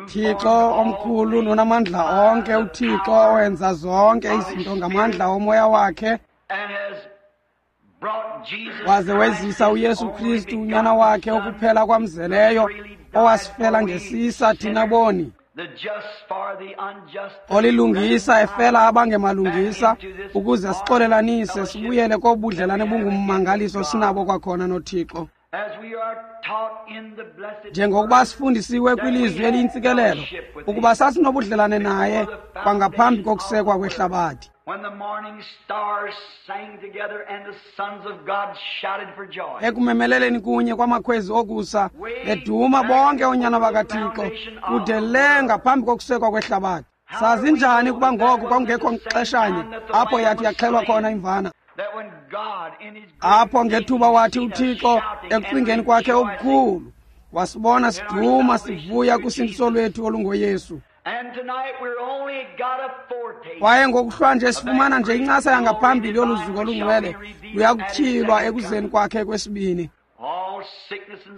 Thixo omkhulu nonamandla onke, uThixo owenza zonke izinto ngamandla omoya wakhe, waze wezisa uYesu Kristu unyana wakhe okuphela kwamzeleyo, owasifela ngesisa thina boni, olilungisa efela abangemalungisa, ukuze sixolelanise sibuyele kobudlelane bungummangaliso sinabo kwakhona noThixo. Njengokuba sifundisiwe kwilizwi eliyintsikelelo ukuba sasinobudlelane naye kwangaphambi kokusekwa kwehlabathi. Ekumemeleleni kunye kwamakhwezi okusa beduma bonke oonyana bakaThixo kude le ngaphambi kokusekwa kwehlabathi. Sazi njani ukuba ngoko kwakungekho xeshanye apho yathi yaxhelwa khona imvana? Apho ngethuba wathi uThixo ekucingeni kwakhe okukhulu wasibona siduma sivuya kusindiso lwethu olungoYesu. Kwaye ngokuhlwa nje sifumana nje incasa yangaphambili yolu zuko olungcwele luyakutyhilwa ekuzeni kwakhe kwesibini.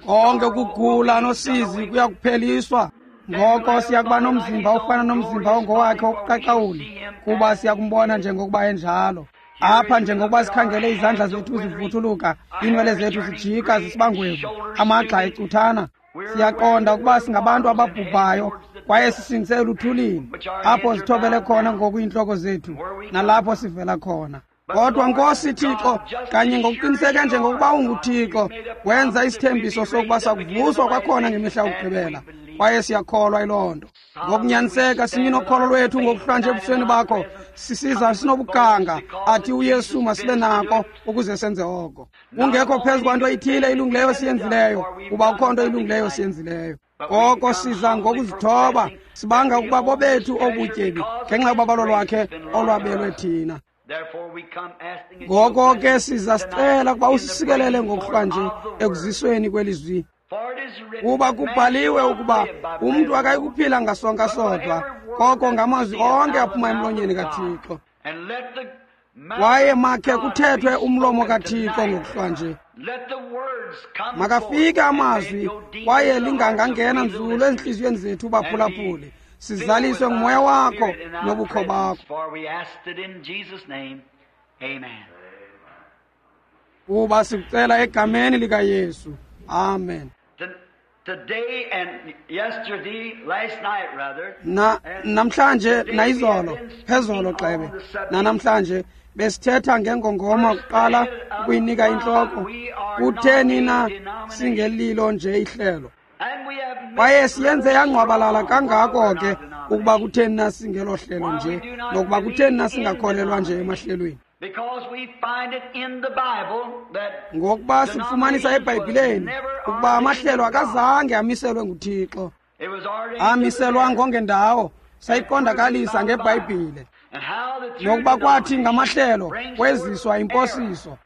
Konke ukugula nosizi kuyakupheliswa. Ngoko siyakuba nomzimba ofana nomzimba ongowakhe wokuqaqawuli, kuba siyakumbona njengokuba enjalo. Apha njengokuba sikhangele izandla zethu zivuthuluka, iinwele zethu zijika zisibangwevu, amagxa ecuthana, siyaqonda ukuba singabantu ababhubhayo kwaye sisingise eluthulini, apho zithobele khona ngoku iintloko zethu nalapho sivela khona. Kodwa Nkosi Thixo, kanye ngokuqiniseke njengokuba unguThixo, wenza isithembiso sokuba sakuvuswa kwakhona ngemihla yokugqibela, kwaye siyakholwa yiloo nto. Ngokunyaniseka simi nokholo lwethu ngokuhlwa nje ebusweni bakho, sisiza sinobuganga athi uYesu masibe nako ukuze senze oko. Kungekho phezu kwanto ithile ilungileyo siyenzileyo, kuba ukho nto ilungileyo siyenzileyo. Koko siza ngokuzithoba, sibanga ukuba bobethu obutyebi ngenxa yobabalo lwakhe olwabelwe thina. Ngoko ke siza sicela ukuba usisikelele ngokuhlwa nje ekuzisweni kwelizwi, kuba kubhaliwe ukuba umntu akayikuphila ngasonka sodwa, koko ngamazwi onke aphuma emlonyeni kaThixo. Kwaye makhe kuthethwe umlomo kaThixo ngokuhlwa nje. Makafike amazwi, kwaye lingangangena nzulu ezintliziyweni zethu baphulaphuli, sizaliswe ngumoya wakho nobukho bakho. Kuba sikucela egameni likaYesu. Amen. Na namhlanje nayizolo, phezolo xebe, nanamhlanje besithetha ngengongoma kuqala ukuyinika intloko. Kutheni na singelilo nje ihlelo? Kwaye siyenze yangqwabalala kangako ke ukuba kutheni na singelo hlelo nje, nokuba kutheni na singakholelwa nje emahlelweni. Ngokuba sifumanisa eBhayibhileni ukuba amahlelo akazange amiselwe nguThixo, amiselwa ngongendawo. Sayiqondakalisa ngeBhayibhile nokuba kwathi ngamahlelo kweziswa imposiso.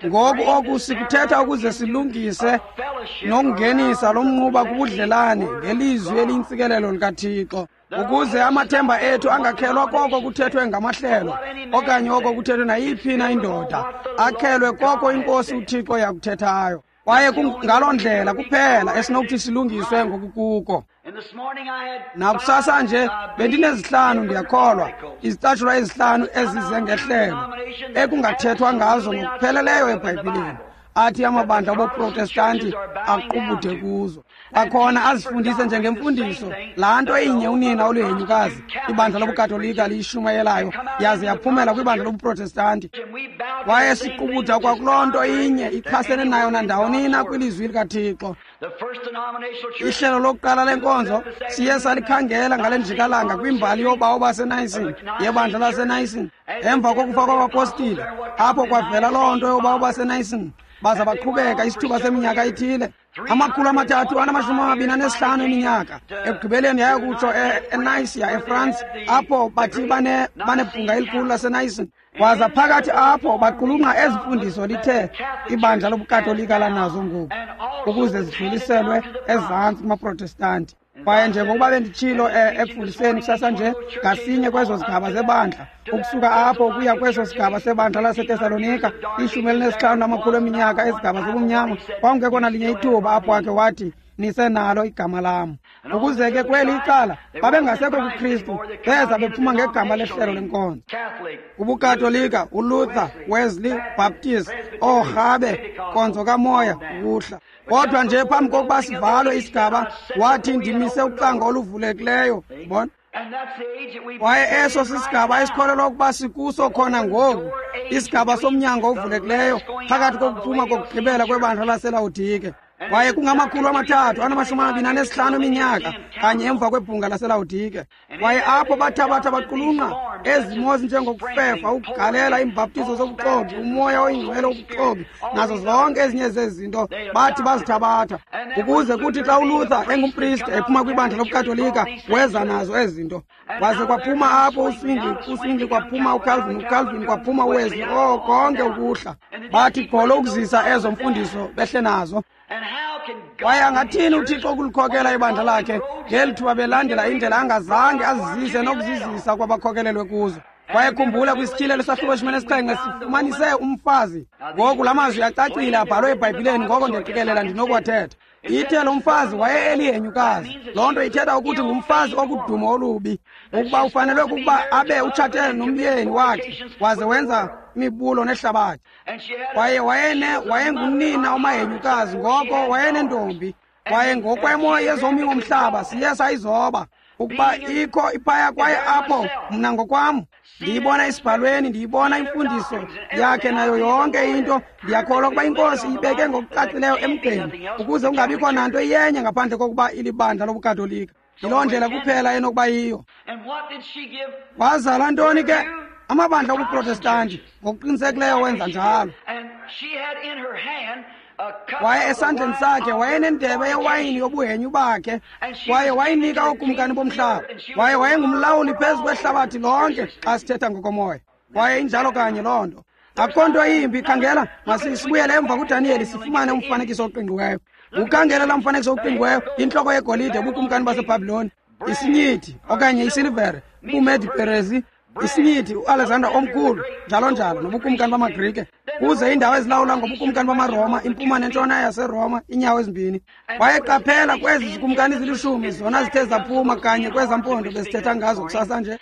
Ngoku oku sikuthetha ukuze silungise nokungenisa lo mnquba kubudlelane ngelizwi eliyintsikelelo likaThixo, ukuze amathemba ethu angakhelwa koko kuthethwe ngamahlelo okanye oko kuthethwe nayiphi na indoda, akhelwe koko iNkosi uThixo yakuthethayo. Kwaye ngaloo ndlela kuphela esinokuthi silungiswe ngokukuko. Nakusasa nje bendinezihlanu, ndiyakholwa, izicatshulwa ezihlanu ezize ngehlelo ekungathethwa ngazo ngokupheleleyo eBhayibhileni, athi amabandla obuprotestanti aqubude kuzo. Kwakhona azifundise njengemfundiso laa nto inye unina oluhenyukazi ibandla lobuKatolika liyishumayelayo, yaze yaphumela kwibandla lobuprotestanti. Kwaye siqubuda kwakuloo nto inye ichasene nayo nandawonina kwilizwi likaThixo. Ihlelo lokuqala lenkonzo siye salikhangela ngale njikalanga kwimbali yobawo baseNayisini, yebandla laseNayisini, emva kokufa kwabapostile, apho kwavela loo nto yobawo baseNayisini, baza baqhubeka isithuba seminyaka ithile, 325 eminyaka. Ekugqibeleni yaya kutsho eNayisia eFrance, apho bathi banebhunga elikhulu laseNayisini. Waza phakathi apho baqulunqa ezi mfundiso lithe ibandla lobuKatolika lanazo ngoku, ukuze zidluliselwe ezantsi kumaProtestanti. Kwaye njengokuba benditshilo ekufundiseni kusasa nje, ngasinye kwezo zigaba zebandla, ukusuka apho ukuya kweso sigaba sebandla laseTesalonika, 15 eminyaka ezigaba zobumnyama, kwakungekho nalinye ithuba apho wakhe wathi, nisenalo igama lam. Ukuze ke kweli icala babengasekho kuKristu, beza bephuma ngegama lehlelo lenkonzo. UbuKatolika, uLuther, Wesley, Baptist, oorhabe, nkonzo kamoya, ukuhla. Kodwa nje phambi kokuba sivalwe isigaba, wathi ndimise ucango oluvulekileyo, bona. Kwaye eso sisigaba esikholelwa ukuba sikuso khona ngoku, isigaba somnyango ovulekileyo phakathi kokuphuma kokugqibela kwebandla laseLawodike. Kwaye kungama-325 eminyaka kanye emva kwebhunga laseLawodike. Kwaye apho bathabatha baqulunqa ezimo ezinjengokufefa, ukugalela, iimbhaptizo zobuxoki, umoya oyingcwele wobuxoki, nazo zonke ezinye zezi zinto bathi bazithabatha, ukuze kuthi xa uLuther engumpriste ephuma kwibandla lobuKatolika, weza nazo ezi zinto. Waze kwaphuma apho uSwingle kwaphuma uCalvin, uCalvin kwaphuma uWesley, konke ukuhla. Bathi gqolo ukuzisa ezo mfundiso behle nazo. Kwaye angathini uThixo ukulikhokela ibandla lakhe ngeli thuba belandela indlela angazange azizise nokuzizisa kwabakhokelelwe kuzo. Kwaye khumbula kwisityhilelo sahluko 17 sifumanise umfazi. Ngoku la mazwi acacile abhalwe eBhayibhileni, ngoko ndiyaqikelela ndinokuwathetha. Ithe lo mfazi waye elihenyukazi. Loo nto ithetha ukuthi ngumfazi okudumo olubi, ukuba ufanelwe kukuba abe utshate nomyeni wakhe waze wenza imibulo nehlabathi. Kwaye wayengunina omahenyukazi, ngoko wayenentombi. Kwaye ngokwemo yezomi womhlaba siye sayizoba ukuba ikho iphaya. Kwaye apho mna ngokwam ndiyibona esibhalweni, ndiyibona imfundiso yakhe nayo yonke into. Ndiyakholwa ukuba iNkosi ibeke ngokucacileyo emgqeni ukuze kungabikho nanto iyenye ngaphandle kokuba ilibandla lobuKatolika. Yiloo ndlela kuphela enokuba yiyo. Wazala ntoni ke? Amabandla obuProtestanti ngokuqinisekileyo wenza njalo. Kwaye esandleni sakhe wayenendebe yewayini yobuhenyu bakhe, kwaye wayinika ookumkani bomhlaba. Kwaye wayengumlawuli phezu kwehlabathi lonke xa sithetha ngokomoya. Kwaye injalo kanye loo nto. Akukho nto yimbi. Khangela, masibuyele emva kuDaniyeli sifumane umfanekiso oqingqiweyo. Ukhangele laa mfanekiso oqingqiweyo, intloko yegolide, ubukumkani baseBhabhiloni, isinyithi okanye isilivere, ubuMedi Perezi, isinyithi, uAlexander omkhulu, njalo njalo, nobukumkani bamaGrike, kuze iindawo ezilawula ngobukumkani bamaRoma, impuma nentshona yaseRoma, iinyawo ezimbini. Kwaye qaphela kwezi zikumkani zilishumi, zona zithe zaphuma kanye kwezaa mpondo bezithetha ngazo kusasa nje.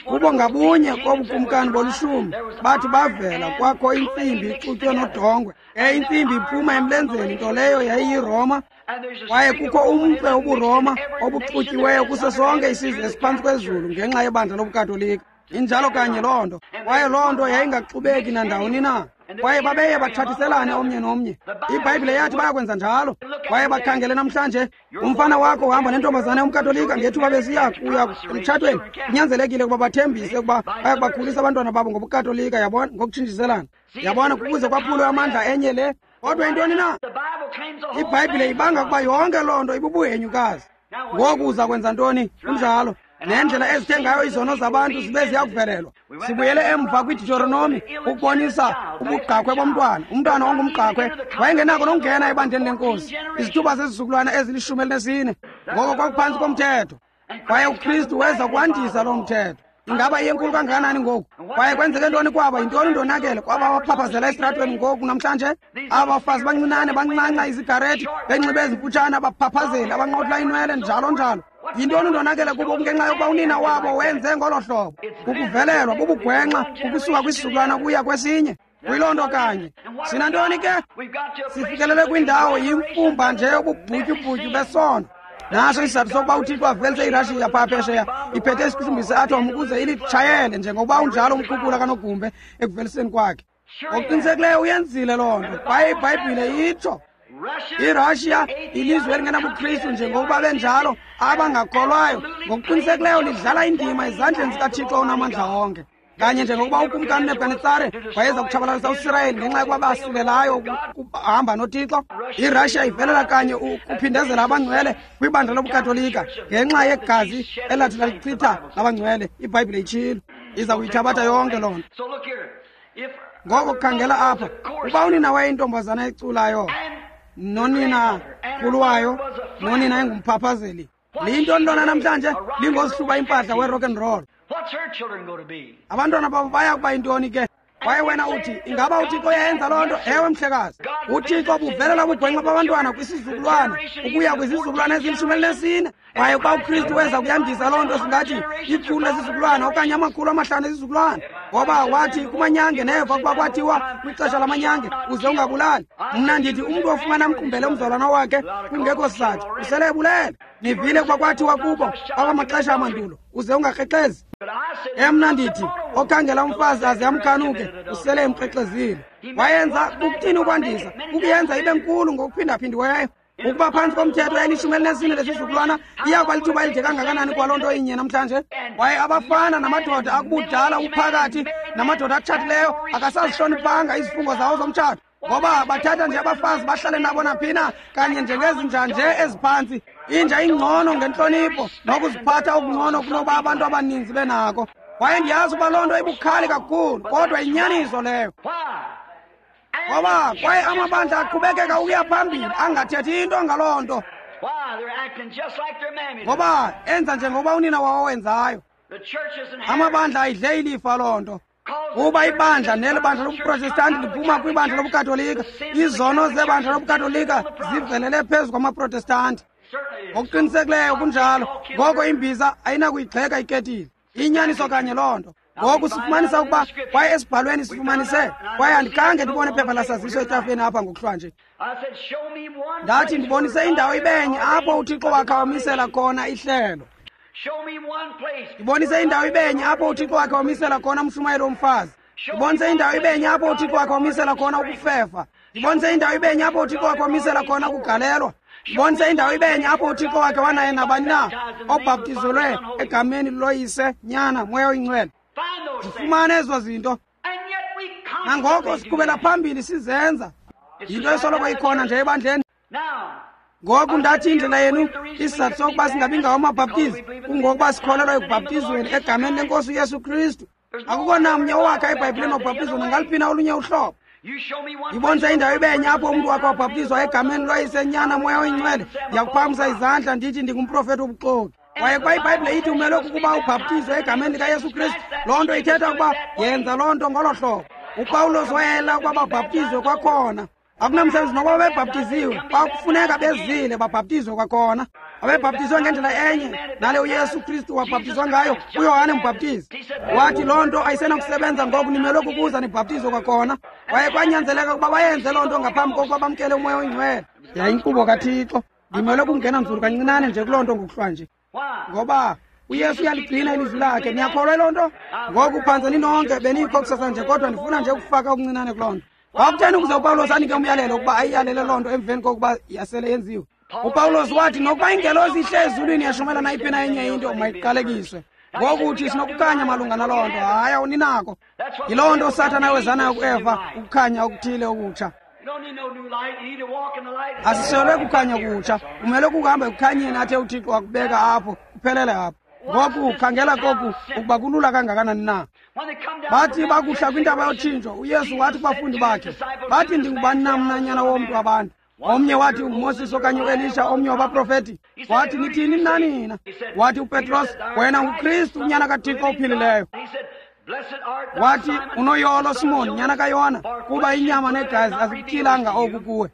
Kubo ngabunye kobukumkani bolishumi bathi bavela kwakho intsimbi ixutywe nodongwe. Ke intsimbi iphuma emlenzeni, nto leyo yayiyiRoma. Kwaye kukho umntwe wobuRoma obuxutyiweyo kuso sonke isizwe esiphantsi kwezulu ngenxa yebandla lobuKatolika. Injalo kanye loo nto. Kwaye loo nto yayingaxubeki nandawoni na. Kwaye babeye batshatiselane omnye nomnye. IBhayibhile yathi bayakwenza njalo. Kwaye bakhangele namhlanje, umfana wakho uhamba nentombazana yomKatolika ngethuba besiya kuya emtshatweni. Kunyanzelekile ukuba bathembise ukuba bayakubakhulisa abantwana babo ngobuKatolika, yabona, ngokutshintshiselana. Yabona, kukuze kwaphulwe amandla enye le. Kodwa yintoni na? IBhayibhile ibanga ukuba yonke loo nto ibubuhenyukazi. Ngoku uza kwenza ntoni? Kunjalo. Nendlela ezithe ngayo izono zabantu zibe ziyakuvelelwa. Sibuyele emva kwiDeuteronomi ukubonisa ubugqakhwe bomntwana. Umntwana ongumgqakhwe wayengenako nokungena ebandleni lenkosi izithuba zezizukulwana ezili-14. Ngoko kwakuphantsi komthetho. Kwaye uKristu weza kwandisa loo mthetho. Ingaba iyenkulu kangakanani ngoku? Kwaye kwenzeke ntoni kwaba? Yintoni ndonakele kwaba baphaphazela esitratweni ngoku namhlanje? Aba bafazi bancinane bancanca izigarethi, benxibe ezimfutshane, abaphaphazeli, abanqotla inwele, njalo njalo. Yintoni ndonakele kubo? Kungenxa yokuba unina wabo wenze ngolo hlobo. Kukuvelelwa bubugwenxa ukusuka kwisizukulwana kuya kwesinye. Kuyiloo nto kanye. Sinantoni ke? Sifikelele kwindawo yimfumba nje yobubhutyubhutyu besono. Naso isizathu sokuba uThixo avelise iRashiya phaa phesheya iphethe isiqhushumbisi se-atom ukuze ilitshayele njengokuba unjalo umkhukula kanogumbe ekuveliseni kwakhe. Ngokuqinisekileyo uyenzile loo nto. Kwaye iBhayibhile itsho iRashiya ilizwe elingenabukristu njengokuba benjalo abangakholwayo, ngokuqinisekileyo lidlala indima ezandleni zikaThixo onamandla onke. Kanye njengokuba ukumkani uNebukadnetsare wayeza kutshabalalisa uSirayeli ngenxa yokuba basilelayo ukuhamba noThixo, iRashiya ivelela kanye ukuphindezela abangcwele kwibandla lobuKatolika ngenxa yegazi elathi lalichitha labangcwele. IBhayibhile itshilo, iza kuyithabatha yonke loo nto. Ngoko khangela apha, uba unina wayeyintombazana eculayo, nonina khulu wayo, nonina engumphaphazeli, Liyintoni lona namhlanje? Lingozihluba impahla we-rock and roll. Abantwana babo baya kuba yintoni ke? Kwaye wena uthi, ingaba uThixo uyayenza loo nto? Ewe, mhlekazi. UThixo buvelela ubugwenxa babantwana kwisizukulwana ukuya kwizizukulwana ezili-14. Kwaye ukuba uKristu weza kuyandisa loo nto, singathi 100 lesizukulwana okanye 500 esizukulwana. Ngoba wathi kumanyange neva ukuba kwathiwa kwixesha lamanyange uze ungabulali. Mna ndithi umntu ofumana amqumbele umzalwana wakhe kungekho sizathu usele ebulele. Nivile ukuba kwathiwa kubo akwamaxesha amandulo uze ungakrexezi. Emna ndithi okhangela umfazi aze amkhanuke usele emkrexezile. Wayenza ukuthini ukwandisa? Ukuyenza ibe nkulu ngokuphindaphindiweyo. Ukuba phantsi komthetho yayili-14 lesizukulwana iya kuba lithuba elide kangakanani kwaloo nto inye namhlanje? Kwaye abafana namadoda akubudala uphakathi namadoda atshatileyo akasazihloniphanga izifungo zawo zomtshato, ngoba bathatha nje abafazi bahlale nabo naphina kanye njengezinja nje eziphantsi. Inja ingcono ngentlonipho nokuziphatha okungcono kunoba abantu abaninzi benako. Kwaye ndiyazi uba loo nto ibukhali kakhulu, kodwa inyaniso leyo. Ngoba kwaye amabandla aqhubekeka ukuya phambili angathethi into ngaloo nto, ngoba enza njengoba unina wawo wenzayo. Amabandla ayidle ilifa loo nto. Kuba ibandla neli bandla lobuprotestanti liphuma kwibandla lobuKatolika, izono zebandla lobuKatolika zivelele phezu kwamaprotestanti. Ngokuqinisekileyo kunjalo. Ngoko imbiza ayinakuyigxeka iketile. Inyaniso kanye loo nto. Ngoku sifumanisa ukuba kwaye esibhalweni sifumanise, kwaye andikhange ndibone iphepha lasaziso etafileni apha ngokuhlwa nje. Ndathi ndibonise indawo ibenye apho uThixo wakhe wamisela khona ihlelo. Ndibonise indawo ibenye apho uThixo wakhe wamisela khona umshumayeli womfazi. Ndibonise indawo ibenye apho uThixo wakhe wamisela khona ukufefa. Ndibonise indawo ibenye apho uThixo wakhe wamisela khona ukugalelwa. Ndibonise indawo ibenye apho uThixo wakhe wanaye nabani na obhaptizelwe egameni loYise, Nyana, Moya oyiNgcwele. Zifumane ezo zinto. Nangoko siqhubela phambili sizenza. Yinto esoloko ikhona nje ebandleni. Ngoku ndathi indlela yenu isizathu sokuba singabi ngawo amabhaptizi kungokuba sikholelwa ekubhaptizweni egameni lenkosi uYesu Kristu. Akukho namnye owakha eBhayibhileni wabhaptizwa nangaluphi na olunye uhlobo. Ndibonise indawo ibenye apho umntu wakhe wabhaptizwa egameni loYise, Nyana, Moya oyiNgcwele. Ndiyakuphakamisa izandla ndithi ndingumprofethi wobuxoki. Kwaye xa iBhayibhile ithi umelwe kukuba ubhaptizwe egameni likaYesu Kristu, loo nto ithetha ukuba yenza loo nto ngolo hlobo. uPawulos wayela ukuba babhaptizwe kwakhona. Akunamsebenzi nokuba bebhaptiziwe, kwakufuneka bezile babhaptizwe kwakhona. Abebhaptizwe ngendlela enye nale uYesu Kristu wabhaptizwa ngayo uYohane umbhaptizi. Wathi loo nto ayisenakusebenza ngoku, nimelwe kukuza nibhaptizwe kwakhona. Kwaye kwanyanzeleka ukuba bayenze loo nto ngaphambi kokuba bamkele uMoya oyiNgcwele. Yayinkqubo kaThixo. Ndimelwe kungena nzulu kancinane nje kuloo nto ngokuhlwa nje. Ngoba uYesu uyaligcina ilizwi lakhe. Niyakholwa loo nto? Ngoku phantse ninonke benikho kusasa nje, kodwa ndifuna nje ukufaka okuncinane kuloo nto. Kwakutheni ukuze uPawulos anike umyalelo ukuba ayiyalele loo nto emveni kokuba yasele yenziwe? uPawulos wathi nokuba ingelosi ihle ezulwini yashumela nayiphi na enye into mayiqalekiswe. Ngoku uthi sinokukhanya malunga naloo nto. Hayi, awuninako. Yiloo nto uSathana awezanayo kuEva, ukukhanya okuthile okutsha. Asiselwe kukhanya kutsha. Kumele kuhamba ekukhanyeni athe uThixo wakubeka apho, kuphelele apho. Ngoku khangela koku ukuba kulula kangakanani na. Bathi bakuhla kwintaba yotshintsho, uYesu wathi kubafundi bakhe, bathi ndingubani na mna nyana womntu abantu? Omnye wathi unguMoses okanye uElisha, omnye wabaprofeti. Wathi nithini mna nina? Wathi uPetros, wena nguKristu unyana kaThixo ophilileyo. Wathi unoyolo Simon nyana kaYona, kuba inyama negazi azikutyhilanga oku kuwe.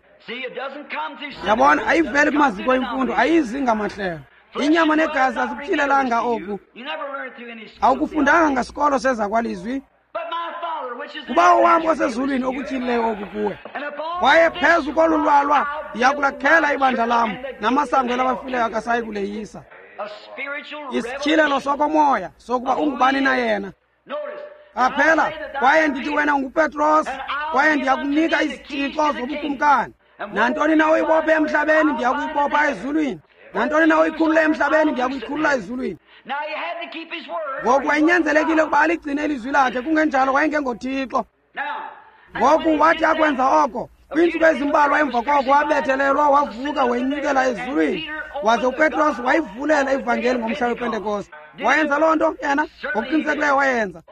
Yabona, ayiveli kumaziko emfundo, ayizi ngamahlelo. Inyama negazi azikutyhilelanga oku. Awukufundanga ngasikolo sezakwalizwi. Kubawo wam osezulwini okutyhilileyo oku kuwe. Kwaye phezu kolu lwalwa ndiyakulakhela ibandla lam, namasango elabafileyo akasayi kuleyisa. Isityhilelo sokomoya sokuba ungubani na yena. Qaphela, kwaye ndithi wena unguPetros, kwaye ndiyakunika izitshixo zobukumkani. Nantoni na uyibophe emhlabeni ndiyakuyibopha ezulwini, nantoni na uyikhulule emhlabeni ndiyakuyikhulula ezulwini. Ngoku wayenyanzelekile ukuba aligcine ilizwi lakhe, kungenjalo wayengengoThixo. Ngoku wathi akwenza oko, kwiintsuku ezimbalwa emva koko wabethelelwa, wavuka, wenyukela ezulwini. Waze uPetros wayivulela ivangeli ngomhla wePentekoste. Wayenza loo nto yena, ngokuqinisekileyo wayenza.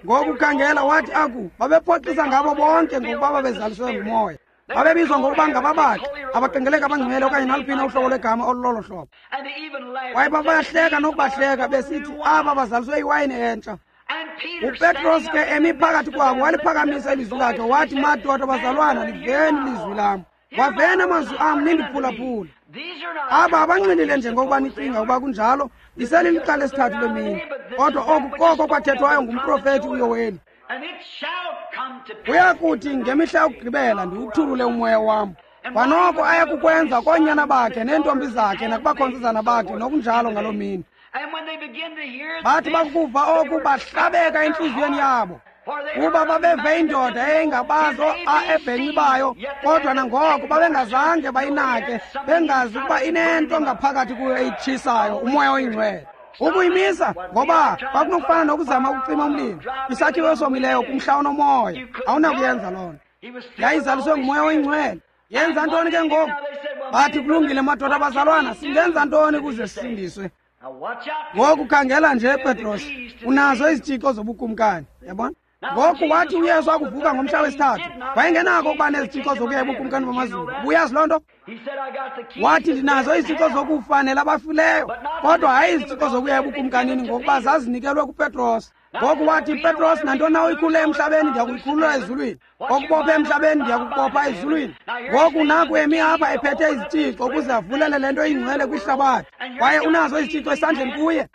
Ngoku khangela, wathi aku babephoxisa ngabo bonke ngokuba babezaliswe nguMoya. Babebizwa ngokuba ngababaxi, abaqengeleka abangcwele okanye naluphi na uhlobo lwegama olulolo hlobo. Kwaye babahleka nokubahleka besithi aba bazaliswe iwayini entsha. UPetros ke emi phakathi kwabo waliphakamisa ilizwi lakhe wathi, madoda bazalwana, liveni ilizwi lam. Waveni amazwi am nindiphulaphule. Aba abanxilile njengokuba nicinga ukuba kunjalo, iselilixa lesithathu lemini. Kodwa oku koko kwathethwayo ngumprofethi uYoweli. Kuya kuthi ngemihla yokugqibela ndiwuthulule umoya wam. Kwanoko aya kukwenza koonyana bakhe neentombi zakhe nakubakhonzizana bakhe nokunjalo ngaloo mini. Bathi bakuva oku bahlabeka entliziyweni yabo, kuba babeve indoda eyayingabazi ebhenci bayo, kodwa nangoko babengazange bayinake, bengazi ukuba inento ngaphakathi kuyo eyitshisayo, umoya oyingcwele. Ukuyimisa ngoba kwakunokufana nokuzama ukucima umlilo isakhiwo esomileyo kumhla onomoya, awunakuyenza loo nto. Yayizaliswe ngumoya oyingcwele. Yenza ntoni ke ngoku? Bathi, kulungile madoda abazalwana, singenza ntoni ukuze sisindiswe? Ngoku khangela nje, Petros, unazo izitshixo zobukumkani, yabona? Ngoku wathi uYesu akuvuka ngomhla wesithathu, wayengenako ukuba nezitshixo zokuya ebukumkani bamazulu. Ubuyazi loo nto? Wathi, ndinazo izitshixo zokufa nelabafileyo, kodwa hayi izitshixo zokuya ebukumkanini, ngokuba zazinikelwe kuPetros. Ngoku wathi, Petros, nantoni na uyikhulule emhlabeni ndiyakuyikhulula ezulwini, okubopha emhlabeni ndiyakubopha ezulwini. Ngoku naku emi apha ephethe izitshixo ukuze avulele le nto ingcwele kwihlabathi, kwaye unazo izitshixo esandleni kuye.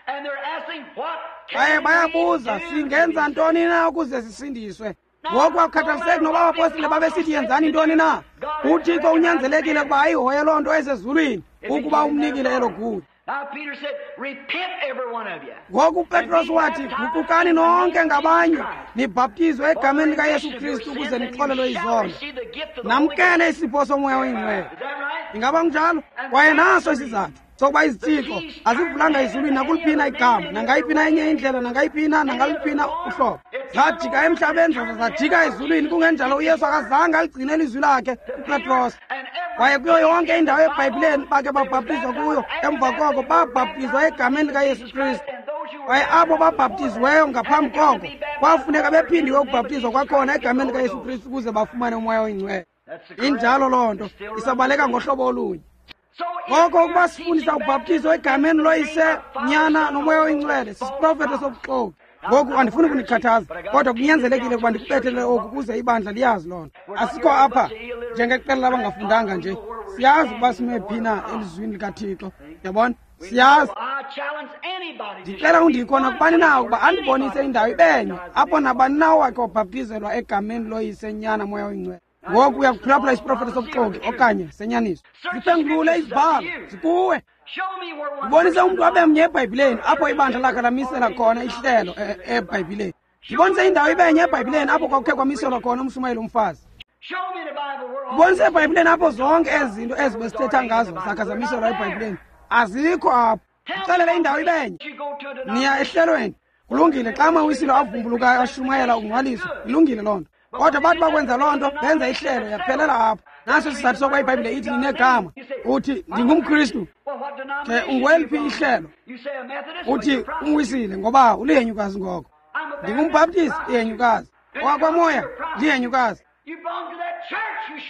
Kwaye bayabuza, singenza ntoni na ukuze sisindiswe? Ngoku akukhathaliseki noba abapostile babesithi yenzani ntoni na, uThixo unyanzelekile ukuba ayihoye loo nto esezulwini ukuba umnikile elo gunya. Ngoku uPetros wathi, guqukani nonke ngabanye, nibhaptizwe egameni likaYesu Kristu ukuze nixolelwe izono, namkele isipho somoya oyingcwele. Ingaba kunjalo? Kwaye naso isizathu sokuba izitshixo azivulanga ezulwini nakuliphina igama, nangayiphi na enye indlela, nangayiphi na, nangaluphi na uhlobo. Zajika emhlabeni zaza zajika ezulwini. Kungenjalo uYesu akazange aligcine ilizwi lakhe kuPetros. Kwaye kuyo yonke indawo eBhayibhileni bake babhaptizwa kuyo emva koko, babhaptizwa egameni likaYesu Kristu. Kwaye abo babhaptiziweyo ngaphambi koko kwafuneka bephindiwe ukubhaptizwa kwakhona egameni likaYesu Kristu ukuze bafumane umoya oyingcwele. Injalo loo nto, isabaleka ngohlobo olunye. Ngoko ukuba sifundisa ubhaptizo egameni loyise, nyana nomoya oyingcwele, sisiprofeto sobuxoki. Ngoku andifuni kunikhathaza, kodwa kunyanzelekile ukuba ndikubethelele oku ukuze ibandla liyazi loo nto. Asikho apha njengeqela labangafundanga nje, siyazi ukuba sime phi na elizwini likaThixo, yabona? Siyazi. Ndicela undikho nakubani na ukuba andibonise indawo ibenye apho nabani na owakhe wabhaptizelwa egameni loyise, nyana, moya oyingcwele. Ngoku uyakuphulaphula isiprofeto sobuxoki okanye senyaniso. Ziphengulule izibhalo, zikuwe. Ndibonise umntu abe mnye eBhayibhileni apho ibandla lakhe lamisela khona ihlelo eBhayibhileni. Ndibonise indawo ibenye eBhayibhileni apho kwakukhe kwamiselwa khona umshumayeli umfazi. Ndibonise eBhayibhileni apho zonke ezi zinto ezi besithetha ngazo zakhe zamiselwa eBhayibhileni. Azikho apho. Ndixelele indawo ibenye. Niya ehlelweni. Kulungile, xa amawisile avumbulukayo ashumayela ukungcwaliswa, ilungile loo nto. Kodwa bathi bakwenza loo nto, benza ihlelo, yaphelela apho. Naso isizathu sokuba iBhayibhile ithi ninegama. Uthi, ndingumKristu. Ke ungweliphi ihlelo? Uthi umwisile, ngoba ulihenyukazi ngoko. Ndingumbhaptizi, ihenyukazi. Owakwamoya, lihenyukazi.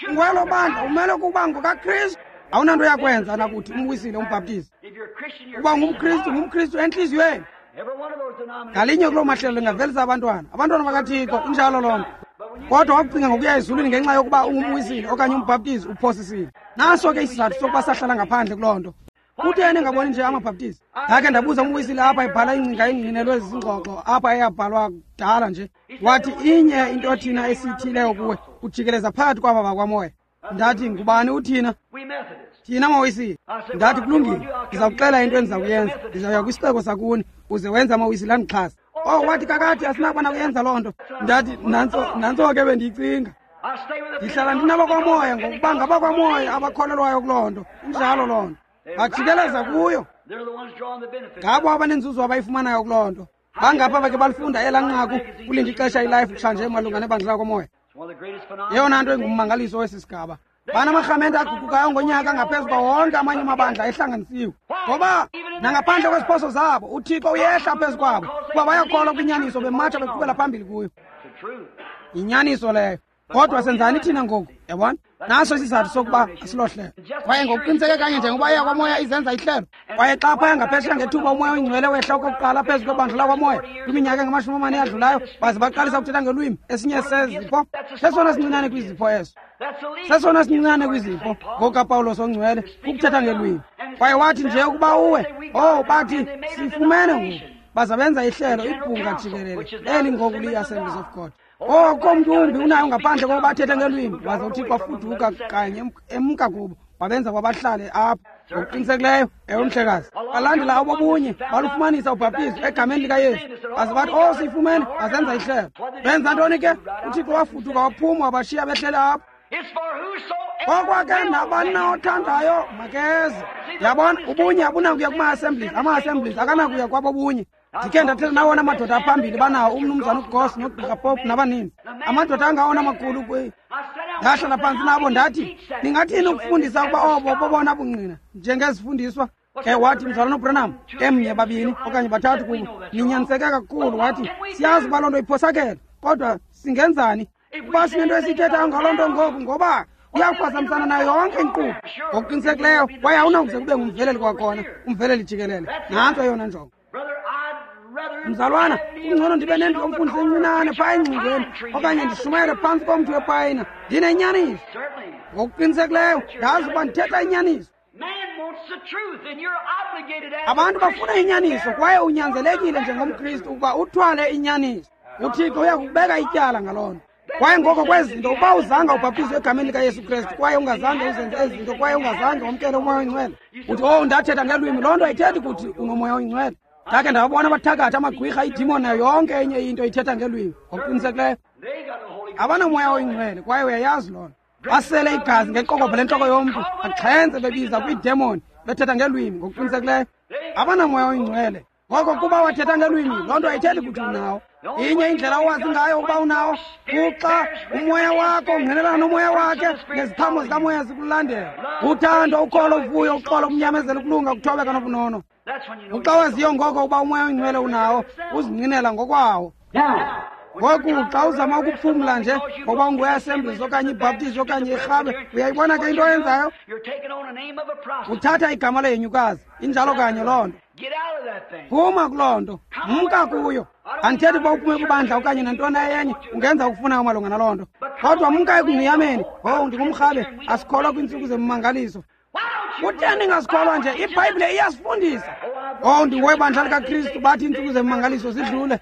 Ungwelo bandla, umele ukuba ngokaKristu. Awunanto yakwenza nakuthi umwisile, umbhaptizi. Uba ngumKristu, ngumKristu entliziyweni. Ngalinye kuloo mahlelo lingavelisa abantwana, abantwana bakaThixo, injalo loo nto. Kodwa wakucinga ngokuya ezulwini ngenxa yokuba ungumwisile okanye umbhaptizi, uphosisile. Naso ke isizathu sokuba sahlala ngaphandle kuloo nto. Kutheni engaboni nje amabhaptizi? Ndakhe ndabuza umwisile apha ebhala ingcinga engqinelwe zingxoxo apha eyabhalwa kudala nje. Wathi, inye into thina esiyithileyo kuwe, ujikeleza phakathi kwaba bakwamoya. Ndathi, ngubani uthina? Thina mawisile. Ndathi, kulungile, ndiza kuxela into endiza kuyenza. Ndizawuya kwisixeko sakuni uze wenze amawisile andixhase. Oh, wathi, kakade asinakuba nakuyenza loo nto. Ndathi, nantso, nantso ke bendiyicinga. Ndihlala ndinabakwamoya ngokuba ngabakwamoya abakholelwayo kuloo nto. Injalo loo nto. Bajikeleza kuyo. Ngabo abanenzuzo abayifumanayo kuloo nto. Bangapha bake balifunda elaa nqaku kulinda ixesha iLife kutshanje malunga nebandla lakwamoya. Yeyona nto engummangaliso wesi sigaba. Banamarhamente aguqukayo ngonyaka ngaphezu kwa wonke amanye amabandla ehlanganisiwe. Ngoba nangaphandle kweziphoso zabo, uThixo uyehla phezu kwabo, kuba bayakholwa kwinyaniso, bematsha beqhubela phambili kuyo. Yinyaniso leyo. Kodwa senzani thina ngoku? Yabona? Naso isizathu sokuba asilohlelo. Kwaye ngokuqiniseke kanye njengoba eyakwaMoya izenza ihlelo. Kwaye xa phaya ngaphesheya ngethuba uMoya oyiNgcwele wehla okokuqala phezu kwebandla lakwaMoya kwiminyaka engama-40 eyadlulayo, baze baqalisa ukuthetha ngelwimi, esinye sezipho, sesona sincinane kwizipho eso. Sesona sincinane kwizipho ngokukaPawulos ongcwele, ukuthetha ngelwimi. Kwaye wathi nje ukuba uwe, oh, bathi sifumene ngoku. Baza benza ihlelo, ibhunga jikelele, eli ngoku liyi-Assemblies of God. Oh, komntu umbi unayo ngaphandle kokuba athethe ngelwimi. Waze uThixo wafuduka kanye emka kubo, wabenza kwabahlale apho. Ngokuqinisekileyo, ewe mhlekazi. Balandela obobunye, balufumanisa ubhaptizo egameni likaYesu. Baze bathi, oh, siyifumene, bazenza ihlelo. Benza ntoni ke? UThixo wafuduka waphuma wabashiya behlele apho. Okwake nabani na othandayo makeze. Yabona, ubunye abunakuya kuma-assemblies, ama-assemblies akanakuya kwabobunye. Ndikhe ndathetha nawona madoda aphambili banawo, umnumzana uGoss noGqirha Pope nabaninzi. Amadoda angawona makhulu kwi. Ndahlala phantsi nabo ndathi, ningathini ukufundisa ukuba obo bobona bungqina njengezifundiswa? Ke wathi, mzalwana uBranham, emnye, babini okanye bathathu kubo, ninyaniseke kakhulu. Wathi, siyazi uba loo nto iphosakele, kodwa singenzani? Kuba sinento esiyithethayo ngaloo nto ngoku, ngoba iyakuphazamisana nayo yonke inkqubo. Ngokuqinisekileyo, kwaye awunakuze kube ngumveleli kwakhona, umveleli jikelele. Nantso eyona njongo. Mzalwana, kungcono ndibe nendlu yomfundisi encinane phaa engcingweni, okanye ndishumayele phantsi komthi wepayina, ndinenyaniso. Ngokuqinisekileyo, ndazi uba ndithetha inyaniso. Abantu bafuna inyaniso, kwaye unyanzelekile njengomKristu ukuba uthwale inyaniso. UThixo uyakubeka ityala ngaloo nto. Kwaye ngoko kwezi zinto, ukuba uzanga ubhaptizwe egameni likaYesu Kristu, kwaye ungazange uzenze ezi zinto, kwaye ungazange wamkele uMoya oyiNgcwele, uthi, oh, ndathetha ngelwimi, loo nto ayithethi kuthi unoMoya oyiNgcwele. Ndakhe ndawabona abathakathi, amagqwirha, iidimoni nayo yonke enye into ithetha ngelwimi. Ngokuqinisekileyo abanamoya oyingcwele, kwaye uyayazi loo nto. Basele igazi ngeqokobhe lentloko yomntu, baxhentse bebiza kwiidemoni, bethetha ngelwimi. Ngokuqinisekileyo abanamoya oyingcwele. Ngoko kuba wathetha ngelwimi, loo nto ayithethi kuthi unawo. Inye indlela owazi ngayo ukuba unawo, kuxa umoya wakho ungqinelana nomoya wakhe, neziqhamo zikamoya zikulandela. Uthando, ukholo, uvuyo, uxolo, ukunyamezela, ukulunga, ukuthobeka nobunono. Uxa waziyo ngoko ukuba uMoya oyiNgcwele unawo, uzinqinela ngokwawo. Ngoku xa uzama ukuphumla nje ngoba unguwe-Assemblies okanye iBaptist okanye irhabe, uyayibona ke into oyenzayo? Uthatha igama lehenyukazi. Injalo kanye loo nto. Phuma kuloo nto, mka kuyo. Andithethi uba uphume kwibandla okanye nantoni enye, ungenza okufunayo malunga naloo nto. Kodwa mka ekungqiyameni. Oh, ndingumrhabe, asikholwa kwiintsuku zemimangaliso. Kutheni ningasikholwa nje? IBhayibhile iyasifundisa. Oh, ndingowebandla likaKristu, bathi iintsuku zemimangaliso zidlule.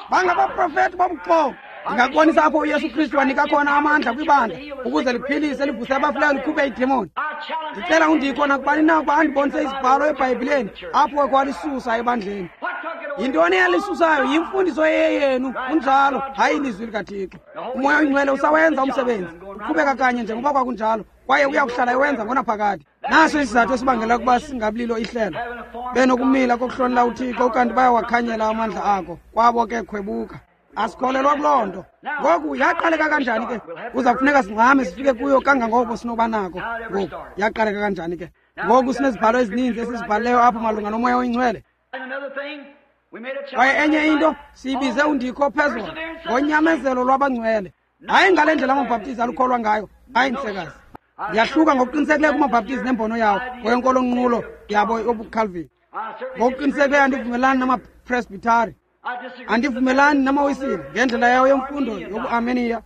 Bangabaprofeti bobuxoki. Ndingakubonisa apho uYesu Kristu wanika khona amandla kwibandla ukuze liphilise, livuse abafileyo, likhuphe iidemoni. Ndicela undikho nakubani na ukuba andibonise izibhalo eBhayibhileni apho kwalisusa ebandleni. Yintoni eyalisusayo? Yimfundiso eyeyenu. Kunjalo, hayi ilizwi likaThixo. UMoya oyiNgcwele usawenza umsebenzi, uqhubeka kanye njengoba kwakunjalo, kwaye uya kuhlala ewenza ngonaphakade. Naso isizathu esibangela ukuba singabililo ihlelo, benokumila kokuhlonela uThixo, ukanti bayawakhanyela amandla ako. Kwabo ke khwebuka. Asikholelwa kuloo nto. Ngoku yaqaleka kanjani ke? Kuza kufuneka singxame sifike kuyo kangangoko sinoba nako. Ngoku yaqaleka kanjani ke? Ngoku sinezibhalo ezininzi esizibhalileyo apho malunga noMoya oyiNgcwele. Kwaye enye into siyibize undikho phezulu ngonyamezelo lwabangcwele. Hayi ngale ndlela amabhaptizi alukholwa ngayo. Hayi mhlekazi. Ndiyahluka ngokuqinisekileyo kumabhaptizi nembono yawo ngokwenkolo nqulo yabo yobuCalvin. Ngokuqinisekileyo andivumelani namapresbytari. Andivumelani namawisile ngendlela yawo yemfundo yobuArmenia.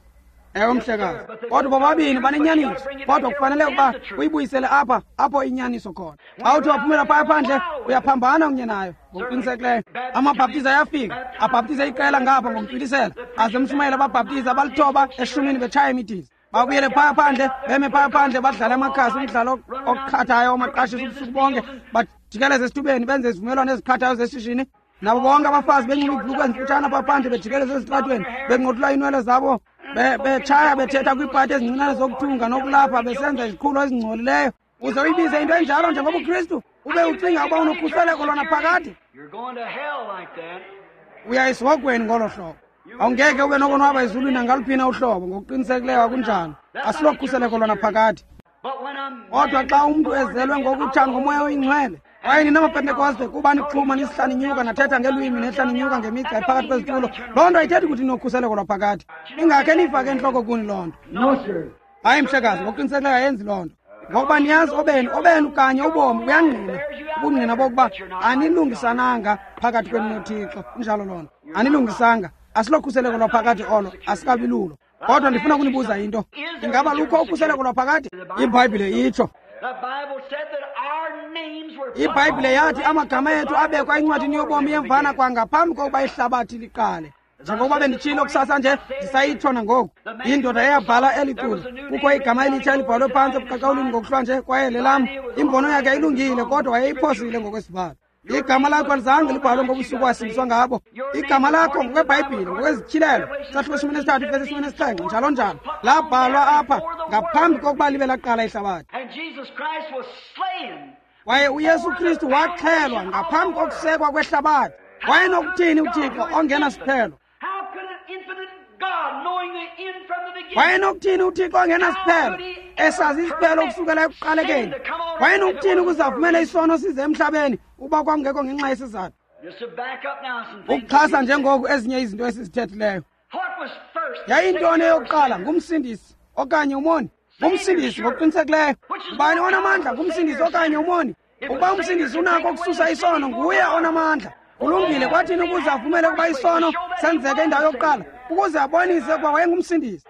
Ewe mhlekazi. Kodwa bobabini banenyaniso. Kodwa kufanele ukuba uyibuyisele apha apho inyaniso khona. Xa uthi waphumela phaya phandle, uyaphambana kunye nayo ngokuqinisekileyo. Amabhaptizi ayafika, abhaptize iqela ngapha ngokuntwilisela, aze emshumayela ababhaptizi abalithoba eshumini betshaya imidiza. Babuyele phaya phandle, beme phaya phandle, badlale amakhasi, umdlalo oqhathayo omaqashisa ubusuku bonke, bajikeleze esithubeni, benze izivumelwano eziqhathayo zeshishini. Nabo bonke abafazi benxiba iibhulukhwe ezimfutshane apha phandle, bejikeleze ezitratweni, benqothula iinwele zabo, betshaya, bethetha kwiipati ezincinane zokuthunga nokulapha, besenza iziqhulo ezingcolileyo. Uze uyibize into enjalo njengobuKristu, ube ucinga ukuba unokhuseleko lona phakade? Uya esihogweni ngolo hlobo. Awungeke ube nokonwaba ezulwini nangaluphi na uhlobo. Ngokuqinisekileyo akunjalo. Asilokhuseleko lona phakade. Kodwa xa umntu ezelwe ngokutsha ngoMoya oyiNgcwele, Kwaye nina maPentekoste, kuba nixhuma nisihla ninyuka nathetha ngelwimi nehla ninyuka ngemigca phakathi kwezitulo, loo nto ayithethi ukuthi nokhuseleko lwaphakade. Ingakhe niyifake entloko kuni loo nto. Hayi mhlekazi, ngokuqinisekileyo ayenzi loo nto. Ngokuba niyazi obenu kanye ubomi buyangqina, ubungqina bokuba anilungisananga phakathi kwenu noThixo. Injalo loo nto, anilungisanga. Asilokhuseleko lwaphakade olo, asikabi lulo. Kodwa ndifuna ukunibuza into. Ingaba lukho ukhuseleko lwaphakade? IBhayibhile itsho. IBhayibhile yathi amagama ethu abekwa encwadini yobomi yemvana kwangaphambi kokuba ihlabathi liqale. Njengokuba benditshilo kusasa nje, ndisayitsho nangoku. Indoda eyabhala eli culo, kukho igama elitsha elibhalwe phantsi ebuqaqawulini ngokuhlwa nje, kwaye lelam. Imbono yakhe ilungile, kodwa wayeyiphosile ngokwesibhalo. Igama lakho alizange libhalwe ngobusuku wasindiswa ngabo. Igama lakho ngokweBhayibhile, ngokwezityhilelo, isahluko 13 vesi 17, njalo njalo, labhalwa apha ngaphambi kokuba libe laqala ihlabathi. Kwaye uYesu Kristu waxhelwa ngaphambi kokusekwa kwehlabathi. Wayenokuthini uThixo ongenasiphelo? Wayenokuthini uThixo ongenasiphelo, esazi isiphelo ukusukela ekuqalekeni? Wayenokuthini ukuze avumele isono size emhlabeni ukuba kwakungekho ngenxa yesizathu? Ukuxhasa njengoku ezinye izinto esizithethileyo. Yayintoni eyokuqala, ngumsindisi okanye umoni? Ngumsindisi ngokuqinisekileyo. Ngubani onamandla, ngumsindisi okanye umoni? Ukuba umsindisi unako ukususa isono, nguye onamandla. Kulungile, kwathini ukuze avumele ukuba isono senzeke indawo yokuqala? Ukuze abonise ukuba wayengumsindisi.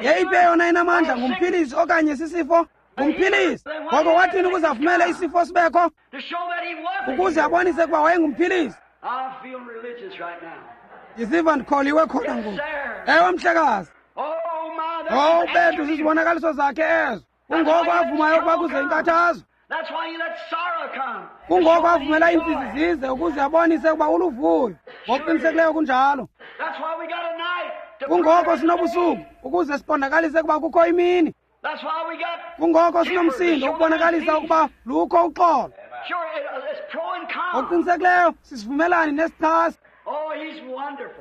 Yeyiphi eyona inamandla, ngumphilisi okanye sisifo? Ngumphilisi. Ngoko wathini ukuze avumele isifo sibekho? Ukuze abonise ukuba wayengumphilisi. Ndiziva ndikholiwe khona ngoku. Ewe mhlekazi. Oh, bethu zizibonakaliso zakhe ezo. Kungoko avumayo ukuba kuze inkathazo. Kungoko avumela iintsizi zize ukuze abonise ukuba uluvuyo. Ngokuqinisekileyo kunjalo. Kungoko sinobusuku ukuze siqondakalise ukuba kukho imini. Kungoko sinomsindo ukubonakalisa ukuba lukho uxolo. Ngokuqinisekileyo sisivumelani nesichasi.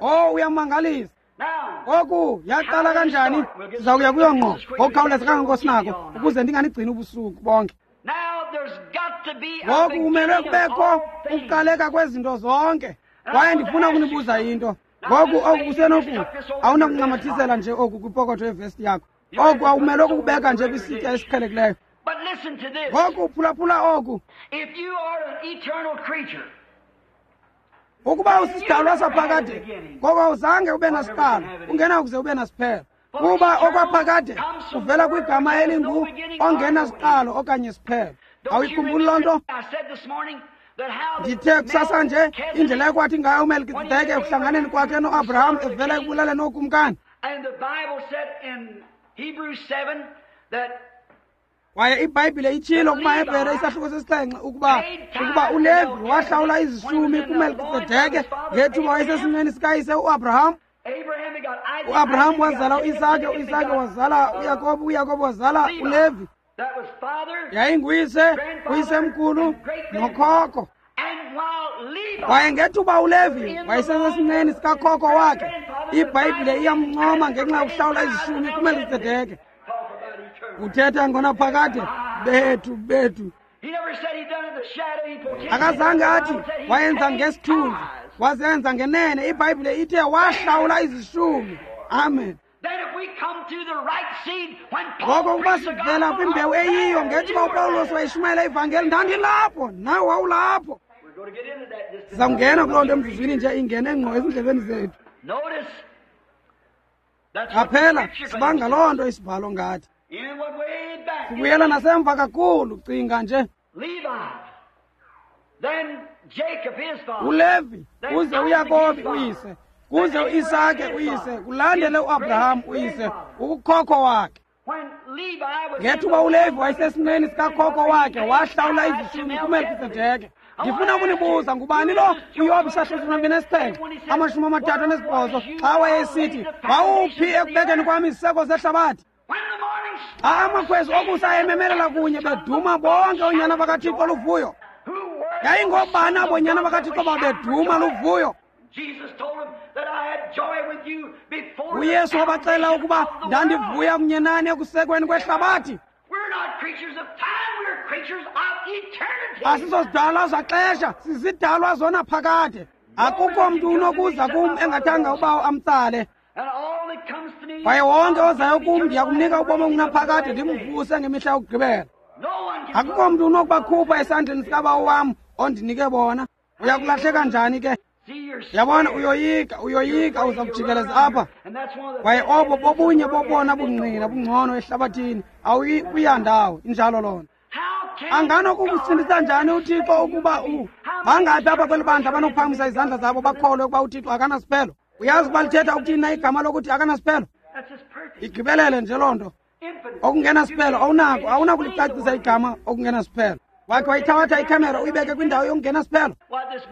Oh, uyamangalisa. Ngoku yaqala kanjani? Siza kuya kuyo ngqo ngokukhawuleza kangangoko sinako ukuze ndinganigcini ubusuku bonke. Ngoku kumele kubekho ukuqaleka kwezinto zonke. Kwaye ndifuna ukunibuza into. Ngoku oku kusenoku awunakuncamathisela nje oku kwipokotho yevesti yakho. Oku awumelwe kukubeka nje kwisitya esiqhelekileyo. Ngoku phulaphula oku. Ukuba usisidalwa saphakade, ngoko awuzange ube nasiqalo, ungenakuze ube nasiphelo. Kuba okwaphakade kuvela kwigama elingu ongenasiqalo okanye siphelo. Awuyikhumbuli loo nto? Ndithe kusasa nje indlela ekwathi ngayo uMelkizedeke ekuhlanganeni kwakhe noAbraham evela ekubulaleni ookumkani. Kwaye iBhayibhile itshilo kumaHebhere isahluko 7 ukuba uLevi wahlawula izishumi kuMelkizedeke ngethuba wayesesimeni sikayise uAbraham. uAbraham wazala uIsake, uIsake wazala uYakobi, uYakobi wazala uLevi. Yayinguyise, uyisemkhulu nokhokho. Kwaye ngethuba uLevi wayesesesinqeni sikakhokho wakhe, iBhayibhile iyamncoma ngenxa yokuhlawula izishumi kuMelkizedeke. Uthetha ngonaphakade bethu. Akazange athi wayenza ngesithunzi, wazenza ngenene. IBhayibhile ithe wahlawula izishumi. Amen. Ngoko ukuba sivela kwimbewu eyiyo, ngethuba uPawulos wayishumayela ivangeli, ndandilapho, nawe wawulapho. Sizawungena kuloo nto emzuzwini nje, ingene ngqo ezindlebeni zethu. Qaphela, sibanga loo nto isibhalo ngathi. Sibuyela nasemva kakhulu, cinga nje. uLevi uze uYakobi uyise, kuze uIsake uyise, kulandele uAbraham uyise, ukukhokho wakhe. Ngethuba uLevi wayesesinqeni sikakhokho wakhe, wahlawula izishumi kuMelkizedeke. Ndifuna ukunibuza, ngubani lo uYobi isahluko 27 38 xa wayesithi, wawuphi ekubekeni kwam iziseko zehlabathi? Xa amakhwezi okusa ememelela kunye beduma bonke oonyana bakaThixo luvuyo. Yayingobani abo nyana bakaThixo babeduma luvuyo? uYesu wabaxelela ukuba ndandivuya kunye nani ekusekweni kwehlabathi. Asizozidalwa zaxesha, sizidalwa zona phakade. Akukho mntu unokuza kum engathanga ubawo amtsale. Kwaye wonke ozayo kum ndiyakumnika ubomi obungunaphakade, ndimvuse ngemihla yokugqibela. Akukho mntu unokubakhupha esandleni sikabawo wam ondinike bona. Uyakulahleka njani ke? Yabona, uyoyika, uyoyika, uza kujikeleza apha. Kwaye obo bobunye bobona bungqina bungcono ehlabathini, awuyi kuyandawo, injalo loo nto. Anganokukusindisa njani uThixo ukuba bangaphi apha kweli bandla abanokuphakamisa izandla zabo bakholwe ukuba uThixo akanasiphelo? Uyazi ukuba lithetha ukuthini na igama lokuthi akanasiphelo? Igqibelele nje loo nto. Okungenasiphelo awunako, awunakulicacisa igama okungenasiphelo. Wakhe wayithabatha ikhamera uyibeke kwindawo yokungenasiphelo,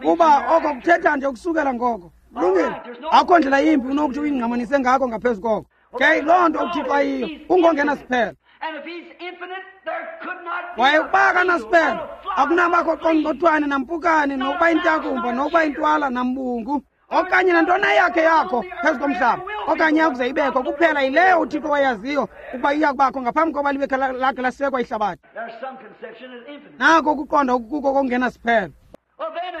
kuba oko kuthetha nje ukusukela ngoko. Kulungile, akukho ndlela yimbi unokuthi uyingqamanise ngako ngaphezu koko. Ke loo nto uThixo ayiyo, ungongenasiphelo. Kwaye ukuba akanasiphelo, akunabakho qongqothwane nampukane, nokuba intakumba, nokuba intwala nambungu, okanye nantoni eyakhe yakho phezu komhlaba, okanye yakuze ibekho. Kuphela yileyo uThixo wayaziyo ukuba iya kubakho ngaphambi koba libe lakhe lasekwa ihlabathi. Nako ukuqonda okukuko kokungenasiphelo.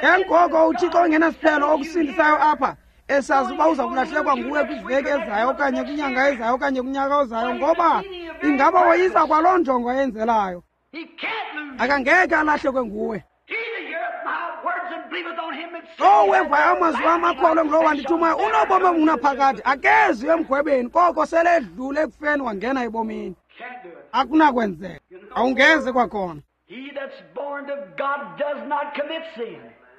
Ke ngoko uThixo ongenasiphelo okusindisayo apha, esazi uba uza kulahlekwa nguwe kwiveki ezayo okanye kwinyanga ezayo okanye kunyaka ozayo, ngoba ingaba woyisa kwaloo njongo ayenzelayo. Akangeke alahlekwe nguwe. Lowo wevayo amazwi wam akholwe ngulowo wandithumayo unobomi obungunaphakade, akezi emgwebeni, koko sele edlule ekufeni wangena ebomini. Akunakwenzeka, awungeze kwakhona.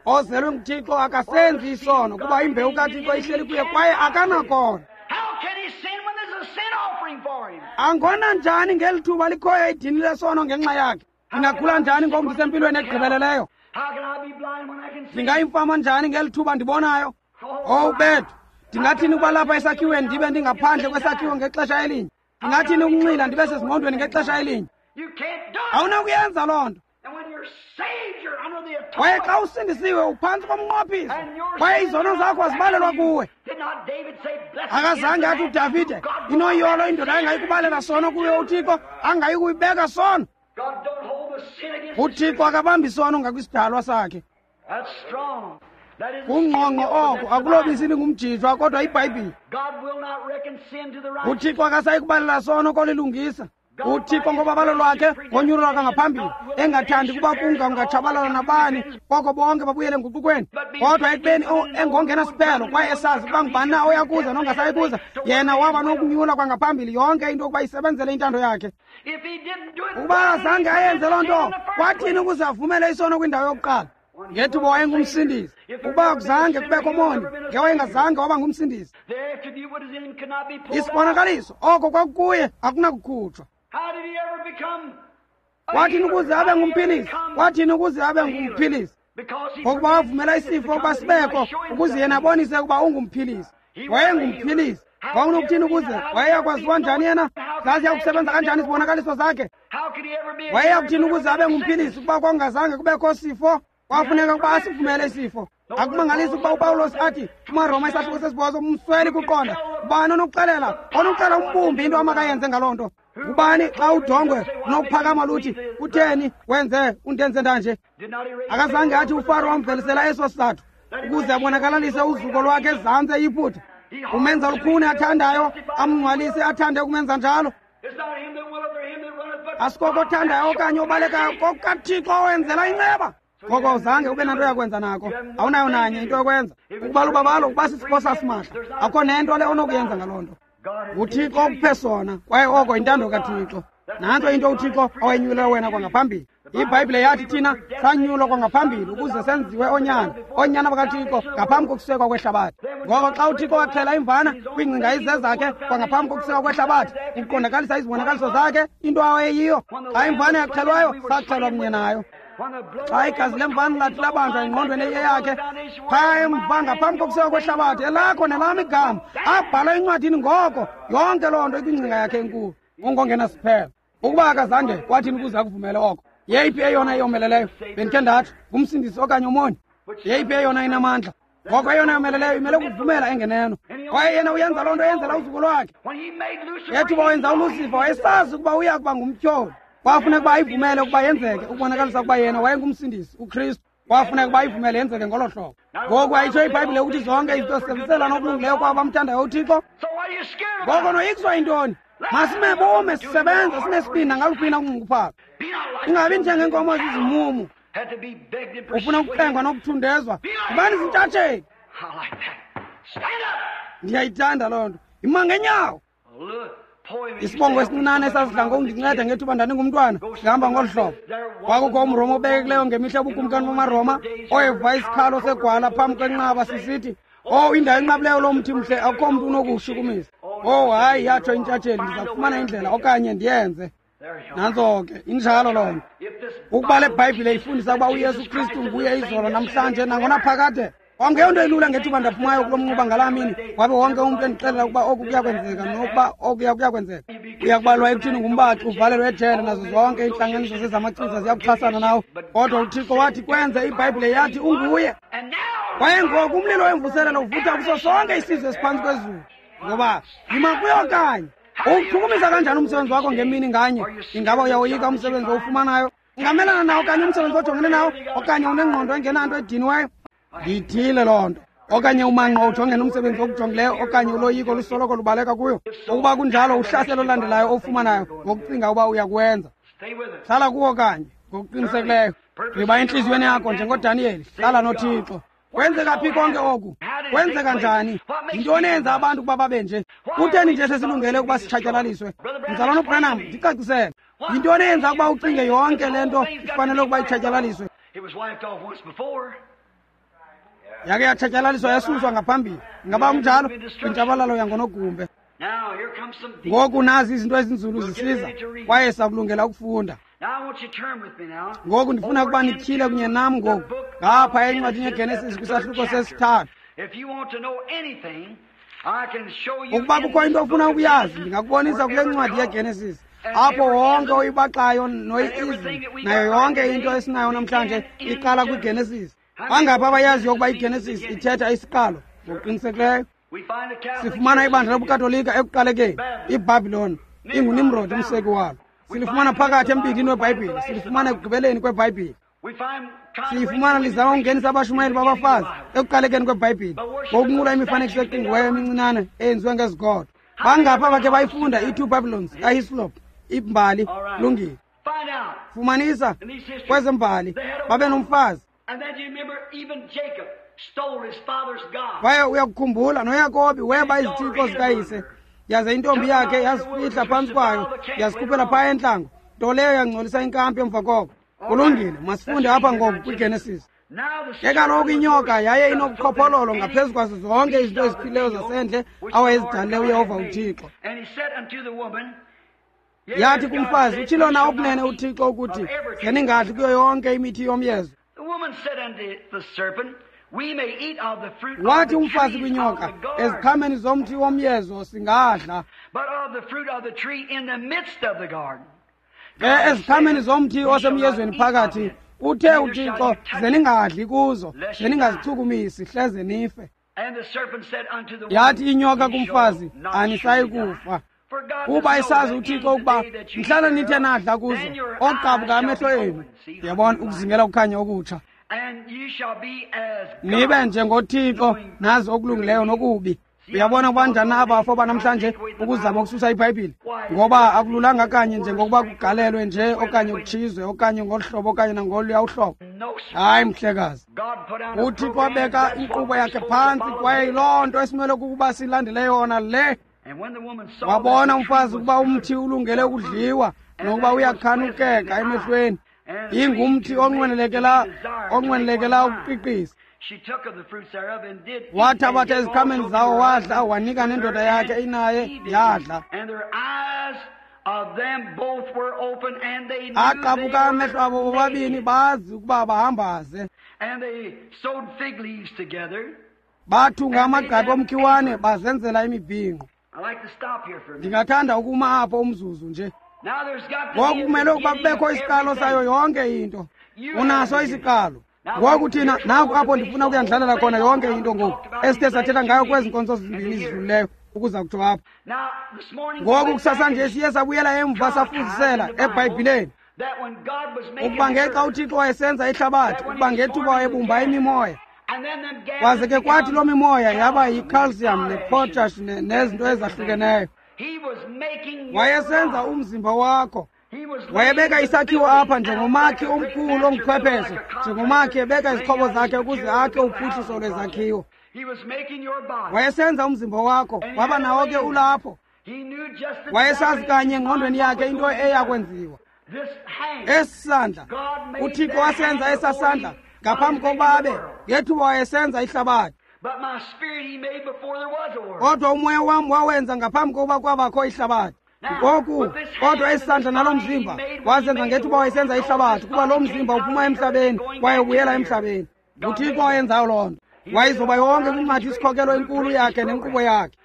Ozelwe nguThixo akasenzi isono, kuba imbewu kaThixo ihleli kuye kwaye akanakona. Angona njani ngeli thuba likhoyo idini lesono ngenxa yakhe? Ndingagula njani ngoku ndisempilweni egqibeleleyo? Ndingayimfama njani ngeli thuba ndibonayo? Owu bethu, ndingathini ukuba lapha esakhiweni ndibe ndingaphandle kwesakhiwo ngexesha elinye? Ndingathini ukunxila ndibe sezingqondweni ngexesha elinye? Awunakuyenza loo nto. Kwaye xa usindisiwe uphantsi komnqophiso, kwaye izono zakho azibalelwa kuwe. Akazange athi uDavide, inoyolo indoda engayikubalela sono kuyo uThixo, angayikuyibeka sono. UThixo akabambi sono ngakwisidalwa sakhe. Kungqongqo oko, akulobisi lingumjijwa kodwa iBhayibhile. UThixo akasayi kubalela sono kolilungisa. UThixo ngobabalo lwakhe ngonyulo lwakhe ngaphambili, engathandi kuba kungatshabalala nabani, koko bonke babuyele enguqukweni. Kodwa ekubeni engongenasiphelo kwaye esazi ukuba ngubani na oyakuza nongasayi kuza, yena waba nokunyula kwangaphambili yonke into ukuba isebenzele intando yakhe. Ukuba azange ayenze loo nto, kwathini ukuze avumele isono kwindawo yokuqala? Ngethuba wayengumsindisi. Ukuba akuzange kubekho moni, ngewayengazange waba ngumsindisi. Isibonakaliso oko kwakukuye akunakukhutshwa. Kwathini ukuze abe ngumphilisi? Kwathini ukuze abe ngumphilisi? Ngokuba wavumela isifo ukuba sibekho ukuze yena abonise ukuba ungumphilisi. Wayengumphilisi. Wawunokuthini ukuze wayeyakwaziwa njani yena? Zaziya kusebenza kanjani izibonakaliso zakhe? Wayeyakuthini ukuze abe ngumphilisi ukuba kwakungazange kubekho sifo? Kwafuneka ukuba asivumele isifo. Akumangalisi ukuba uPawulos athi kumaRoma isahluko sesibhozo, umsweli kuqonda. Ubani onokuxelela onokuxelela umbumbi into amakayenze ngaloo nto? Ubani xa udongwe unokuphakama luthi, kutheni wenze undenze ndanje? Akazange athi uFaro wamvelisela eso sizathu ukuze abonakalalise uzuko lwakhe ezantsi eYiputa. Umenza lukhuni athandayo, amngcwalise athande ukumenza njalo. Asikoko othandayo okanye obalekayo, kokukaThixo owenzela inceba. Ngoko awuzange ube nanto yakwenza nako, awunayo nanye into yokwenza. Ukuba lubabalo ukuba sisipho sasimahla, akukho nento le onokuyenza ngaloo nto. NguThixo okuphe sona, kwaye oko yintando kaThixo. Nantso into uThixo awayinyulela wena kwangaphambili. IBhayibhile yathi thina sanyulwa kwangaphambili ukuze senziwe oonyana, oonyana bakaThixo ngaphambi kokusekwa kwehlabathi. Ngoko xa uThixo waxhela imvana kwiingcinga izezakhe kwangaphambi kokusekwa kwehlabathi, ukuqondakalisa izibonakaliso zakhe, into awayeyiyo. Xa imvana yaxhelwayo, saxhelwa kunye nayo. Xa igazi lemvana lathi labanjwa engqondweni eyeyakhe phaya emva ngaphambi kokusekwa kwehlabathi, elakho nelam igama abhalwa encwadini. Ngoko yonke loo nto ikwingcinga yakhe enkulu, ungongenasiphelo. Ukuba akazange, kwathini ukuze akuvumele oko? Yeyiphi eyona eyomeleleyo? Bendikhe ndatsho, ngumsindisi okanye umoni? Yeyiphi eyona inamandla? Ngoko eyona yomeleleyo imele ukuvumela engeneno, kwaye yena uyenza loo nto eyenzela uzuko lwakhe. Ngethuba wenza uLusifa, wayesazi ukuba uya kuba ngumtyholi. Kwafuneka ukuba ayivumele ukuba yenzeke, ukubonakalisa ukuba yena wayengumsindisi, uKristu. Kwafuneka ukuba ayivumele yenzeke ngolo hlobo. Ngoku ayitsho iBhayibhile ukuthi zonke izinto zisebenziselana okulungileyo kwabo bamthandayo uThixo. Ngoko noyikiswa yintoni? Masime bume sisebenze sinesibindi nangaluphi na unxunguphalo. Ingabi njengeenkomo zizimumu. Ufuna ukucengwa nokuthundezwa. Yibani zintshatsheli. Ndiyayithanda loo nto. Yima ngenyawo. Isibongo esincinane esasidla ngokundinceda ngethuba ndandingumntwana sihamba ngolu hlobo. Kwakukho umRoma obekekileyo ngemihla yobukumkani bamaRoma oyeva isikhalo segwala phambi kwenqaba sisithi, "Oh, indawo enqabileyo lo mthi mhle, akukho mntu unokuwushukumisa." Oh, hayi, yatsho intshatsheli, ndiza kufumana indlela okanye ndiyenze. Nantso ke, injalo loo nto. Ukuba le Bhayibhile ifundisa ukuba uYesu Kristu nguye izolo namhlanje nangonaphakade. Kwakungeyonto ilula ngethuba ndaphumayo kulo mnquba ngalaa mini, wabe wonke umntu endixelela ukuba oku kuyakwenzeka nokuba okuya kuyakwenzeka. Uyakubalwa ekuthini ngumbaxi, uvalelwe ejele, nazo zonke iintlanganiso zezamachiza ziyakuxhasana nawe. Kodwa uThixo wathi kwenze, iBhayibhile yathi unguye. Kwaye ngoku umlilo wemvuselelo uvutha kuso sonke isizwe esiphantsi kwezulu. Ngoba yima kuyo kanye. Uwuchukumisa kanjani umsebenzi wakho ngemini nganye? Ingaba uyawoyika umsebenzi owufumanayo? Ungamelana nawo okanye umsebenzi ojongene nawo, okanye unengqondo engenanto ediniweyo? Ndiyithile loo nto. Okanye umanqo ujongene umsebenzi okujongileyo, okanye uloyiko lusoloko lubaleka kuyo. Ukuba kunjalo, uhlaselo olulandelayo owufumanayo ngokucinga uba uyakuwenza. Hlala kuwo kanye ngokuqinisekileyo. Gqiba entliziyweni yakho njengoDaniyeli, hlala noThixo. Kwenzeka phi konke oku? Kwenzeka njani? Yintoni eyenza abantu ukuba babe nje? Kutheni nje sesilungele ukuba sitshatyalaliswe? Mzalwana uBranham, ndicacisele. Yintoni eyenza ukuba ucinge yonke le nto ifanele ukuba itshatyalaliswe? Yake yatshatyalaliswa yasuswa ngaphambili. Ingaba kunjalo? Kwintshabalalo yangonogumbe. Ngoku nazi izinto ezinzulu zisiza, kwaye sakulungela ukufunda. Ngoku ndifuna ukuba nityhile kunye nam ngoku ngapha encwadini yeGenesis kwisahluko sesithathu. Ukuba kukho into ofuna ukuyazi, ndingakubonisa kule ncwadi yeGenesis, apho wonke oyibaxayo noyi-ism nayo yonke into esinayo namhlanje iqala kwiGenesis. Bangaphi abayaziyo ukuba iGenesis ithetha isiqalo? Ngokuqinisekileyo. Sifumana ibandla lobuKatolika ekuqalekeni, iBhabhiloni inguNimrod umseki walo. Silifumana phakathi embindini weBhayibhile, silifumana ekugqibeleni kweBhayibhile. Siyifumana lizama ukungenisa abashumayeli babafazi ekuqalekeni kweBhayibhile ngokunqula imifanekiso eqingqiweyo emincinane eyenziwe ngezigodo. Bangaphi abakhe bayifunda i-Two Babylons kaHislop? Imbali, lungile. Fumanisa kwezembali babe nomfazi. Kwaye uyakukhumbula noYakobi weba izithixo zikayise, yaze intombi yakhe yazifihla phantsi kwayo, yazikhuphela phaya entlango, nto leyo yangcolisa inkampi emva koko. Kulungile, masifunde apha ngoku kwiGenesis. Ke kaloku inyoka yaye inobuqhophololo ngaphezu kwazo zonke izinto eziphileyo zasendle awayezidalile uYehova uThixo. Yathi kumfazi, utshilo na okunene uThixo ukuthi, zeningadli kuyo yonke imithi yomyezo? Wathi umfazi kwinyoka, eziqhameni zomthi womyezo singadla. Ke eziqhameni zomthi osemyezweni phakathi, uthe uThixo, zeningadli kuzo, zeningazichukumisi, hleze nife. Yathi inyoka kumfazi, anisayi kufa. Kuba isazi uThixo ukuba mhlana nithe nadla kuzo, oqabuka amehlo enu. Yabona, ukuzingela ukukhanya okutsha. Nibe njengoThixo, nazi okulungileyo nokubi. Uyabona kubanjani abafo banamhlanje ukuzama ukususa iBhayibhile? Ngoba akululanga kanye njengokuba kugalelwe nje okanye kutshizwe okanye ngolu hlobo okanye nangoluya uhlobo. Hayi, mhlekazi. UThixo wabeka inkqubo yakhe phantsi, kwaye yiloo nto esimele kukuba silandele yona le. Wabona umfazi ukuba umthi ulungele ukudliwa nokuba uyakhanukeka emehlweni, ingumthi onqwenelekela ukuqiqisa. Wathabatha eziqhameni zawo wadla, wanika nendoda yakhe inaye yadla. Aqabuka amehlo abo bobabini, bazi ukuba bahambaze. Bathunga amagqabi omkhiwane bazenzela imibhinqo. Ndingathanda ukuma apho umzuzu nje. Ngoku kumele ukuba kubekho isiqalo sayo yonke into. Unaso isiqalo. Ngoku thina naku apho ndifuna ukuyandlalela khona yonke into ngoku esithe sathetha ngayo kwezi nkonzo zimbini zidlulileyo ukuza kutsho apha. Ngoku kusasa nje siye sabuyela emva safuzisela eBhayibhileni, ukuba ngexa uThixo wayesenza ihlabathi, ukuba ngethuba wayebumba imimoya, kwaze ke kwathi loo mimoya yaba yi-calcium ne-potash nezinto ezahlukeneyo. Wayesenza umzimba wakho. Wayebeka isakhiwo apha njengomakhi omkhulu onguchwepheshe, njengomakhi ebeka izixhobo zakhe ukuze akhe uphuhliso lwezakhiwo. Wayesenza umzimba wakho, waba nawo ke ulapho. Wayesazi kanye engqondweni yakhe into eyakwenziwa. Esi sandla, uThixo wasenza esaa sandla ngaphambi kokuba abe ngethuba wayesenza ihlabathi. Kodwa umoya wam wawenza ngaphambi kokuba kwabakho ihlabathi. Ngoku kodwa esi sandla nalo mzimba wazenza ngethuba wayesenza ihlabathi, kuba lo mzimba uphuma emhlabeni kwaye ubuyela emhlabeni. NguThixo owayenzayo loo nto. Wayizoba yonke kwincwadi isikhokelo enkulu yakhe nenkqubo yakhe.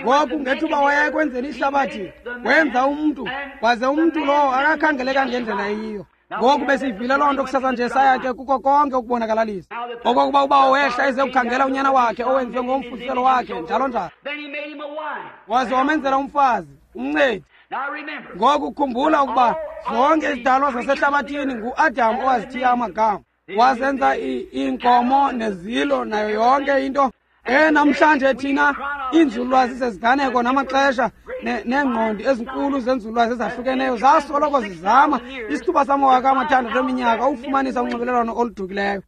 Ngoku ngethuba waya ekwenzeni ihlabathi, wenza umntu, waze umntu lowo akakhangeleka ngendlela eyiyo. Ngoku besivile loo nto kusasa nje, saya ke kuko konke ukubonakalalisa okokuba ubawo wehla eze kukhangela unyana wakhe owenziwe ngomfuziselo wakhe, njalo njalo. Waze wamenzela umfazi, umncedi. Ngoku khumbula ukuba zonke izidalwa zasehlabathini nguAdam owazithiya amagama. Wazenza iinkomo nezilo nayo yonke into. Namhlanje thina iinzululwazi zeziganeko namaxesha neengqondi ezinkulu zenzululwazi ezahlukeneyo zasoloko zizama isithuba samawaka amathandathu eminyaka ukufumanisa unxibelelwano oludukileyo.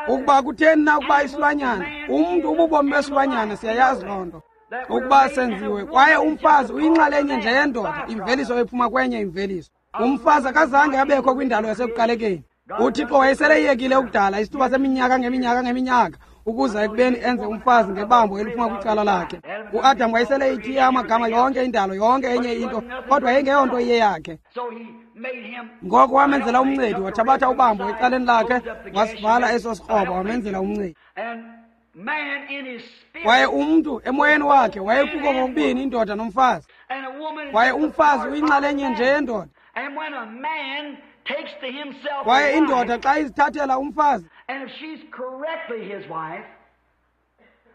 Ukuba kutheni na ukuba isilwanyana, umntu ububomi besilwanyana, siyayazi loo nto ukuba senziwe. Kwaye umfazi uyinxalenye nje yendoda, imveliso ephuma kwenye imveliso. Umfazi akazange abekho kwindalo yasekuqalekeni. UThixo wayeseleyekile ukudala isithuba seminyaka ngeminyaka ngeminyaka ukuza ekubeni enze umfazi ngebambo eliphuma kwicala lakhe. UAdam wayeseleyithiye amagama yonke indalo, yonke enye into, kodwa yayingeyonto iye yakhe. Ngoko wamenzela umncedi, wathabatha ubambo ecaleni lakhe, wasivala eso sikroba, wamenzela umncedi. Kwaye umntu emoyeni wakhe wayekuko kokubini indoda nomfazi. Kwaye umfazi uyinxalenye nje yendoda. Kwaye indoda xa izithathela umfazi,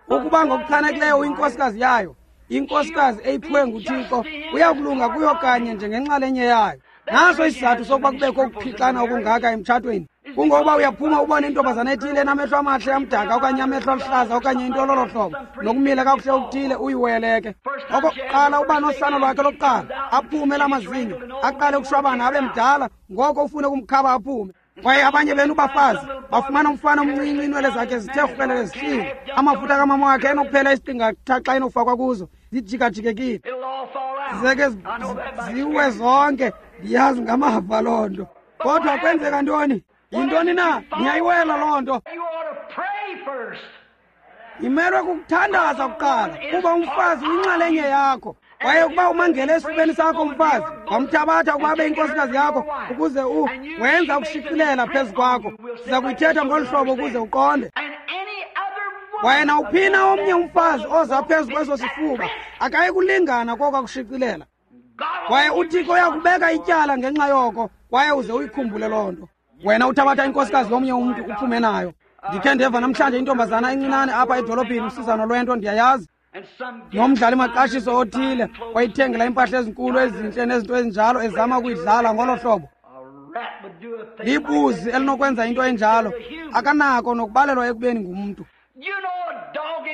ukuba ngokuchanekileyo uyinkosikazi yayo, inkosikazi eyiphiwe nguThixo, uyakulunga kuyo kanye njengenxalenye yayo. Naso isizathu sokuba kubekho ukuphixana okungaka emtshatweni. Kungokuba uyaphuma ubone intombazana ethile enamehlo amahle amdaka okanye amehlo aluhlaza okanye into lolo hlobo, nokumila kakuhle okuthile, uyiweleke. Okokuqala uba nosana lwakhe lokuqala, aphume lamazinyo, aqale ukushwabana abe mdala, ngoko ufune ukumkhaba aphume. Kwaye abanye benu bafazi bafumana umfana omncinci, iinwele zakhe zithe rhwelele zihlile, amafutha kamama wakhe enokuphela isiqingatha xa enokufakwa kuzo, zijikajikekile, zeke ziwe zonke. Ndiyazi ngamava loo nto. Kodwa kwenzeka ntoni? Yintoni na? Niyayiwela loo nto. Imelwe kukuthandaza kuqala, kuba umfazi uyinxalenye yakho. Kwaye ukuba umangele esifubeni sakho umfazi, wamthabatha ukuba abe inkosikazi yakho, ukuze wenza ukushicilela phezu kwakho. Siza kuyithetha ngolu hlobo ukuze uqonde. Kwaye nawuphina omnye umfazi oza phezu kweso sifuba akayi kulingana koko akushicilela. Kwaye uThixo uyakubeka ityala ngenxa yoko, kwaye uze uyikhumbule loo nto. Wena uthabatha inkosikazi yomnye umntu uphume nayo. Ndikhe ndeva namhlanje intombazana encinane apha edolophini, usizana lwento, ndiyayazi, nomdlali maqashiso othile wayithengela iimpahla ezinkulu ezintle nezinto ezinjalo, ezama ukuyidlala ngolo hlobo. Libuzi elinokwenza into enjalo, akanako nokubalelwa ekubeni ngumntu.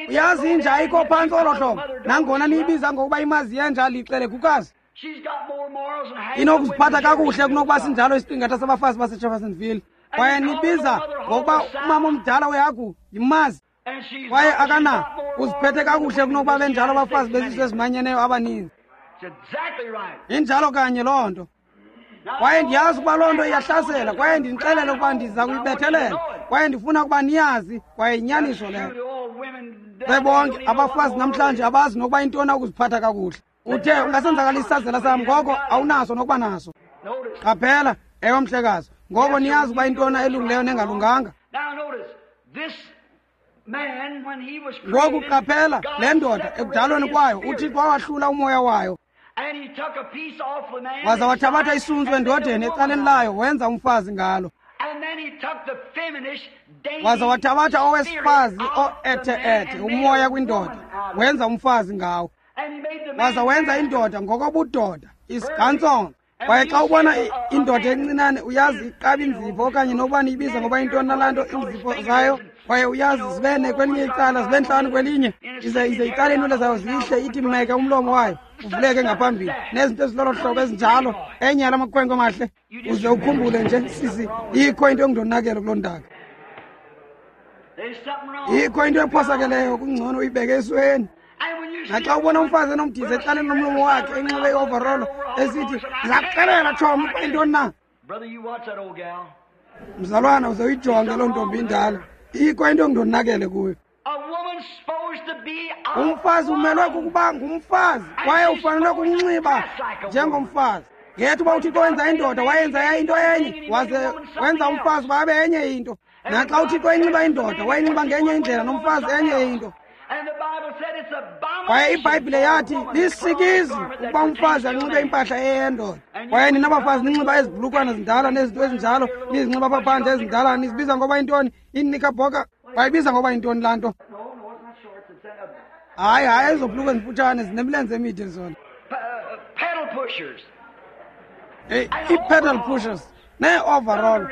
Uyazi inja ayikho phantsi olo hlobo, nangona niyibiza ngokuba imazi yenja, lixelegukazi. Inokuziphatha kakuhle kunokuba sinjalo isiqingatha sabafazi baseJeffersonville. Kwaye nibiza ngokuba umama omdala wehagu yimazi, kwaye akana uziphethe kakuhle kunokuba benjalo abafazi bezizwe ezimanyeneyo abaninzi. Injalo kanye loo nto. Kwaye ndiyazi ukuba loo nto iyahlasela, kwaye ndinixelele ukuba ndiza kuyibethelela, kwaye ndifuna ukuba niyazi, kwaye yinyaniso leyo. Bebonke abafazi namhlanje abazi nokuba intoni ukuziphatha kakuhle. Uthe ungasenzakalisa isazela sam, ngoko awunaso nokuba naso. Qaphela, ewe mhlekazi, ngoko niyazi ukuba intoni elungileyo nengalunganga. Ngoku qaphela, le ndoda ekudalweni kwayo uThixo wawahlula umoya wayo, waza wathabatha isuntsu endodeni ecaleni layo, wenza umfazi ngalo. Waza wathabatha owesifazi o-ethe-ethe umoya kwindoda, wenza umfazi ngawo. Waza wenza indoda ngokobudoda, isigantsongo. Kwaye xa ubona indoda encinane, uyazi iqaba inzipho okanye nokuba niyibiza ngoba intoni nalaa nto iinzipho zayo, kwaye uyazi zibe ne kwelinye icala, zibe ntlanu kwelinye, ize icala iinwele zayo zihle, ithi meke umlomo wayo uvuleke ngaphambili, nezinto ezilolo hlobo ezinjalo, enye yala makhwenkwe mahle. Uze ukhumbule nje sisi, ikho into engundonakele kuloo ntaka, ikho into ephosakeleyo, kungcono uyibeke esweni. Naxa ubona umfazi enomdiza ecaleni lomlomo wakhe enxibe i-overall esithi ndizakuxelela tshomi ukuba yintoni na, mzalwana uze uyijonge loo ntombi indala, ikho into engundonakele kuyo. Umfazi umelwe kukuba ngumfazi kwaye ufanelwe kukunxiba njengomfazi. Ngethu uba uThixo wenza indoda, wayenza yayinto enye, waze wenza umfazi uba abe enye into. Naxa uThixo enxiba indoda, wayinxiba ngenye indlela, nomfazi enye into. Kwaye iBhayibhile yathi lisikizi ukuba umfazi anxibe impahla eyendoda. Kwaye nina bafazi ninxiba ezi bhulukwana zindala nezinto ezinjalo, nizinxiba apha phandle ezindala, nizibiza ngoba yintoni? Iinikabhoka bayibiza ngoba yintoni laa nto? Hayi, hayi, ezo bhulukwe zimfutshane zinemilenze emide zona. Ii-pedal pushers nee-overall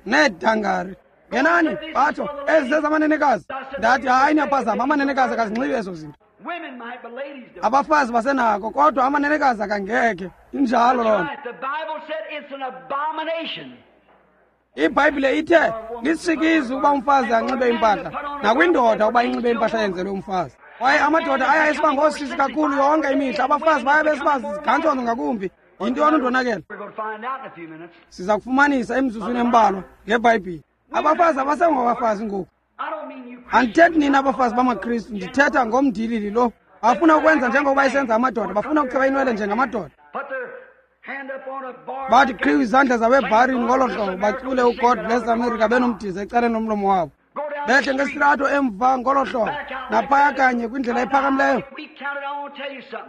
needangari. Ngenani batsho ezi zezamanenekazi. Ndathi hayi, niyaphazama, amanenekazi akazinxibi ezo zinto. Abafazi basenako, kodwa amanenekazi akangekhe. Injalo loo nto. IBhayibhile ithe lisikizi ukuba umfazi anxibe impahla, nakwindoda uba inxibe impahla yenzelwe umfazi. Kwaye amadoda aya esiba ngoosisi kakhulu yonke imihla, abafazi baya besiba zigantsono ngakumbi. Yintoni undonakele? Siza kufumanisa emizuzwini embalwa ngeBhayibhile. Abafazi abasengobafazi ngoku. Andithethi nina abafazi bamaKristu, ndithetha ngomndilili lo. Bafuna ukwenza njengokuba isenza amadoda, bafuna ukucheba inwele njengamadoda. Bathi qhiwu izandla zabo ebharini ngolo hlobo, bacule uGod Bless America benomdiza ecaleni lomlomo wabo. Behle ngesirato emva ngolo hlobo, naphaya kanye kwindlela ephakamileyo.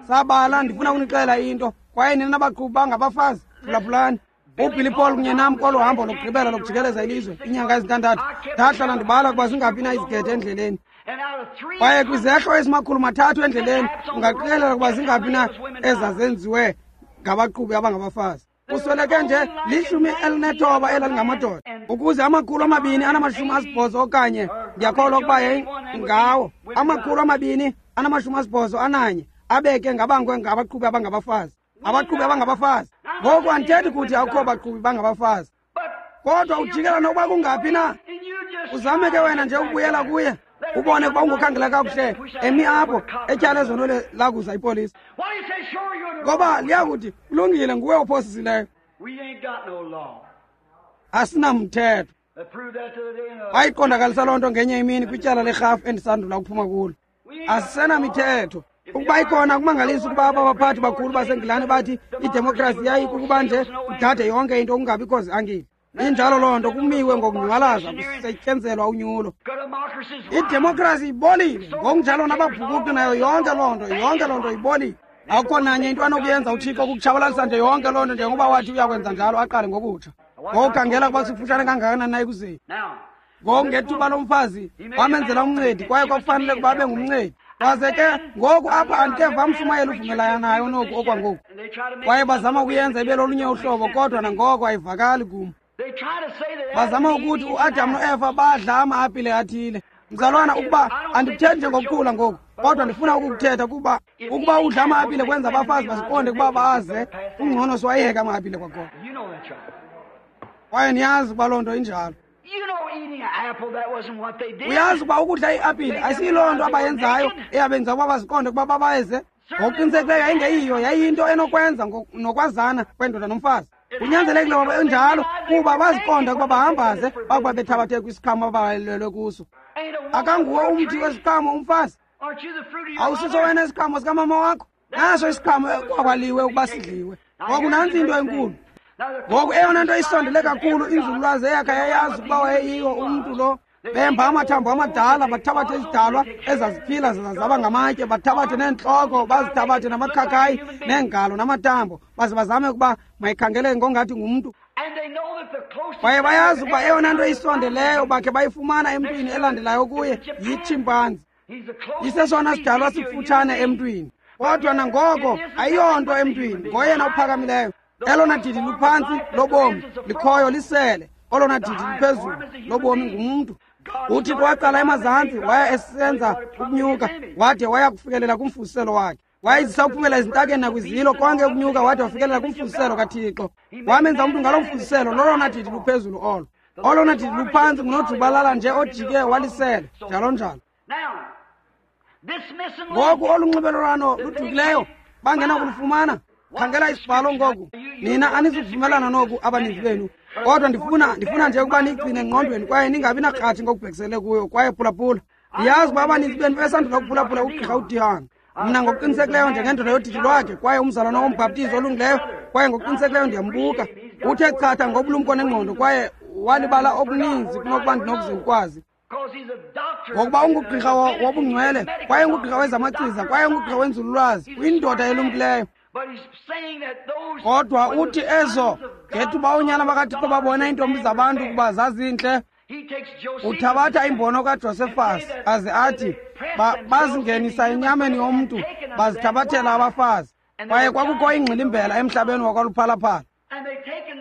Sabala, ndifuna ukunixelela into, kwaye nina baqhubi bangabafazi, phulaphulani. UBilly Paul kunye nam kolu hambo lokugqibela lokujikeleza ilizwe iinyanga ezintandathu, ndahlala ndibala ukuba zingaphi na izigede endleleni. Kwaye kwizehlo ezimakhulu 3 endleleni, ungaqikelela ukuba zingaphi na ezazenziwe ngabaqhubi abangabafazi. Kusweleke nje 19 elalingamadoda, ukuze 280 okanye ndiyakholwa ukuba ngawo 281 abeke ngabangwe ngabaqhubi abangabafazi. Abaqhubi abangabafazi. Ngoku andithethi kuthi akukho baqhubi bangabafazi, kodwa ujikela nokuba kungaphi na. Uzame ke wena nje ukubuyela kuye, ubone ukuba ungokhangela kakuhle emi apho etyala ezonwele lakuza ipolisa, ngoba liyakuthi kulungile, nguwe ophosisileyo. Asinamthetho. Wayiqondakalisa loo nto ngenye imini kwityala lerhafu endisandula ukuphuma kulo. Asisenamithetho. Ukuba ikhona, kumangalisa ukuba aba baphathi bakhulu baseNgilane bathi idemokhrasi yayikukuba nje kudade yonke into kungabikho ziangile. Injalo loo nto, kumiwe ngokunyhwalaza kusetyenzelwa unyulo. Idemokhrasi ibolile, ngokunjalo nababhukuqi nayo yonke loo nto, yonke loo nto ibolile. Akukho nanye into anokuyenza uThixo kukutshabalalisa nje yonke loo nto, njengoba wathi uyakwenza njalo, aqale ngokutsha. Ngokukhangela ukuba sifutshane kangakanani na ekuzeni. Ngoku ngethuba lomfazi wamenzela umncedi, kwaye kwakufanele ukuba abe ngumncedi. Waze ke ngoku apha andikeva mshumayeli uvumelana nayo noku okwangoku. Kwaye bazama ukuyenza ibe lolunye uhlobo, kodwa nangoko ayivakali kum. Bazama ukuthi uAdam noEva badla ama-apile athile. Mzalwana, ukuba andikuthethi njengokukhula ngoku, kodwa ndifuna ukukuthetha kuba ukuba udla ama-apile kwenza abafazi basiqonde ukuba baze, kungcono siwayeke ama-apile kwakhona. Kwaye niyazi ukuba loo nto injalo. Uyazi ukuba ukudla iapile ayisiyiloo nto abayenzayo eyabenza ukuba baziqonde ukuba babaze. Ngokuqinisekileyo yayingeyiyo, yayiyinto enokwenza nokwazana kwendoda nomfazi. Kunyanzelekile ukuba enjalo kuba baziqonda ukuba bahambaze bakuba bethabathe kwisiqhamo ababalelwe kuso. Akanguwo umthi wesiqhamo umfazi. Awusiso wena isiqhamo sikamama wakho. Naso isiqhamo kwakwaliwe ukuba sidliwe. Ngoku nantsi into enkulu. Ngoku eyona nto isondele kakhulu inzululwazi eyakha yayazi ukuba wayeyiyo umntu lo. Bemba amathambo amadala, bathabathe izidalwa ezaziphila zaba ngamatye, bathabathe neentloko, bazithabathe namakhakayi neengalo namathambo, baze bazame ukuba mayikhangeleke ngongathi ngumntu. Kwaye bayazi ukuba eyona nto isondeleyo bakhe bayifumana emntwini elandelayo kuye yitshimpanzi. Isesona sidalwa sifutshane emntwini. Kodwa nangoko ayiyonto emntwini, ngoyena uphakamileyo. Elona didi luphantsi lobomi likhoyo lisele, olona didi luphezulu lobomi ngumntu. UThixo waqala emazantsi, waya esenza ukunyuka, wade waya kufikelela kumfuziselo wakhe. Wayezisa ukuphumela ezintakeni nakwizilo, konke ukunyuka wade wafikelela kumfuziselo kaThixo. Wamenza umntu ngalo mfuziselo, lolona didi luphezulu olo. Olona didi luphantsi ngunojubalala nje ojike walisele, njalo njalo. Ngoku olu nxibelelwano ludukileyo bangenakulufumana. Khangela isibhalo ngoku. Nina anizukuvumelana noku abaninzi benu, kodwa ndifuna nje ukuba niyigcine engqondweni kwaye ningabi nakratshi ngokubhekisele kuyo. Kwaye phulaphula, ndiyazi uba abaninzi benu besandula ukuphulaphula ugqirha uDihan. Mna ngokuqinisekileyo njengendoda yodidi lwakhe, kwaye umzalwana wombhaptizi olungileyo, kwaye ngokuqinisekileyo ndiyambuka. Uthe chatha ngobulumko nengqondo, kwaye walibala okuninzi kunokuba ndinokuze ndikwazi. Ngokuba ungugqirha wobungcwele, kwaye ungugqirha wezamachiza, kwaye ungugqirha wenzululwazi, uyindoda elumkileyo. Kodwa uthi ezo ngethuba oonyana bakaThixo babona iintombi zabantu ukuba zazintle, uthabatha imbono kaJosefas aze athi bazingenisa enyameni yomntu, bazithabathela abafazi. Kwaye kwakukho ingxilimbela emhlabeni wakwaluphalaphala.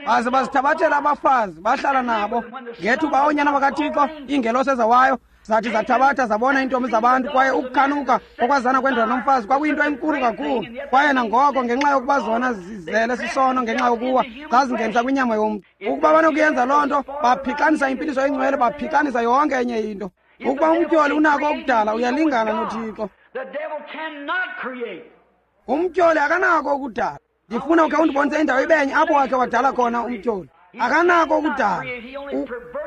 Baze bazithabathela abafazi, bahlala nabo. Ngethuba oonyana bakaThixo, iingelosi ezawayo, zathi zathabatha zabona iintombi zabantu, kwaye ukukhanuka okwazana kwendoda nomfazi kwakuyinto enkulu kakhulu. Kwaye nangoko ngenxa yokuba zona zizele sisono ngenxa yokuwa, zazingenisa kwinyama yomntu. Ukuba banokuyenza loo nto, baphixanisa impiliso engcwele, baphixanisa yonke enye into. Ukuba umtyholi unako ukudala, uyalingana noThixo. Umtyholi akanako ukudala. Ndifuna ukhe undibonise indawo ibenye apho wakhe wadala khona umtyholi. Akanako ukudala,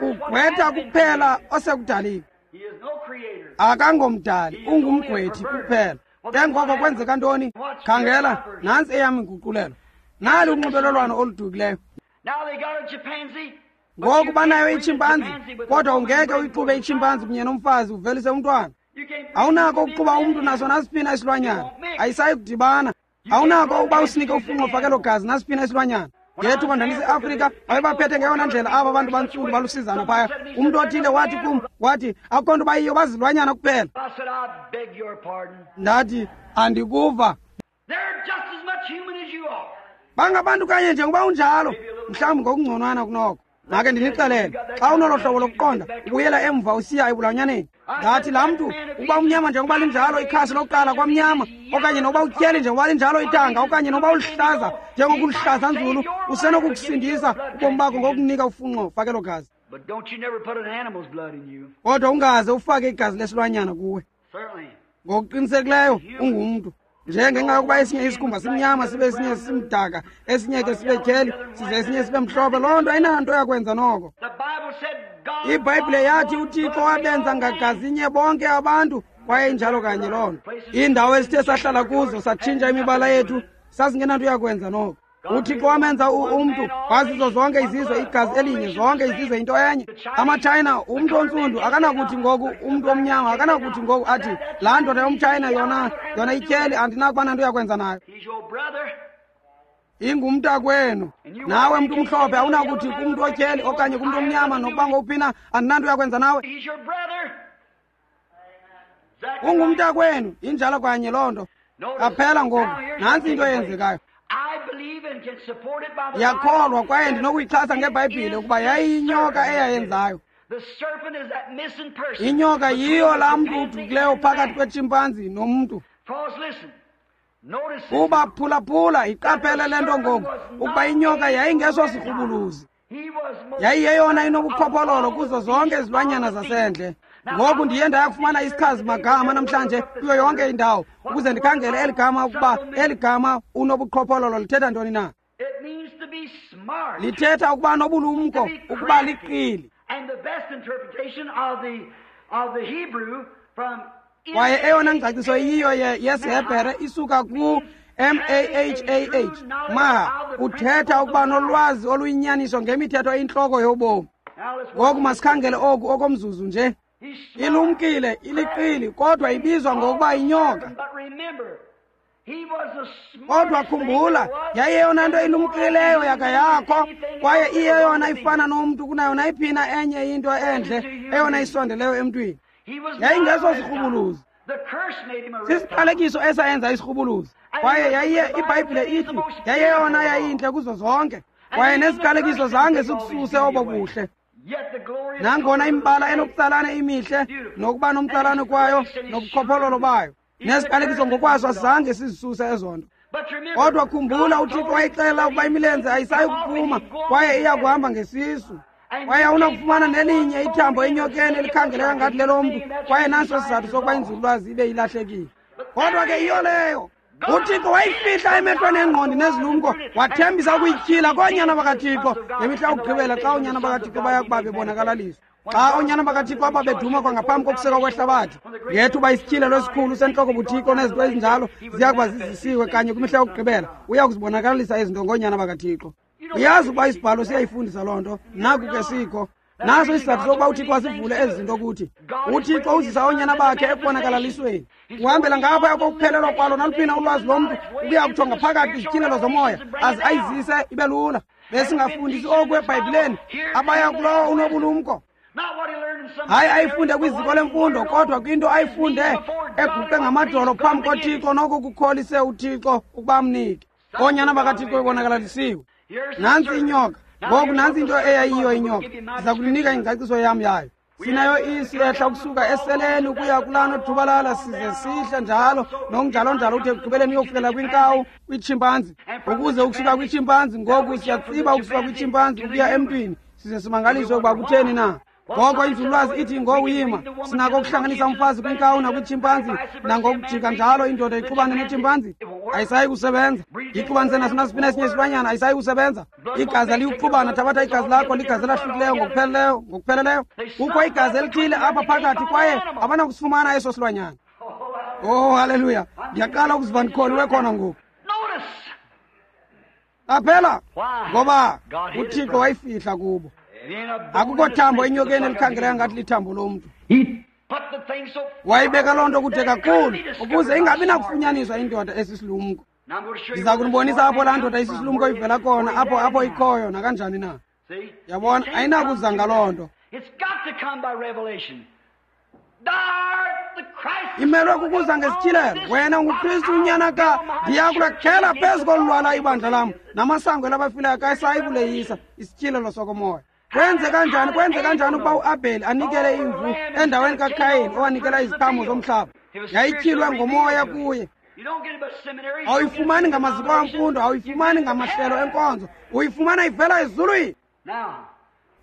ugqwetha kuphela osekudalile. Akangomdali, ungumgqwethi kuphela. Ke ngoko kwenzeka ntoni? Khangela, nantsi eyam inguqulelo. Nali unxibelelwano oludukileyo. Ngoku banayo itshimpanzi, kodwa ungeke uyixube itshimpanzi kunye nomfazi uvelise umntwana. Awunako ukuxuba umntu naso nasiphi isilwanyana, ayisayi kudibana. Awunako ukuba usinike ufunxo fakelo gazi nasiphi isilwanyana. Ngethuba ndandise-Afrika, babebaphethe ngeyona ndlela aba bantu bantsundu balusizana phaya. Umntu othile wathi kum, wathi akukho nto bayiyo, bazilwanyana kuphela. Ndathi andikuva. Bangabantu kanye njengoba unjalo, mhlawumbi ngokungconwana kunoko. Make ndinixelele, xa unolo hlobo lokuqonda, ubuyela emva usiya ebulwanyaneni. Ndathi laa mntu ukuba umnyama njengoba linjalo ikhasi lokuqala kwamnyama, okanye nokuba utyheli njengoba linjalo itanga, okanye nokuba uluhlaza njengokuluhlaza nzulu, usenokukusindisa ubomi bakho ngokunika ufunxo fakelo gazi. Kodwa ungaze ufake igazi lesilwanyana kuwe. Ngokuqinisekileyo ungumntu. Nje ngenxa yokuba esinye isikhumba simnyama sibe esinye simdaka, esinye ke sibe tyheli, size esinye sibe mhlophe, loo nto ayinanto yakwenza noko. IBhayibhile yathi uThixo wabenza ngagazinye bonke abantu, kwaye injalo kanye loo nto. Iindawo esithe sahlala kuzo satshintsha imibala yethu, sasingenanto yakwenza noko. UThixo wamenza umntu wazizo zonke izizwe igazi elinye, zonke izizwe into enye. AmaTshayina, umntu ontsundu akanakuthi ngoku, umntu omnyama akanakuthi ngoku athi laa ndoda yomTshayina yona ityheli, andinakuba nanto yakwenza nayo. Ingumntakwenu. Nawe mntu umhlophe awunakuthi kumntu otyheli okanye kumntu omnyama nokuba ngowuphi na, andinanto yakwenza nawe. Ungumntakwenu, injalo kanye loo nto. Qaphela ngoku, nantsi into eyenzekayo. Ndiyakholwa kwaye ndinokuyixhasa ngeBhayibhile ukuba yayiyinyoka eyayenzayo. Inyoka yiyo laa mntu udukileyo phakathi kwetshimpanzi nomntu. Kuba phulaphula, iqaphele le nto ngoku, ukuba inyoka yayingesosirhubuluzi. Yayiyeyona inobuqhophololo kuzo zonke izilwanyana zasendle. Ngoku ndiye ndayakufumana isichazi magama namhlanje kuyo yonke indawo ukuze ndikhangele eli gama ukuba eli gama unobuqhophololo lithetha ntoni na. Lithetha ukuba nobulumko, ukuba liqili. Kwaye eyona ngcaciso iyiyo yesiHebhere isuka ku M-A-H-A-H, maha, uthetha ukuba nolwazi oluyinyaniso ngemithetho eyintloko yobomi. Ngoku masikhangele oku okomzuzu nje. Ilumkile, iliqili, kodwa ibizwa ngokuba inyoka. Kodwa khumbula, yayiyeyona nto ilumkileyo yaka yakho, kwaye iyeyona ifana nomntu kunayo nayiphina enye into endle, eyona isondeleyo emntwini. Yayingeso sirhubuluzi. Sisiqalekiso esayenza isirhubuluzi. Kwaye yayiye iBhayibhile ithi yayeyona yayintle kuzo zonke. Kwaye nesiqalekiso zange sikususe obo buhle. Nangona imibala enokutsalane imihle nokuba nomtsalane kwayo nobukhophololo bayo, nesiqalekiso ngokwaso asizange sizisuse ezo nto. Kodwa khumbula, uThixo wayixela ukuba imilenze ayisayi kuphuma kwaye iya kuhamba ngesisu. Kwaye awunakufumana nelinye ithambo enyokeni elikhangeleka ngathi lelomntu, kwaye naso isizathu sokuba inzululwazi ibe ilahlekile. Kodwa ke yiyo leyo. UThixo wayifihla emehlweni engqondi nezilumko, wathembisa ukuyityhila koonyana bakaThixo ngemihla yokugqibela, xa oonyana bakaThixo baya kuba bebonakalaliswa. Xa oonyana bakaThixo ababeduma kwangaphambi kokusekwa kwehlabathi, ngethuba isityhilelo esikhulu sentloko buThixo nezinto ezinjalo ziya kuba zizisiwe kanye kwimihla yokugqibela, uya kuzibonakalisa izinto ngoonyana bakaThixo. Uyazi ukuba isibhalo siyayifundisa loo nto, naku ke sikho. Naso isizathu sokuba uThixo asivule ezi zinto kuthi. UThixo uzisa oonyana bakhe ekubonakalalisweni. Uhambela ngaphaya kokuphelelwa kwalo naluphina ulwazi lomntu ukuya kutsho ngaphakathi kwizityhilelo zomoya, aze ayizise ibe lula. Besingafundisi oku eBhayibhileni, abaya kulowo unobulumko. Hayi ayifunde kwiziko lemfundo, kodwa kwinto ayifunde eguqe ngamadolo phambi koThixo, noko kukholise uThixo ukuba amnike. Oonyana bakaThixo bebonakalisiwe. Nantsi inyoka. Ngoku nantsi into eyayiyo inyoka. Ndiza kulinika ingcaciso yam yayo. Sinayo isi ehla ukusuka eseleni ukuya kulaa nojubalala, size sihle njalo nokunjalo-njalo, ude ekugqibeleni uyokufikela kwinkawu, kwitshimpanzi. Ukuze ukusuka kwitshimpanzi, ngoku siyatsiba ukusuka kwitshimpanzi ukuya emntwini, size simangaliswe ukuba kutheni na. Ngoko inzululwazi ithi ngokuyima sinako ukuhlanganisa umfazi kwinkawu nakwitshimpanzi, nangokujika njalo indoda ixubane netshimpanzi, ayisayi kusebenza. Ixubanise naso nasiphi esinye isilwanyana, ayisayi kusebenza. Igazi aliyukuxubana. Thabatha igazi lakho, ligazi elahlukileyo ngokupheleleyo, ngokupheleleyo. Kukho igazi elithile apha phakathi, kwaye abanakusifumana eso silwanyana. Oh, haleluya! Ndiyaqala ukuziva ndikholiwe khona ngoku. Qaphela, ngoba uThixo wayifihla kubo. Akukho thambo enyokeni elikhangeleka ngathi lithambo lomntu. Wayibeka loo nto kude kakhulu ukuze ingabi nakufunyaniswa indoda esisilumko. Ndiza kunibonisa apho laa ndoda isisilumko ivela khona, apho apho ikhoyo nakanjani na. Yabona, ayinakuza ngaloo nto. Imelwe kukuza ngesityhilelo. Wena unguKristu unyana ka, ndiya kulakhela phezu kolu lwala ibandla lam, namasango elabafileyo akasayi kuleyisa. Isityhilelo sokomoya. Kwenze kanjani, kwenze kanjani ukuba uAbheli anikele imvu endaweni kaKhayini owanikela iziqhamo zomhlaba? Yayityhilwe ngomoya kuye. Awuyifumani ngamaziko amfundo, awuyifumani ngamahlelo enkonzo, uyifumana ivela ezulwini.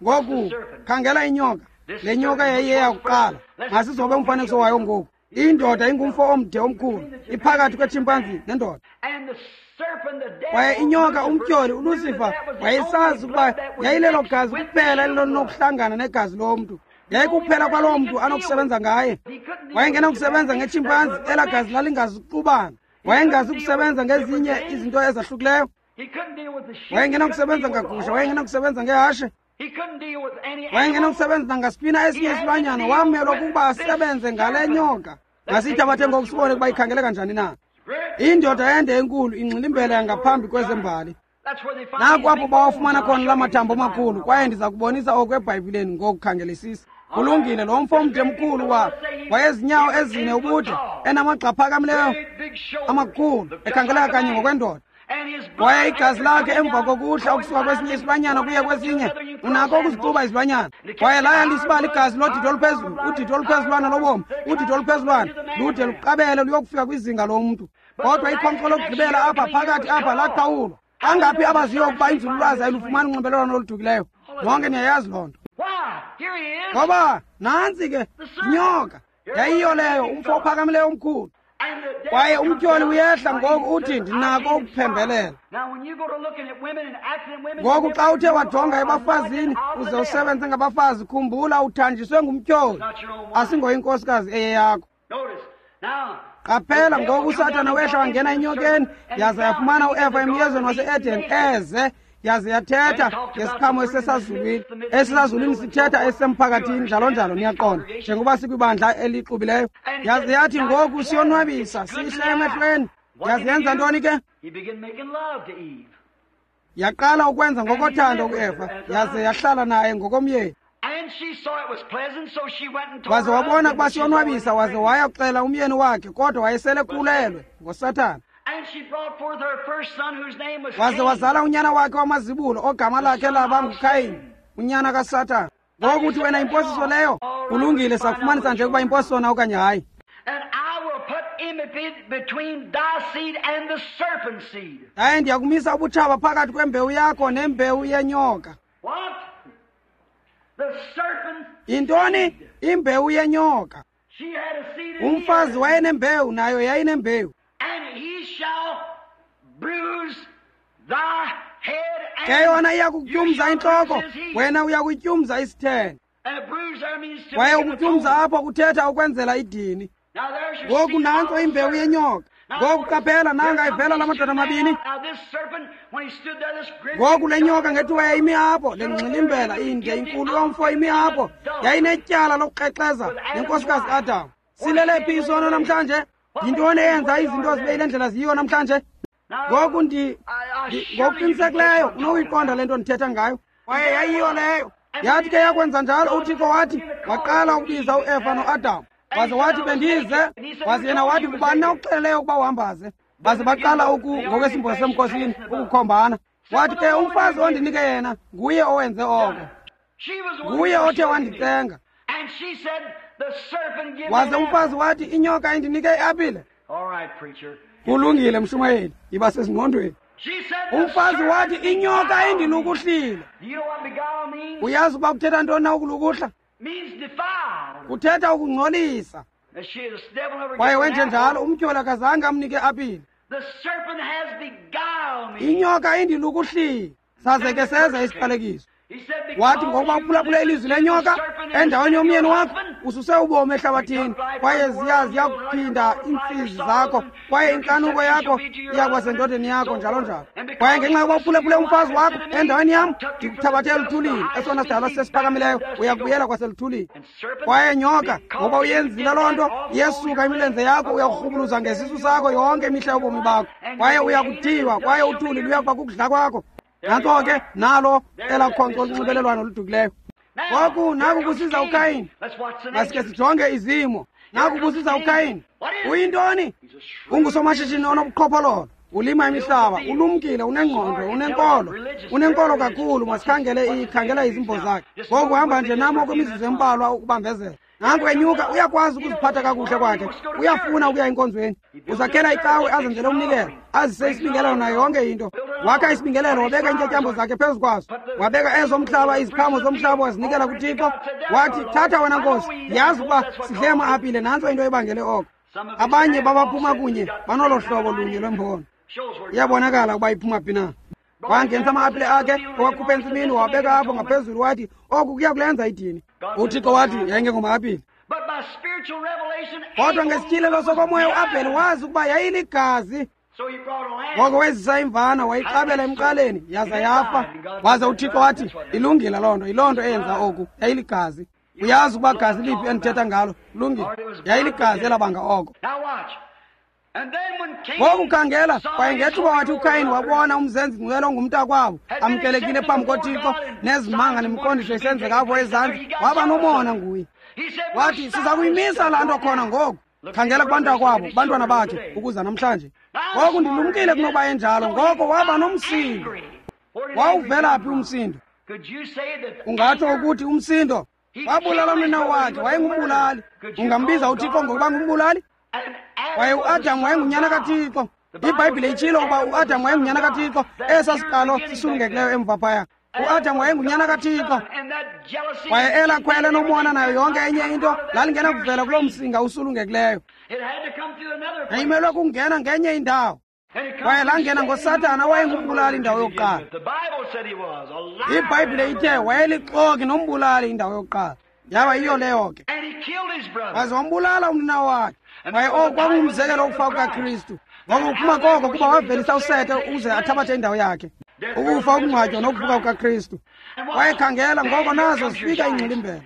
Ngoku khangela inyoka. Le nyoka yayiyeyakuqala. Masizobe umfanekiso wayo ngoku. Indoda ingumfo omde omkhulu, iphakathi kwetshimpanzi nendoda. Kwaye inyoka, umtyholi, uLucifer, wayesazi ukuba yayilelo gazi kuphela elinokuhlangana negazi lomntu. Yayikuphela kwaloo mntu anokusebenza ngaye. Wayengenakusebenza ngetshimpanzi, elaa gazi lalingazixubana. Wayengazi ukusebenza ngezinye izinto ezahlukileyo. Wayengenakusebenza ngagusha, wayengenakusebenza ngehashe, wayengenakusebenza nangasiphi esinye isilwanyana. Wamelwa kukuba asebenze ngale nyoka. Masiyithabathe ngoku sibone ukuba ikhangeleka njani na. Indoda ende enkulu ingxilimbela yangaphambi kwezembali. Naku apho bawafumana khona la mathambo amakhulu, kwaye ndiza kubonisa oku eBhayibhileni ngokukhangelisisa. Kulungile, lo mfo omde mkhulu wayezinyawo ezine ubude, enamagxa aphakamileyo amakhulu, ekhangeleka kanye ngokwendoda. Kwaye igazi lakhe emva kokuhla ukusuka kwesinye isilwanyana kuye kwesinye, unako ukuzixuba izilwanyana. Kwaye laya lisibala igazi lodidi oluphezulu, udidi oluphezulwana lobomi, udidi oluphezulwana lude luqabele luyokufika kwizinga lomntu. Kodwa ikhonkco lokugqibela apha phakathi apha laqhawulwa. Angaphi abaziyo ukuba inzululwazi ayilufumani unxibelelwano oludukileyo? Nonke niyayazi loo nto. Ngoba nantsi ke inyoka, yayiyo leyo, umfo ophakamileyo omkhulu. Kwaye umtyholi uyehla ngoku uthi, ndinako ukuphembelela. Ngoku xa uthe wajonga ebafazini uze usebenze ngabafazi, khumbula uthanjiswe ngumtyholi, asingoyinkosikazi eyeyakho. Qaphela ngoku uSathana wehla wangena enyokeni, yaze yafumana uEva emyezweni wase-Eden eze, yaze yathetha ngesiqhamo esisezulwini. Esisezulwini sithetha esisemphakathini, njalo njalo, niyaqonda, njengoba sikwibandla elixubileyo. Yaze yathi ngoku siyonwabisa, sihle emehlweni. Yaze yenza ntoni ke? Yaqala ukwenza ngokothando kuEva, yaze yahlala naye ngokomyeni. Waze wabona ukuba siyonwabisa, waze waya kuxela umyeni wakhe, kodwa wayesele khulelwe ngoSathana. Waze wazala unyana wakhe wamazibulo ogama lakhe laba nguKhayini, unyana kaSathana. Ngoku uthi wena imposiso leyo? Kulungile, sakufumanisa nje ukuba imposiso na okanye hayi. Yaye ndiyakumisa ubutshaba phakathi kwembewu yakho nembewu yenyoka. Yintoni imbewu yenyoka? Umfazi wayenembewu, nayo yayinembewu. Ke yona iyakutyumza intloko, wena uyakutyumza isithende. Kwaye ukutyumza apho kuthetha ukwenzela idini. Ngoku nantso imbewu yenyoka. Ngoku qaphela, nanga ivela la madoda mabini. Ngoku le nyoka ngethuba yayimi apho, le ngxilimbela inde inkulu yomfo imi apho, yayinetyala lokukrexeza nenkosikazi Adam. Silele phi isono namhlanje? Yintoni eyenza izinto zibe yile ndlela ziyiyo namhlanje? Ngoku ngokuqinisekileyo unokuyiqonda le nto ndithetha ngayo. Kwaye yayiyo leyo. Yathi ke yakwenza njalo, uThixo wathi waqala ukubiza uEva noAdam. Waze wathi bendize, waze yena wathi ngubani na ukuxeleleyo ukuba uhambaze? Baze baqala ngokwesimbo semkhosini ukukhombana. Wathi ke umfazi ondinike yena nguye owenze oko, nguye othe wandicenga. Waze umfazi wathi inyoka indinike iapile. Kulungile mshumayeli, yiba sezingqondweni. Umfazi wathi inyoka indilukuhlile. Uyazi ukuba kuthetha ntoni na ukulukuhla? Kuthetha ukungcolisa. Kwaye wenje njalo, umtyholi akazange amnike apile. Inyoka indilukuhlile. Saze ke seza isiqalekiso. Wathi ngokuba uphulaphule ilizwi lenyoka endaweni yomyeni wakho, ususe ubomi ehlabathini, kwaye ziya kuphinda iintsizi zakho, kwaye inkanuko yakho iya kuba sendodeni yakho, njalo njalo. Kwaye ngenxa yokuba uphulaphule umfazi wakho endaweni yam, ndikuthabathe eluthulini, esona sidalwa sesiphakamileyo, uya kubuyela kwaseluthulini. Kwaye nyoka, ngoba uyenzile loo nto, iyesuka imilenze yakho, uyakurhubuluza ngesisu sakho yonke imihla yobomi bakho, kwaye uya kuthiywa, kwaye uthuli luya kuba kukudla kwakho. Nantso ke nalo elakhonkco olunxibelelwano oludukileyo. Ngoku naku kusiza uKhayini. Masike sijonge izimo. Naku kusiza uKhayini. Uyintoni? Ungusomashishini onobuqhophololo, ulima imihlaba, ulumkile, unengqondo, unenkolo, unenkolo kakhulu. Masikhangele ikhangela izimbo zakhe. Ngoku hamba nje nam okwemizuzu embalwa ukubambezela. Nanku enyuka, uyakwazi ukuziphatha kakuhle kwakhe, uyafuna ukuya enkonzweni, uzakhela icawe, azenzele umnikelo, azise isibingelelo nayo yonke into. Wakha isibingelelo, wabeka iintyatyambo zakhe phezu kwaso, wabeka ezomhlaba, iziqhamo zomhlaba wazinikela kuThixo. Wathi, thatha wena Nkosi, yazi ukuba sidle ama-apile, nantso into ebangele oko. Abanye babaphuma kunye banolo hlobo lunye lwembono. Iyabonakala ukuba iphuma phi na. Wangenisa ama-apile akhe, owakhupha entsimini, wabeka apho ngaphezulu, wathi oku kuya kulenza idini. UThixo wathi yayingengoma-apile. Kodwa ngesityhilelo sokomoya uAbheli wazi ukuba yayiligazi. Ngoko wezisa imvana, wayixabela emqaleni, yaza yafa. Waze uThixo wathi ilungile loo nto, yiloo nto eyenza oku, yayiligazi. Uyazi ukuba gazi liphi endithetha ngalo? Kulungile, yayiligazi elabanga oko. Ngoku khangela, kwaye ngethuba wathi uKhayini wabona umzenzi ngcwele ongumntakwabo amkelekile phambi koThixo, nezimanga nemiqondiso isenzeka apho ezantsi, waba nomona nguye. Wathi siza kuyimisa laa nto khona ngoku. Khangela kubantakwabo, kubantwana bakhe, ukuza namhlanje. Ngoku ndilumkile kunokuba enjalo. Ngoko waba nomsindo. Wawuvela phi umsindo? Ungatsho ukuthi umsindo wabulala umnina wakhe, wayengumbulali. Ungambiza uThixo ngokuba ngumbulali? Kwaye uAdam wayengunyana kaThixo. IBhayibhile itshilo ukuba uAdam wayengunyana kaThixo, esa siqalo sisulungekileyo emva phaya. uAdam wayengunyana kaThixo. Kwaye elakhwele nomona nayo yonke enye into lalingena kuvela kuloo msinga usulungekileyo. Yayimelwe kungena ngenye indawo. Kwaye langena ngoSathana owayengumbulali indawo yokuqala. IBhayibhile ithe wayelixoki nombulali indawo yokuqala. Yaba yiyo leyo ke. Waze wambulala umnina wakhe. Kwaye oku kwakungumzekelo wokufa kukaKristu. Ngoku uphuma koko kuba wavelisa uSete ukuze athabathe indawo yakhe. Ukufa, ukungcwatywa nokuvuka kukaKristu. Kwaye khangela, ngoko nazo zifika iingxilimbela.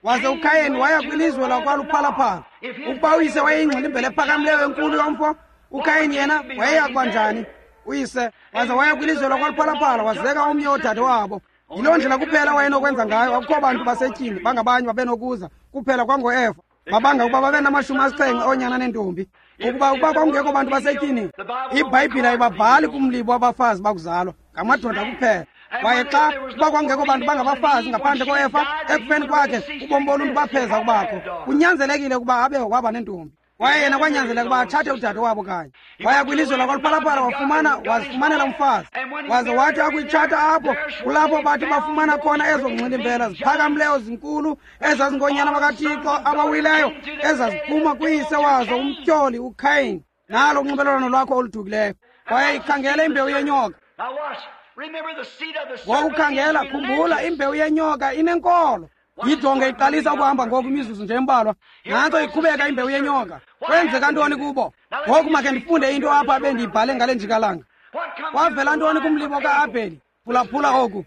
Waze uKhayini waya kwilizwe lakwaluphalaphala. Ukuba uyise wayeyingxilimbela ephakamileyo enkulu yomfo, uKhayini yena wayeya kuba njani? Uyise waze waya kwilizwe lakwaluphalaphala, wazeka omnye woodade wabo. Yiloo ndlela kuphela wayenokwenza ngayo. Akukho bantu basetyhini bangabanye babenokuza, kuphela kwangoEva. Babanga ukuba babe nama-70 oonyana neentombi. Ukuba kwakungekho bantu basetyhini, iBhayibhile ayibabhali kumlibo wabafazi bakuzalwa, ngamadoda kuphela. Kwaye xa kuba kwakungekho bantu bangabafazi ngaphandle koEfa, ekufeni kwakhe ubomi boluntu bapheza kubakho. Kunyanzelekile ukuba abe waba nentombi. Kwaye yena kwanyanzeleka ukuba atshate udade wabo kanye. Waya kwilizwe lakwaLuphalaphala, wazifumanela umfazi. Waze wathi akuyitshata apho, kulapho bathi bafumana khona ezo ngxilimbela ziphakamileyo zinkulu ezazingoonyana bakaThixo abawileyo, ezaziphuma kwiyise wazo umtyholi uKhayini. Nalo unxibelelwano lwakho oludukileyo. Kwaye ikhangela imbewu yenyoka. Ngokukhangela, khumbula, imbewu yenyoka inenkolo. Yijonge iqalisa ukuhamba ngoku imizuzu nje embalwa. Nantso iqhubeka imbewu yenyoka. Kwenzeka ntoni kubo? Ngoku makhe ndifunde into apha bendiyibhale ngale njikalanga. Kwavela ntoni kumlibo ka-Abheli? Phulaphula oku.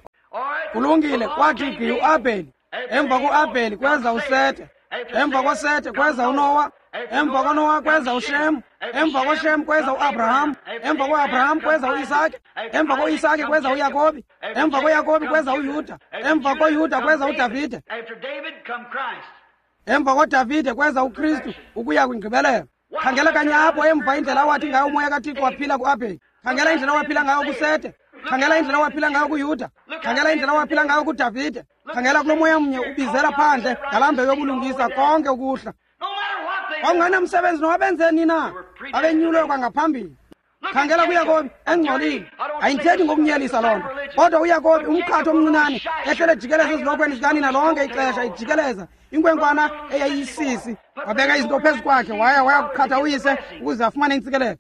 Kulungile, kwathi gqi uAbheli. Emva koAbheli kweza uSete. Emva koSete kweza uNowa. Emva koNowa kweza uShem. Emva koShem kweza uAbraham. Emva koAbraham kweza uIsake. Emva koIsake kweza uYakobi. Emva koYakobi kweza uYuda. Emva koYuda kweza uDavide. Emva koDavide kweza uKristu ukuya kwingqibelelo. Khangela kanye apho emva indlela awathi ngayo umoya kaThixo waphila kuAbheli. Khangela indlela waphila ngayo kuSete. Khangela indlela waphila ngayo kuYuda. Khangela indlela waphila ngayo kuDavide. Khangela kulo moya mnye ubizela phandle ngalaa mbewu yobulungisa konke ukuhla. Kwakungenamsebenzi noba benzeni na, babenyulwe kwangaphambili. Khangela kuYakobi engcolile. Ayindithethi ngokunyelisa loo nto, kodwa uYakobi umqhatho omncinane ehlele ejikeleza ezilokhweni zikanina lonke ixesha, ijikeleza inkwenkwana eyayiyisisi. Wabeka izinto phezu kwakhe, waya kuqhatha uyise ukuze afumane intsikelelo.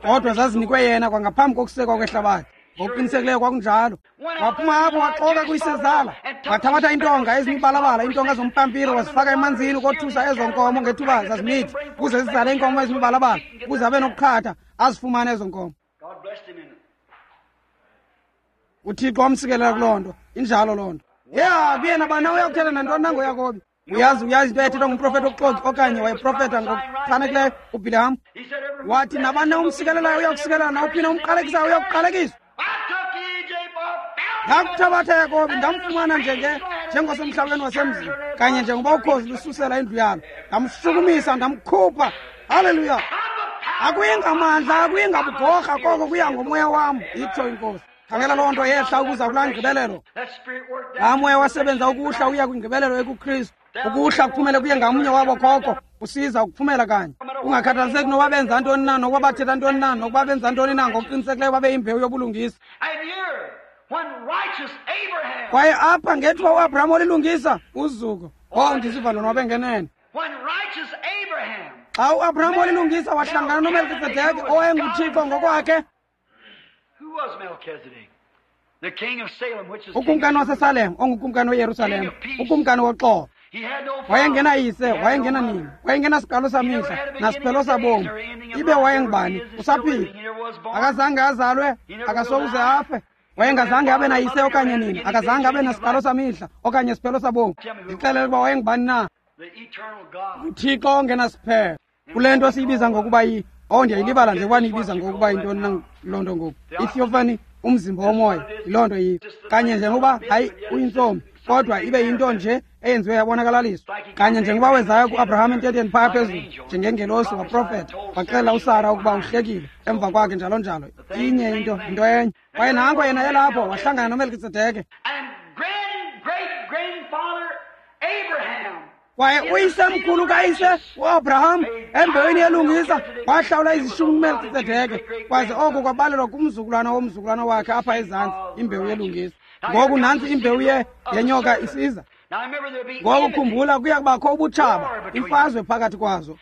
Kodwa zazinikwe yena kwangaphambi kokusekwa kwehlabathi. Ngokuqinisekileyo kwakunjalo. Waphuma apho waxoka kuyisezala, wathabatha iintonga ezimibalabala, iintonga zompampiro, wazifaka emanzini ukothusa ezo nkomo ngethuba zazimithi, ukuze zizale iinkomo ezimibalabala, ukuze abe nokuqhatha azifumane ezo nkomo. UThixo wamsikelela kuloo nto. Injalo loo nto. Ya, kuyena bana uyakuthetha nantoni na ngoYakobi. Uyazi into eyayithethwa ngumprofethi wokuxoki, okanye wayeprofetha ngokuchanekileyo uBhileham. Wathi nabani na umsikelelayo uyakusikelela, nawuphi na umqalekisayo uyakuqalekiswa. Ndakuthabatha Yakobi, ndamfumana njengosemhlabeni wasemzini, kanye njengoba ukhozi lususela indlu yalo. Ndamshukumisa, ndamkhupha. Haleluya! Akuyi ngamandla, akuyi ngabugorha, koko kuya ngomoya wam, itsho iNkosi. Khangela loo nto yehla ukuza kulaa ngqibelelo. Laa moya wasebenza ukuhla uya kwingqibelelo ekuKristu. Ukuhla kuphumele kuye ngamnye wabo khokho, usiza ukuphumela kanye. Kungakhathaliseki noba benza ntoni na, nokuba bathetha ntoni na, nokuba benza ntoni na, ngokuqinisekileyo babe yimbewu yobulungisa. Kwaye apha ngethuba uAbraham olilungisa, uzuko. Oh, ndisiva ndonwabe ngenene. Xa uAbraham olilungisa wahlangana noMelkizedeki owayenguThixo ngokwakhe. Ukumkani waseSalem, ongukumkani weYerusalem, ukumkani woxolo. Wayengenayise, wayengenanina, wayengenasiqalo samihla nasiphelo sabomi. Ibe wayengubani? Usaphila. Akazange azalwe, akasokuze afe. Wayengazange abe nayise okanye nina, akazange abe nasiqalo samihla okanye siphelo sabomi. Ndixelele ukuba wayengubani na? UThixo ongenasiphelo. Kule nto siyibiza ngokuba ndiyayilibala nje ukuba niyibiza ngokuba yintoni na loo nto ngoku. Itheophany, umzimba womoya, yiloo nto yiyo. Kanye njengoba hayi uyintsomi, kodwa ibe yinto nje eyenziwe yabonakalaliswa. Kanye njengoba wezayo kuAbraham ententeni phaya phezulu njengengelosi, waprofetha, waxelela uSara ukuba uhlekile emva kwakhe, njalo njalo. Inye into, into enye. Kwaye nanko yena elapho wahlangana noMelkitsedeke. Kwaye uyisemkhulu kayise uAbraham embewini yelungisa wahlawula izishumi kuMelkitsedeke, kwaze oko kwabalelwa kumzukulwana womzukulwana wakhe apha ezantsi, imbewu yelungisa. Ngoku nantsi imbewu yenyoka isiza. Ngoku khumbula, kuya kubakho ubutshaba, imfazwe phakathi kwazo.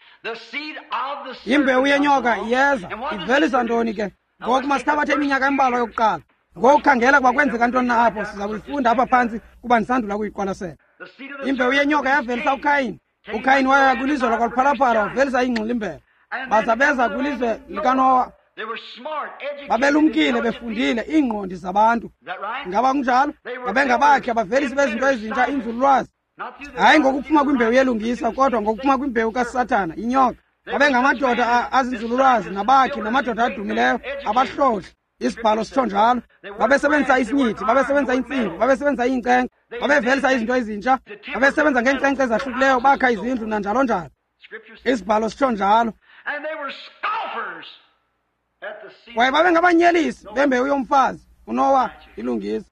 Imbewu yenyoka iyeza. Ivelisa ntoni ke? Ngoku masithabathe iminyaka embalwa yokuqala. Ngoku khangela kuba kwenzeka ntoni na apho. Siza kuyifunda apha phantsi kuba ndisandula kuyiqwalasela. Imbewu yenyoka yavelisa uKhayini. uKhayini waya kwilizwe lakwaLuphalaphala wavelisa iingxilimbela. Baza beza kwilizwe likaNowa. Babelumkile, befundile, iingqondi zabantu. Ngaba kunjalo? Babengabakhi, abavelisi bezinto ezintsha, inzululwazi. Hayi ngokuphuma kwimbewu yelungisa, kodwa ngokuphuma kwimbewu kaSathana, inyoka. Babengamadoda azinzululwazi nabakhi namadoda adumileyo, abahlohli. Isibhalo sitsho njalo. Babesebenzisa isinyithi, babesebenzisa intsimbi, babesebenzisa iinkcenkce, babevelisa izinto ezintsha, babesebenza ngeenkcenkce ezahlukileyo, bakha izindlu nanjalo njalo. Isibhalo sitsho njalo. Kwaye babengabanyelisi bembewu yomfazi uNowa ilungisa.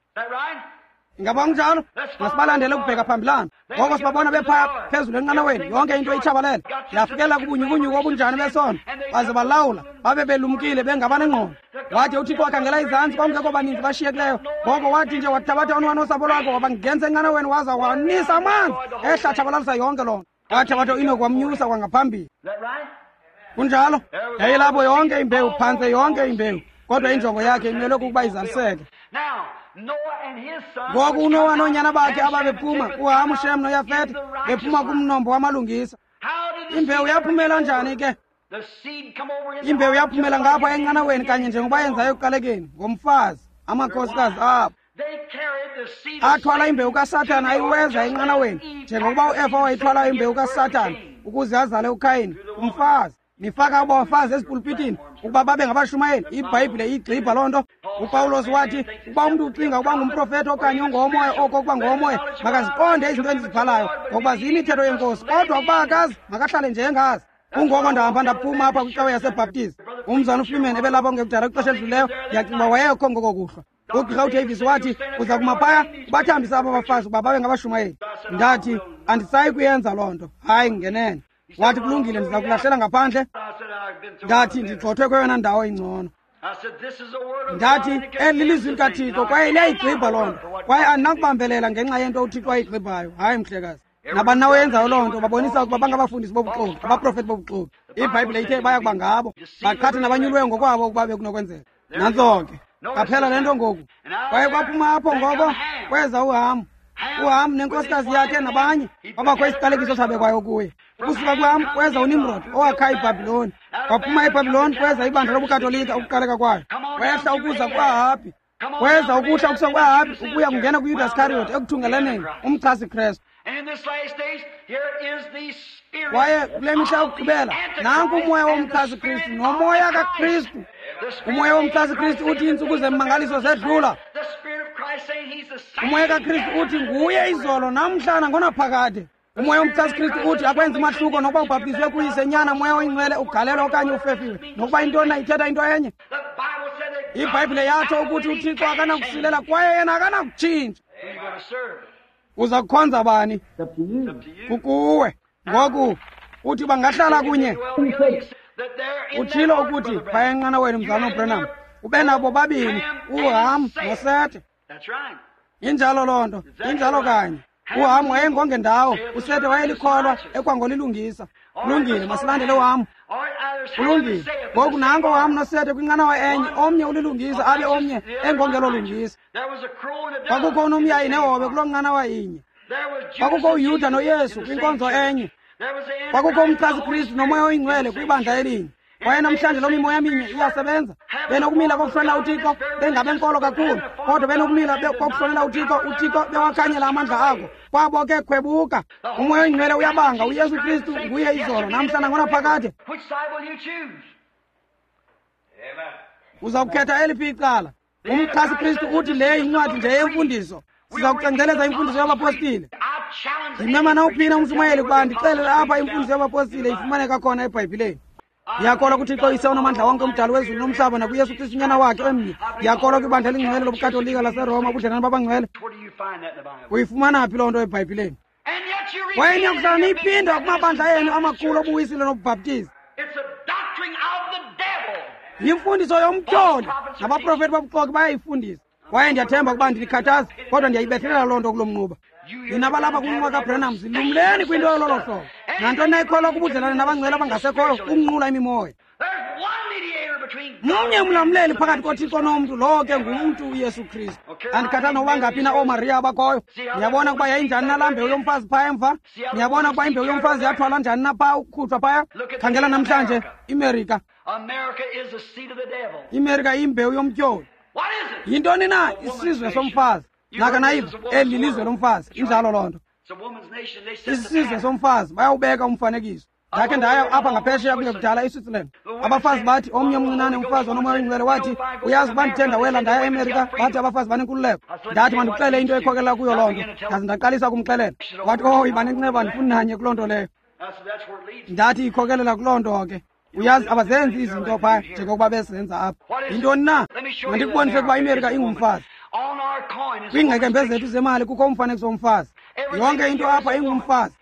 Ingaba kunjalo? Masibalandele ukubheka phambilana. Ngoko sibabona bephaya phezulu enqanaweni, yonke into itshabalele. Yafikela kubunyukunyuku obunjani besono, baze balawula, babe belumkile bengabanengqondo. Wathi uThixo wakhangela izantsi, kwakungekho baninzi bashiyekileyo. Ngoko wathi nje wathabatha uNowa nosapho lwakhe wabangenisa enqanaweni waza wanisa amanzi ehla tshabalalisa yonke loo nto. Wathabatha uEnoki wamnyusa kwangaphambili. Kunjalo? Yayilapho yonke imbewu, phantse yonke imbewu. Kodwa injongo yakhe imelwe kukuba izaliseke. Ngoku uNowa noonyana bakhe ababephuma kuHamu, Shem noYafete bephuma kumnombo wamalungisa. Imbewu yaphumela njani ke? Imbewu yaphumela ngapha enqanaweni kanye njengoba yenzayo ekuqalekeni ngomfazi, amakhosikazi abo. Athwala imbewu kaSathana ayiweza enqanaweni njengokuba uEfa wayithwala imbewu kaSathana ukuze azale uKhayini, umfazi. Nifaka abafazi ezipulpitini ukuba babe ngabashumayeli. IBhayibhile iyigxibha loo nto. UPawulos wathi ukuba umntu ucinga ukuba ngumprofethi okanye ungowomoya, oko ukuba ngowomoya, makaziqonde izinto endizibhalayo ngokuba ziyimithetho yenkosi. Kodwa ukuba akazi, makahlale nje engazi. Kungoko ndahamba ndaphuma apha kwicawe yaseBhaptizi. Umzana uFreeman ebelapha kungekudala kwixesha elidluleyo, ndiyacinga uba wayekho ngoko kuhlwa. Ugqirha uDavis wathi uza kuma phaya ubathambise aba bafazi ukuba babe ngabashumayeli. Ndathi andisayi kuyenza loo nto. Hayi, ngenene. Wathi kulungile, ndiza kulahlela ngaphandle. Ndathi ndigxothwe kweyona ndawo ingcono. Ndathi eli lilizwi likaThixo kwaye liyayigxibha loo nto, kwaye andinakubambelela ngenxa yento uThixo ayigxibhayo. Hayi, mhlekazi. Nabani na oyenzayo loo nto babonisa ukuba bangabafundisi bobuxoki, abaprofethi bobuxoki. IBhayibhile ithe baya kuba ngabo, baqhathe nabanyuliweyo ngokwabo ukuba bekunokwenzeka. Nantso ke. Qaphela le nto ngoku. Kwaye kwaphuma apho ngoko kweza uHamu. uHamu nenkosikazi yakhe nabanye babakho isiqalekiso sabekwayo kuye. Ukusuka kuHamu kweza uNimrod owakha iBhabhiloni. Kwaphuma iBhabhiloni kweza ibandla lobuKatolika ukuqaleka kwayo. Kwehla ukuza kuAhabhi. Kweza ukuhla ukusuka kuAhabhi ukuya kungena kuYudas Iskariyoti ekuthungelaneni umchasi Kristu. Kwaye kule mihla yokugqibela nanku umoya womchasi Kristu nomoya kaKristu. Umoya womchasi Kristu uthi iintsuku zemmangaliso zedlula. Umoya kaKristu uthi nguye izolo namhla nangonaphakade. Umoya womchasi Kristu uthi akwenzi mahluko nokuba ubhaptizwe kuyise, nyana, moya oyingcwele, ugalelwa okanye ufefiwe, nokuba intoni na ithetha into enye. IBhayibhile yatsho ukuthi uThixo akanakusilela kwaye yena akanakutshintsha. Uza kukhonza bani? Kukuwe. Ngoku uthi bangahlala kunye. Utshilo ukuthi phaya enqanaweni mzalwana uBranham ube nabo bobabini uHam noSete. Injalo loo nto, injalo kanye. UHam wayengongendawo, uSete wayelikholwa ekwangolilungisa. Kulungile, masilandele uHam. Kulungile. Ngoku nanko uHam noSete kwinqanawa enye, omnye ulilungisa abe omnye engongelolungisa. Kwakukho unomyayi nehobe kuloo nqanawa inye. Kwakukho uYuda noYesu kwinkonzo enye. Kwakukho umchasi Kristu nomoya oyingcwele kwibandla elinye. Kwaye namhlanje loo mimoya minye iyasebenza. Benokumila kokuhlonela uThixo, bengabenkolo kakhulu, kodwa benokumila kokuhlonela uThixo, uThixo bewakhanyela amandla ako. Kwabo ke khwebuka. Umoya oyingcwele uyabanga, uYesu Kristu nguye izolo, namhla nangonaphakade. Uza kukhetha eliphi icala? Umchasi Kristu uthi le yincwadi nje yemfundiso. Siza kucengceleza imfundiso yabapostile. Ndimema nawuphina umshumayeli ukuba ndixelele apha imfundiso yabapostile ifumaneka khona eBhayibhileni. Ndiyakholwa kuThixo Uyise onamandla wonke, umdali wezulu nomhlaba, nakuYesu Kristu unyana wakhe emnye. Ndiyakholwa kwibandla elingcwele lobuKatolika laseRoma, ubudlelane babangcwele. Uyifumana phi loo nto eBhayibhileni? Kwaye niyakuhlala niyiphinda kumabandla enu amakhulu obuwisile nobubhaptizi. Yimfundiso yomtyholi, nabaprofethi bobuxoki bayayifundisa. Kwaye ndiyathemba ukuba ndinikhathaza, kodwa ndiyayibethelela loo nto kulo mnquba. Nina balapha kumnquba kaBranham, zilumleni kwinto yololo hlobo. Nantoni na ikholwa kubudlelane nabangcwele abangasekhoyo, ukunqula imimoya. Mnye umlamleli phakathi koThixo nomntu, lowo ke ngumntu uYesu Kristu. Andikhathali nokuba ngaphi na ooMariya abakhoyo. Niyabona ukuba yayinjani na laa mbewu yomfazi phaya emva? Niyabona ukuba imbewu yomfazi yathwalwa njani na phaa ukukhutshwa phaya? Khangela namhlanje iMerika. IMerika iyimbewu yomtyholi. Yintoni na isizwe somfazi? Naka nayiva, eli lilizwe lomfazi. Injalo loo nto. Isizwe somfazi, bayawubeka umfanekiso. Ndakhe ndaya apha ngaphesheya kungekudala eSwitzerland. Abafazi bathi, omnye omncinane umfazi onomoya oyingcwele wathi, uyazi uba ndithe ndawela ndaya eMerika, bathi abafazi banenkululeko. Ndathi mandikuxele into ekhokelela kuyo loo nto. Ndaze ndaqalisa ukumxelela. Wathi, oh, yiba nenceba, andifuni nanye kuloo nto leyo. Ndathi ikhokelela kuloo nto ke. Uyazi abazenzi izinto phaa njengokuba bezenza apha. Yintoni na? Mandikubonise ukuba iMerika ingumfazi. Kwiingqekembe zethu zemali kukho umfanekiso womfazi. Yonke into apha ingumfazi.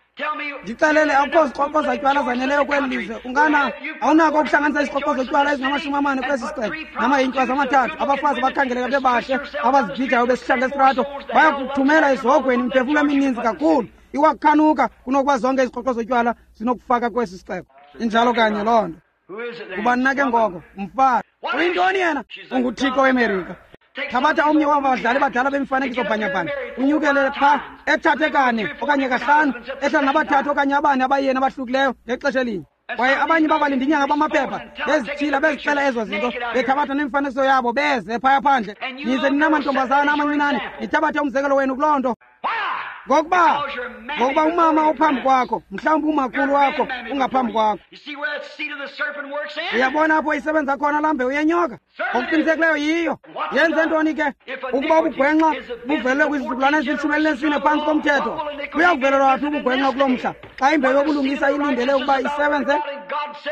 Ndixelele, akukho ziqoqo zatywala zaneleyo kweli lizwe. Ungana awunako ukuhlanganisa iziqoqo zotywala ezingama-40 kwesi sixeko namayinkwazi amathathu. Abafazi abakhangeleka bebahle abazibhijayo besihlanga esitrato bayakuthumela ezihogweni imiphefumlo emininzi kakhulu iwakhanuka kunokuba zonke iziqoqo zotywala zinokufaka kwesi sixeko. Injalo kanye loo nto. Ubani na ke ngoko? Umfazi. Uyintoni yena? UnguThixo weMerika. Thabatha omnye waba badlali badala bemifanekiso bhanyabhanya, unyukele phaa ethathe kane okanye kahlanu, ehlala nabathathu okanye abane abayeni abahlukileyo ngexesha elinye. Kwaye abanye babalindi inyanga bamaphepha bezithila bezixela ezo zinto, bethabatha nemifanekiso yabo beze phaya phandle. Nize ninamantombazana amancinane nithabathe umzekelo wenu kuloo nto. Ngokuba umama ophambi kwakho, mhlawumbi umakhulu wakho ungaphambi kwakho. Uyabona apho isebenza khona laa mbewu yenyoka? Ngokuqinisekileyo yiyo. Yenze ntoni ke? Ukuba ubugwenxa buvelele kwizizukulwana ezili-14 phantsi komthetho, buyakuvelelwa phi ubugwenxa kuloo mhla xa imbewu yobulungisa ilindele ukuba isebenze?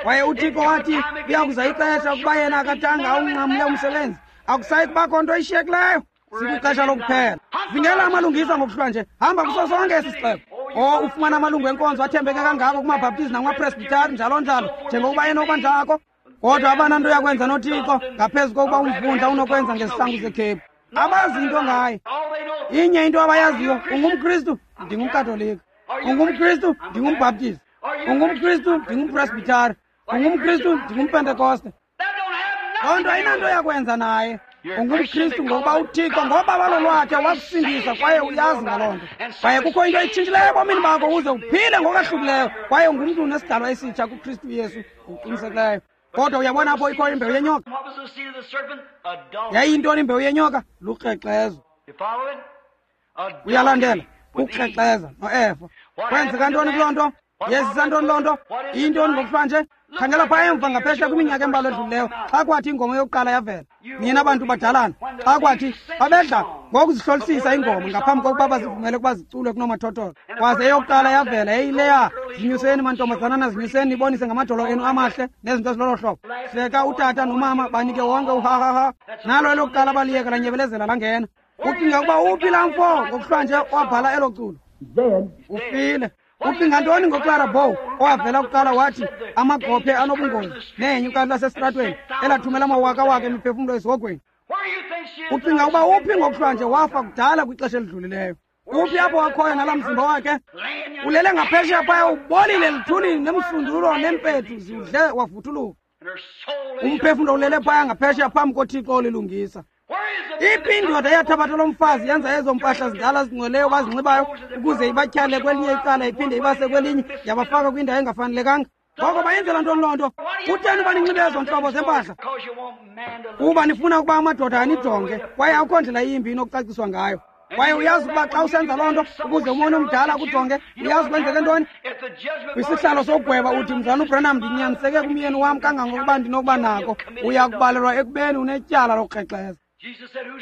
Kwaye uThixo wathi kuya kuza ixesha ukuba yena akathanga awunqamle umsebenzi, akusayi kubakho nto ishiyekileyo. Sikwixesha lokuphela. Zingela amalungisa ngokuhlwa nje. Hamba kuso sonke esi sixeko. O, ufumana amalungu enkonzo athembeke kangako kumaBhaptizi nakumaPresbitari njalo njalo, njengokuba enoba njako. Kodwa abananto yakwenza noThixo ngaphezu kokuba umvundla unokwenza ngezihlangu zekhephu. Abazi into ngaye. Inye into abayaziyo, ungumKristu, ndingumKatolika. UngumKristu, ndingumbhaptizi. UngumKristu, ndingumPresbitari. UngumKristu, ndingumPentekoste. Loo nto ayinanto yakwenza naye. UngumKristu ngokuba uThixo ngobabalo lwakhe wakusindisa kwaye uyazi ngaloo nto. Kwaye kukho into etshintshileyo ebomini bakho ukuze uphile ngokwahlukileyo kwaye ungumntu unesidalwa esitsha kuKristu Yesu ngokuqinisekileyo. Kodwa uyabona apho ikho imbewu yenyoka? Yayiyintoni imbewu yenyoka? Lukrexezo. Uyalandela? Ukukrexeza noEva. Kwenzeka ntoni kuloo nto? Yezisa ntoni loo nto? Iyintoni ngokuhlwa nje? Khangela phaa emva ngaphesheya kwiminyaka embalwa edlulileyo xa kwathi ingoma yokuqala yavela. Nina bantu badalana, xa kwathi babedla ngokuzihlolisisa iingoma ngaphambi kokuba bazivumele ukuba ziculwe kunomathotholo. Kwaze eyokuqala yavela yayileya, zinyuseni mantombazanana, zinyuseni nibonise ngamadolo enu amahle nezinto ezilolo hlobo. Hleka utata nomama banike wonke uhahaha. Nalo elokuqala baliyeka lanyebelezela langena. Ucinga ukuba uphi laa mfo ngokuhlwa nje wabhala elo culo? Ufile. Ucinga ntoni ngoClara Bow owavela kuqala wathi amagophe anobungozi nenyuka lasesitratweni elathumela amawakawaka emiphefumlo esihogweni? Ucinga ukuba uphi ngokuhlwa nje wafa kudala kwixesha elidlulileyo? Uphi apho wakhoyo nalaa mzimba wakhe? Ulele ngaphesheya phaya ubolile luthulini nemsundulo neempethu ziwudle wavuthuluka. Umphefumlo ulele phaya ngaphesheya phambi koThixo olilungisa. Iphi indoda eyathabatha lo mfazi yenza ezo mpahla zidala zingcweleyo bazinxibayo ukuze ibatyhale kwelinye icala iphinde ibase kwelinye yabafaka kwindawo engafanelekanga? Ngoko bayenzela ntoni loo nto? Kutheni uba ninxibe ezo ntlobo zempahla? Kuba nifuna ukuba amadoda anijonge, kwaye akukho ndlela yimbi inokucaciswa ngayo. Kwaye uyazi ukuba xa usenza loo nto ukuze umoni omdala akujonge, uyazi kwenzeke ntoni? Kwisihlalo sokugweba uthi, Mzalwana uBranham, ndinyaniseke kumyeni wam kangangokuba ndinokuba nako. Uya kubalelwa ekubeni unetyala lokukrexeza.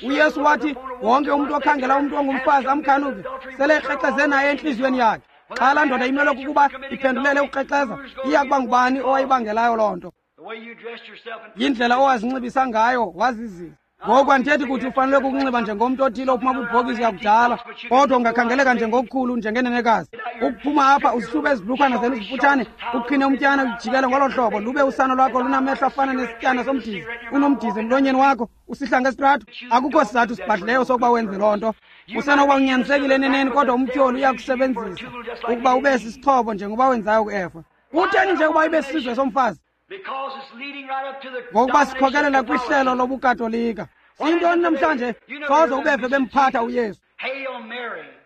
uYesu wathi wonke umntu okhangela umntu ongumfazi amkhanuke sele ekrexeze naye entliziyweni yakhe. Xa laa ndoda imelwe kukuba iphendulele ukukrexeza, iya kuba ngubani owayibangelayo loo nto? Yindlela owazinxibisa ngayo wazizisa. Ngoku andithethi kuthi ufanele kukunxiba njengomntu othile ophuma kwibhokisi yakudala, kodwa ungakhangeleka njengokukhulu njengenenekazi. Ukuphuma apha uzihlube ezibhlukhwana zenu zifutshane, uqhine umtyana ujikele ngolo hlobo, lube usana lwakho lunamehlo afana nesityana somdizi, unomdizi emlonyeni wakho, usihla ngesitrato. Akukho sizathu sibhadlileyo sokuba wenze loo nto. Usenokuba unyanisekile eneneni, kodwa umtyholi uyakusebenzisa ukuba ube sisixhobo njengoba wenzayo kuEfa. Kutheni nje ukuba ibe sisizwe somfazi? Ngokuba sikhokelela kwihlelo lobuKatolika. Siyintoni namhlanje? Soze ubeve bemphatha uYesu.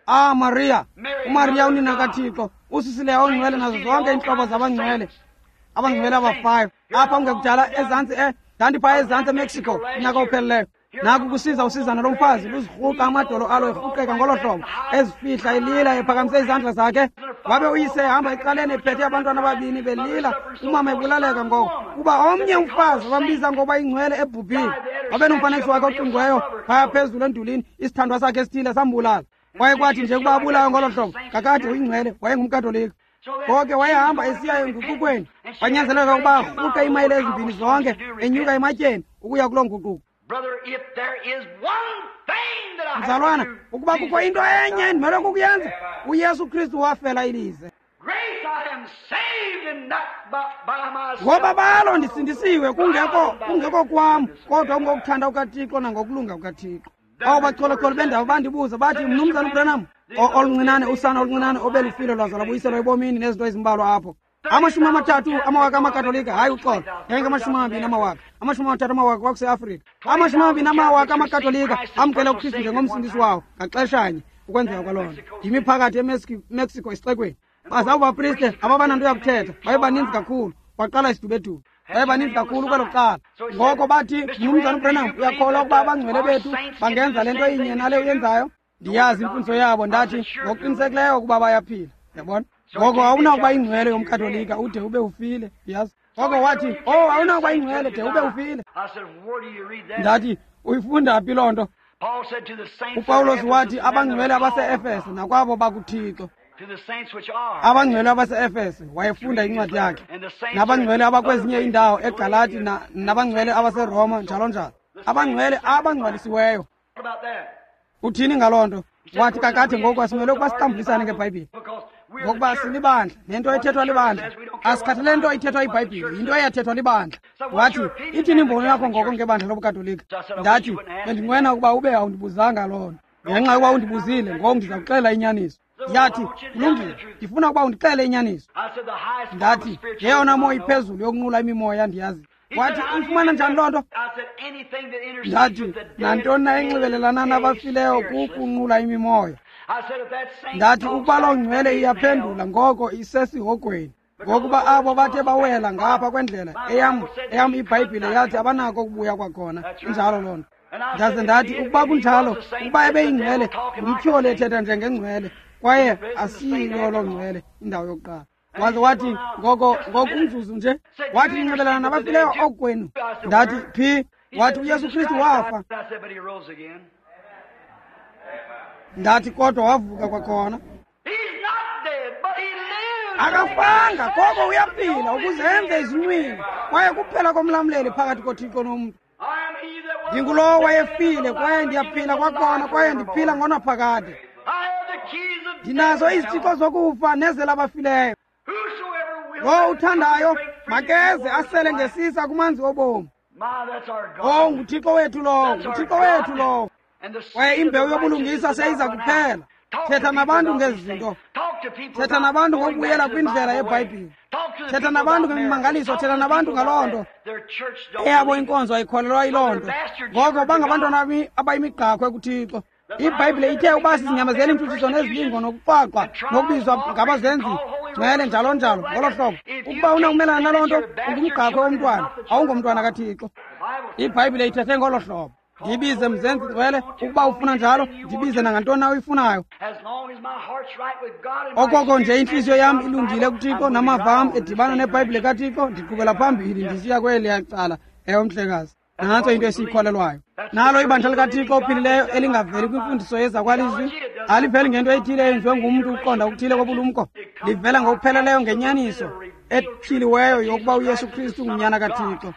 Ah, Maria, uMaria unina kaThixo, usisileyo ongcwele nazo zonke iintlobo zabangcwele, abangcwele aba-5. Apha kungekudala ezantsi ndandiphaa ezantsi eMexico unyaka ophelileyo. Naku kusiza usizana lomfazi luzirhuqa amadolo alo erhuqeka ngolo hlobo, ezifihla elila ephakamise izandla zakhe. Wabe uyise ehamba ecaleni ephethe abantwana ababini belila, umama ebulaleka ngoko kuba omnye umfazi abambiza ngoba ingcwele ebhubhile. Wabe nomfanekiso wakhe oqingweyo phaya phezulu endulini, isithandwa sakhe esithile sambulala. Kwaye kwathi nje ukuba abulawe ngolo hlobo, kakade uyingcwele wayengumkatolika. Ngoko wayehamba esiya enguqukweni, kwanyanzeleka ukuba arhuqe iimayile ezimbini zonke enyuka ematyeni ukuya kuloo nguquko. Mzalwana, ukuba kukho into enye endimelwe kukuyenza, uYesu Kristu wafela ilize. Ngoba balo ndisindisiwe, kungekho kwam, kodwa kungokuthanda kukaThixo nangokulunga kukaThixo. Abo bacholocholo bendawo bandibuza bathi, Mnumzana uBranham, oluncinane usana oluncinane obelufile lwaza lwabuyiselwa ebomini nezinto ezimbalwa apho. 30 amawaka amaKatolika, hayi uxolo, yayingama-20 amawaka, 30 amawaka kwakuseAfrika. 20 amawaka amaKatolika amkela uKristu njengomsindisi wawo ngaxeshanye ukwenzeka kwaloo nto. Ndimi phakathi eMexico esixekweni. Baza abo bapriste ababananto yakuthetha, baye baninzi kakhulu, kwaqala isidubedube. Baye baninzi kakhulu kwelo cala. Ngoko bathi, Mnumzana uBranham, uyakholwa ukuba abangcwele bethu bangenza le nto inye nale uyenzayo? Ndiyazi imfundiso yabo, ndathi ngokuqinisekileyo ukuba bayaphila. Yabona? Ngoko awunakuba ingcwele yomKatolika ude ube ufile, yazi. Ngoko wathi, oh, awunakuba ingcwele de ube ufile. Ndathi, uyifunda phi loo nto? UPawulos wathi abangcwele abase-Efese nakwabo bakuThixo. Abangcwele abase-Efese wayefunda incwadi yakhe, nabangcwele abakwezinye iindawo eGalati nabangcwele abaseRoma njalo njalo, abangcwele abangcwalisiweyo. Uthini ngaloo nto? Wathi kakade ngoku asimele ukuba sixambulisane ngeBhayibhile, ngokuba silibandla nento ethethwa libandla. Asikhathalele nto ithethwa iBhayibhile, yinto eyathethwa libandla. Wathi, ithini imbono yakho ngoko ngebandla lobuKatolika? Ndathi, bendinqwena ukuba ube awundibuzanga loo nto. Ngenxa yokuba undibuzile, ngoku ndiza kuxela inyaniso. Yathi, kulungile, ndifuna ukuba undixele inyaniso. Ndathi, yeyona moya iphezulu yokunqula imimoya ndiyazi. Wathi, uyifumana njani loo nto? Ndathi, nantoni na enxibelelana nabafileyo kukunqula imimoya. Ndathi, ukuba loo ngcwele iyaphendula ngoko isesihogweni, ngokuba abo bathe bawela ngapha kwendlela eyam iBhayibhile yathi abanako ukubuya kwakhona. Injalo loo nto. Ndaze ndathi, ukuba kunjalo, ukuba ebeyingcwele, ngumtyholi ethetha njengengcwele, kwaye asiyiyo loo ngcwele indawo yokuqala. Waze wathi, ngoko umzuzu nje. Wathi, ninxibelelana nabafileyo okwenu. Ndathi, phi? Wathi, uYesu Kristu wafa. Ndathi, kodwa wavuka kwakhona. Akafanga, koko uyaphila ukuze enze izinywini, kwaye kuphela komlamleli phakathi koThixo nomntu. Ndingulowo wayefile, kwaye ndiyaphila kwakhona, kwaye ndiphila ngonaphakade. Ndinazo izithixo zokufa nezelabafileyo. Lowo uthandayo makeze asele ngesisa kumanzi obomi. Oh, nguThixo wethu lowo, nguThixo wethu lowo. Kwaye imbewu yobulungisa seyiza kuphela. Thetha nabantu ngezi zinto. Thetha nabantu ngokubuyela kwindlela yeBhayibhile. Thetha nabantu ngemimangaliso, thetha nabantu ngaloo nto. Eyabo inkonzo ayikholelwa yiloo nto. Ngoko bangabantwana abayimigqakhwe kuThixo. IBhayibhile ithe uba sizinyamezela iintshutshiso nezilingo nokuqwaqwa nokubizwa ngabazenzi ngcwele njalo njalo ngolo hlobo. Ukuba unakumelana naloo nto, ungumgqakhwe womntwana, awungomntwana kaThixo. IBhayibhile ithethe ngolo hlobo. Ndibize mzenzi ngcwele, ukuba ufuna njalo, ndibize nangantoni na uyifunayo. Okoko nje intliziyo yam ilungile kuThixo namava am edibana neBhayibhile kaThixo, ndiqhubela phambili ndisiya kweliya cala. Ewe, mhlekazi. Nantso into esiyikholelwayo. Nalo ibandla likaThixo ophilileyo elingaveli kwimfundiso yezakwalizwi, aliveli ngento ethile eyenziwe ngumntu ukuqonda okuthile kobulumko. Livela ngokupheleleyo ngenyaniso etyhiliweyo yokuba uYesu Kristu ngunyana kaThixo.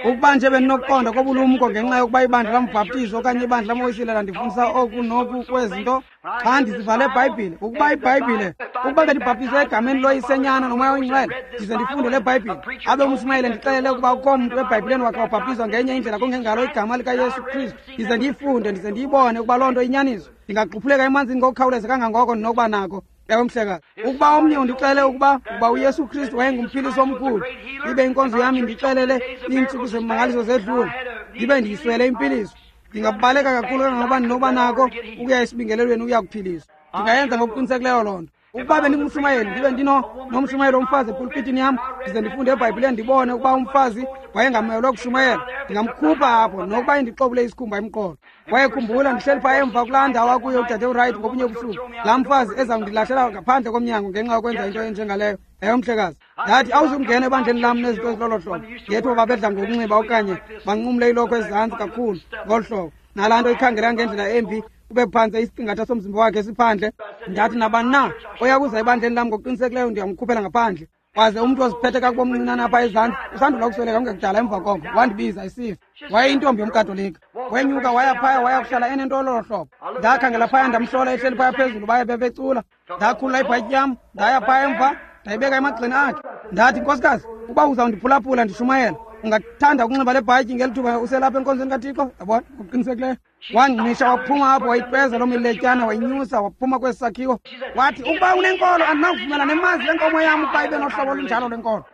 Ukuba nje bendinokuqonda kobulumko ngenxa yokuba ibandla lambhaptizo okanye ibandla lamowisile landifundisa oku noku kwezinto, xa ndisiva le Bhayibhile, ukuba iBhayibhile, ukuba bendibhaptizwe egameni loyisenyana noMoya oyiNgcwele, ndize ndifunde le Bhayibhile, abe umshumayeli ndixelele ukuba ukho mntu eBhayibhileni wakhe wabhaptizwa ngenye indlela kungengalo igama likaYesu Kristu, ndize ndiyifunde, ndize ndiyibone ukuba loo nto inyaniso, ndingaquphuleka emanzini ngokukhawuleza kangangoko ndinokuba nako. Ewe, mhlekazi. Ukuba omnye undixelele ukuba uYesu Kristu wayengumphilisi omkhulu, ibe inkonzo yam indixelele iintsuku zemimangaliso zedlula, ndibe ndiyiswele impiliso, ndingabaleka kakhulu kangangoba ndinokuba nako ukuya esibingelelweni ukuya kuphiliswa. Ndingayenza ngokuqinisekileyo loo nto. Ukuba bendingumshumayeli, ndibe ndinomshumayeli womfazi epulpitini yam, ndize ndifunde eBhayibhileni ndibone ukuba umfazi wayengamelwe kushumayela, ndingamkhupha apho nokuba indixobule isikhumba emqolo. Kwaye khumbula, ndihleli phaa emva kulaa ndawo akuyo udade uWright ngobunye ubusuku, laa mfazi ezawundilahlela ngaphandle komnyango ngenxa yokwenza into enjengaleyo. Ewe, mhlekazi. Ndathi, awuzukungena ebandleni lam nezinto ezilolo hlobo. Ngethuba babedla ngokunxiba okanye banqumle ilokhwe ezantsi kakhulu ngolu hlobo, nalaa nto ikhangeleka ngendlela embi, kube phantse isiqingatha somzimba wakhe esiphandle. Ndathi, nabani na oya kuza ebandleni lam ngokuqinisekileyo ndiyamkhuphela ngaphandle. Waze umntu oziphethe kakubi omncinane apha ezantsi usandula ukusweleka kungekudala emva koko, wandibiza isifa. Wayeyintombi yomKatolika. Wenyuka waya phaya waya kuhlala enento ololo hlobo. Ndakhangela phaya ndamhlola ehleli phaya phezulu, baye bebecula. Ndakhulula ibhatyi yam, ndaya phaya emva, ndayibeka emagxeni akhe. Ndathi, nkosikazi, uba uzawundiphulaphula ndishumayela, ungathanda ukunxiba le bhatyi ngeli thuba uselapha enkonzweni kaThixo? Yabona, ngokuqinisekileyo. Wangqisha waphuma apho, wayipeza loo miletyana, wayinyusa waphuma kwesi sakhiwo. Wathi, ukuba unenkolo andinakuvumela nemazi lenkomo yam ukuba ibe nohlobo olunjalo lwenkolo.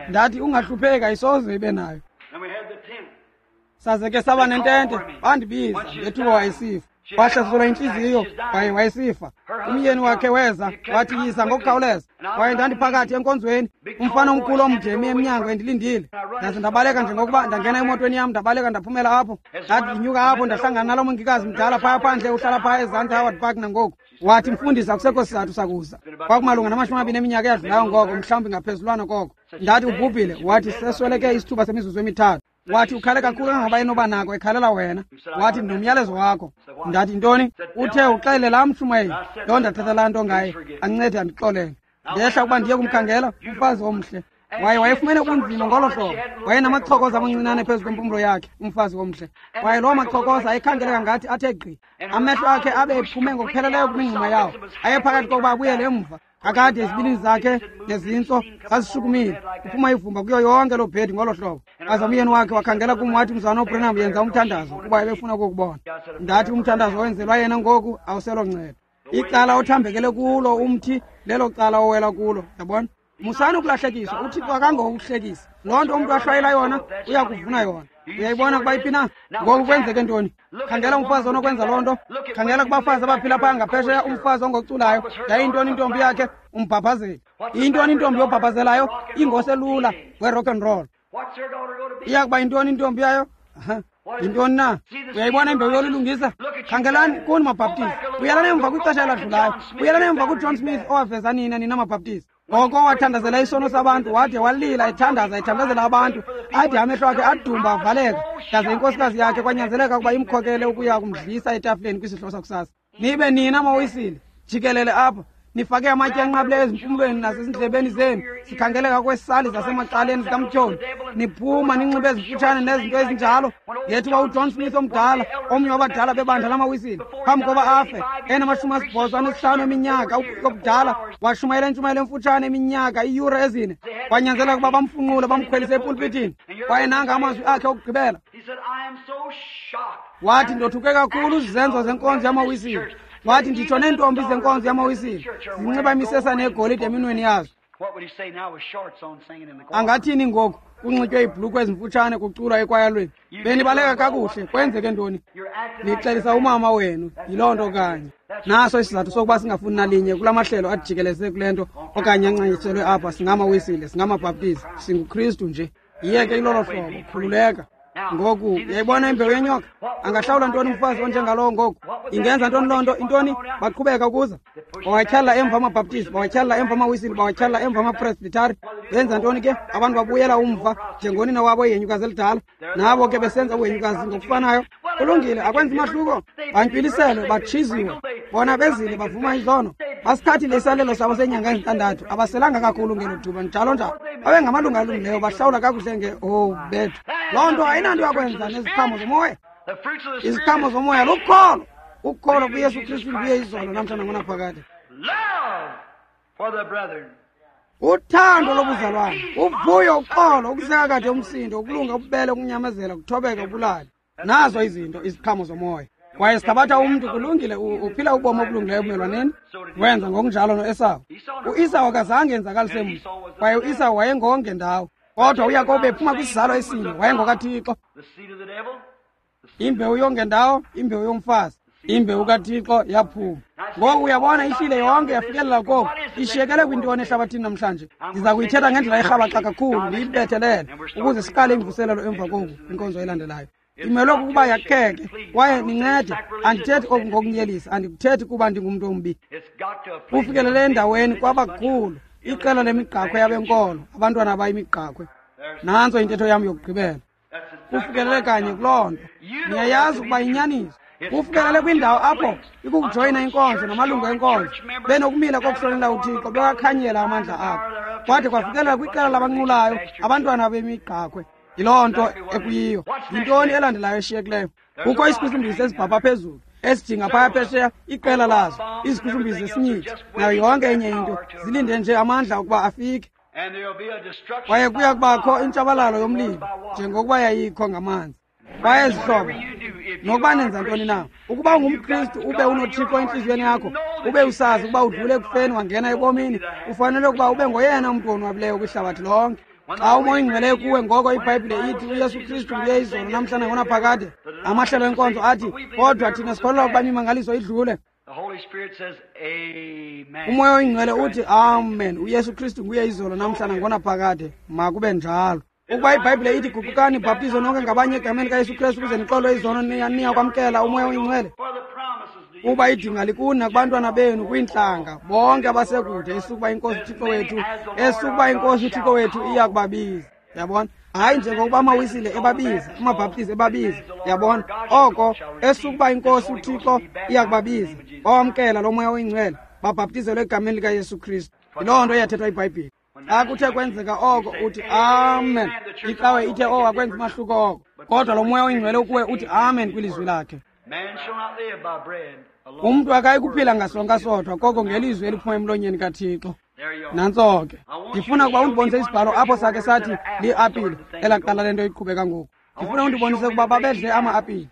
Ndathi, ungahlupheki, ayisoze ibe nayo. Saze ke saba nentente, bandibiza ngethuba wayesifa. Wahlaselwa intliziyo kwaye wayesifa. Umyeni wakhe weza wathi, yisa ngokukhawuleza. Kwaye ndandiphakathi enkonzweni, umfana omkhulu omde emi emnyango endilindile. Ndaze ndabaleka njengokuba ndangena emotweni yam, ndabaleka ndaphumela apho. Ndathi ndinyuka apho ndahlangana nalo mongikazi mdala phaya phandle, uhlala phaya ezantsi Howard Park nangoku. Wathi, mfundisi, akusekho sizathu sakuza. Kwakumalunga nama-20 eminyaka eyadlulayo ngoko, mhlawumbi ngaphezulwana koko. Ndathi, ubhubhile. Wathi, sesweleke isithuba semizuzu emithathu. Wathi, ukhale kakhulu kangaba enoba nako ekhalela wena. Wathi, ndinomyalezo wakho. Ndathi, ntoni? Uthe uxelele laa mshumayeli loo ndathetha laa nto ngaye, ancede andixolele. Ndehla ukuba ndiye kumkhangela umfazi omhle. Waye wayefumene ubunzima ngolo hlobo. Wayenamachokoza amancinane phezu kwempumlo yakhe, umfazi omhle. Kwaye loo machokoza ayekhangeleka ngathi athe gqi. Amehlo akhe abe ephume ngokupheleleyo kwimingxuma yawo. Ayephakathi kokuba abuyele emva. Kakade izibilini zakhe nezintso zazishukumile, kuphuma ivumba kuyo yonke loo bhedi ngolo hlobo. Waze umyeni wakhe wakhangela kum wathi, mzana uBrenham, yenza umthandazo kuba ebefuna ukukubona. Ndathi, umthandazo owenzelwa yena ngoku awuseloncedo. Icala othambekele kulo umthi lelo cala owela kulo, yabona. Musani ukulahlekiswa, uThixo akangokuhlekisa. Loo nto umntu ahlwayela yona uya kuvuna yona. Uyayibona ukuba iphi na? Ngoku kwenzeke ntoni? Khangela umfazi onokwenza loo nto. Khangela kubafazi abaphila phaa ngaphesheya, umfazi ongoculayo. Yayintoni intombi yakhe? Umbhabhazeli. Iyintoni intombi yobhabhazelayo? Ingoselula we-rock and roll. Iya kuba yintoni intombi yayo? Yintoni na? Uyayibona imbewu yolulungisa? Khangelani kuni maBhaptizi. Buyelani emva kwixesha eladlulayo. Buyelani emva kuJohn Smith owaveza nina, nina maBhaptizi. Ngoko wathandazela isono sabantu, wade walila ethandaza, ethandazela abantu, ade amehlo akhe adumba avaleka. Yaze inkosikazi yakhe kwanyanzeleka ukuba imkhokele ukuya kumdlisa etafileni kwisidlo sakusasa. Nibe nina maWisile jikelele apha, nifake amatye anqabileyo ezimpumlweni nasezindlebeni zenu, sikhangeleka kwesali zasemacaleni zikamtyholi, niphuma ninxibe ezimfutshane nezinto ezinjalo. Ngethuba uJohn Smith omdala, omnye wabadala bebandla lamaWisile, phambi koba afe enama-85 eminyaka obudala, washumayela intshumayelo emfutshane iminyaka iiyure 4. Kwanyanzeleka ukuba bamfunqule bamkhwelise epulpitini. Kwaye nanga amazwi akhe okugqibela. Wathi, ndothuke kakhulu izenzo zenkonzo yamaWisile. Wathi, nditsho neentombi zenkonzo yamaWisile zinxiba imisesane yegolide eminweni yazo. Angathini ngoku kunxitywe iibhulukhwe ezimfutshane kuculwa ekwayalweni? Benibaleka kakuhle, kwenzeke ntoni? Nixelisa umama wenu, yiloo nto kanye. Naso isizathu sokuba singafuni nalinye kula mahlelo ajikeleze kule nto okanye ancanyiselwe apha. SingamaWisile, singamaBhaptizi, singuKristu nje. Yiyeke ilolo hlobo, khululeka. Ngoku uyayibona imbewu yenyoka? Angahlawula ntoni umfazi onjengalowo ngoku? Ingenza ntoni loo nto? Intoni? Baqhubeka ukuza. Bawatyhalela emva amaBhaptizi, bawatyhalela emva amaWisile, bawatyhalela emva amaPresbitari. Benza ntoni ke? Abantu babuyela umva njengonina wabo ihenyukazi elidala. Nabo ke besenza uhenyukazi ngokufanayo. Kulungile, akwenzi mahluko. Bantywiliselwe, batshiziwe. Bona bezile bavuma izono. Basithathile isalelo sabo seenyanga ezintandathu. Abaselanga kakhulu ngelo thuba, njalo njalo. Babe ngamalungu alungileyo, bahlawula kakuhle nge oh bethu. Loo nto ayinanto yakwenza neziqhamo zomoya. Iziqhamo zomoya lukholo. Ukholo kuYesu Kristu nguye izolo namhla nangonaphakade. Uthando lobuzalwane, uvuyo, uxolo, ukuseka kade umsindo, ukulunga, ububele, ukunyamezela, ukuthobeka, ubulali. Nazo izinto, iziqhamo zomoya. Kwaye sithabatha umntu, kulungile, uphila ubomi obulungileyo ebumelwaneni. Wenza ngokunjalo noEsawu. UEsawu akazange enzakalise mntu, kwaye uEsawu wayengongendawo. Kodwa uYakobe ephuma kwisizalo esinye, wayengokaThixo. Imbewu yongendawo, imbewu yomfazi, imbewu kaThixo yaphuma. Ngoku uyabona ihlile yonke yafikelela koku. Ishiyekele kwintoni ehlabathini namhlanje? Ndiza kuyithetha ngendlela erhabaxa kakhulu, ndiyibethelele ukuze siqale imvuselelo emva koku kwinkonzo elandelayo. Imelwe kukuba yakheke kwaye nincede. Andithethi oku ngokunyelisa, andikuthethi kuba ndingumntu ombi. Kufikelele endaweni kwabakhulu iqela lemigqakhwe yabenkolo, abantwana abayimigqakhwe. Nantso intetho yam yokugqibela. Kufikelele kanye kuloo nto. Niyayazi ukuba inyaniso. Kufikelele kwindawo apho ikukujoyina inkonzo namalungu enkonzo benokumila kokuhlonela uThixo, bewakhanyela amandla abo. Kwade kwafikelela kwiqela labanqulayo, abantwana bemigqakhwe. Yiloo nto ekuyiyo. Yintoni elandelayo eshiyekileyo? Kukho isikhushumbisi esibhabha phezulu, esijinga phaya phesheya, iqela lazo, izikhushumbisi zesinyithi, nayo yonke enye into, zilinde nje amandla ukuba afike. Kwaye kuya kubakho intshabalalo yomlilo njengokuba yayikho ngamanzi. Kwaye zihlobo, nokuba nenza ntoni na, ukuba ungumKristu ube unoThixo entliziyweni yakho, ube usazi ukuba udlule ekufeni wangena ebomini, ufanele ukuba ube ngoyena mntu wonwabileyo kwihlabathi lonke. Xa uMoya Oyingcwele kuwe, ngoko iBhayibhile ithi uYesu Kristu nguye izolo, namhla nangonaphakade. Amahlelo enkonzo athi, kodwa thina sikholelwa ukuba imimangaliso idlule. UMoya Oyingcwele uthi amen, uYesu Kristu nguye izolo, namhla nangonaphakade. Makube njalo. Ukuba iBhayibhile ithi guqukani, bhaptizo nonke ngabanye egameni likaYesu Kristu ukuze nixolwe izono, niya kwamkela uMoya Oyingcwele. Kuba idinga likuni nakubantwana benu, kwiintlanga bonke abasekude, esukuba iNkosi uThixo wethu, esukuba iNkosi uThixo wethu iya kubabiza. Yabona? Hayi njengokuba amaWisile ebabiza, amaBhaptizi ebabiza. Yabona? Oko esukuba iNkosi uThixo iya kubabiza, bawamkela lo Moya Oyingcwele, babhaptizelwe egameni likaYesu Kristu. Yiloo nto iyathethwa iBhayibhile. Xa kuthe kwenzeka oko, uthi amen. Icawe ithe, oh, akwenza umahluko oko, kodwa lo Moya Oyingcwele ukuwe uthi amen kwilizwi lakhe. Umntu akayi kuphila ngasonka sodwa, koko ngelizwi eliphuma emlonyeni kaThixo. Nantso ke. Ndifuna ukuba undibonise isibhalo apho sakhe sathi liapile elaqala le nto iqhubeka ngoku. Ndifuna undibonise ukuba babedle ama-apile.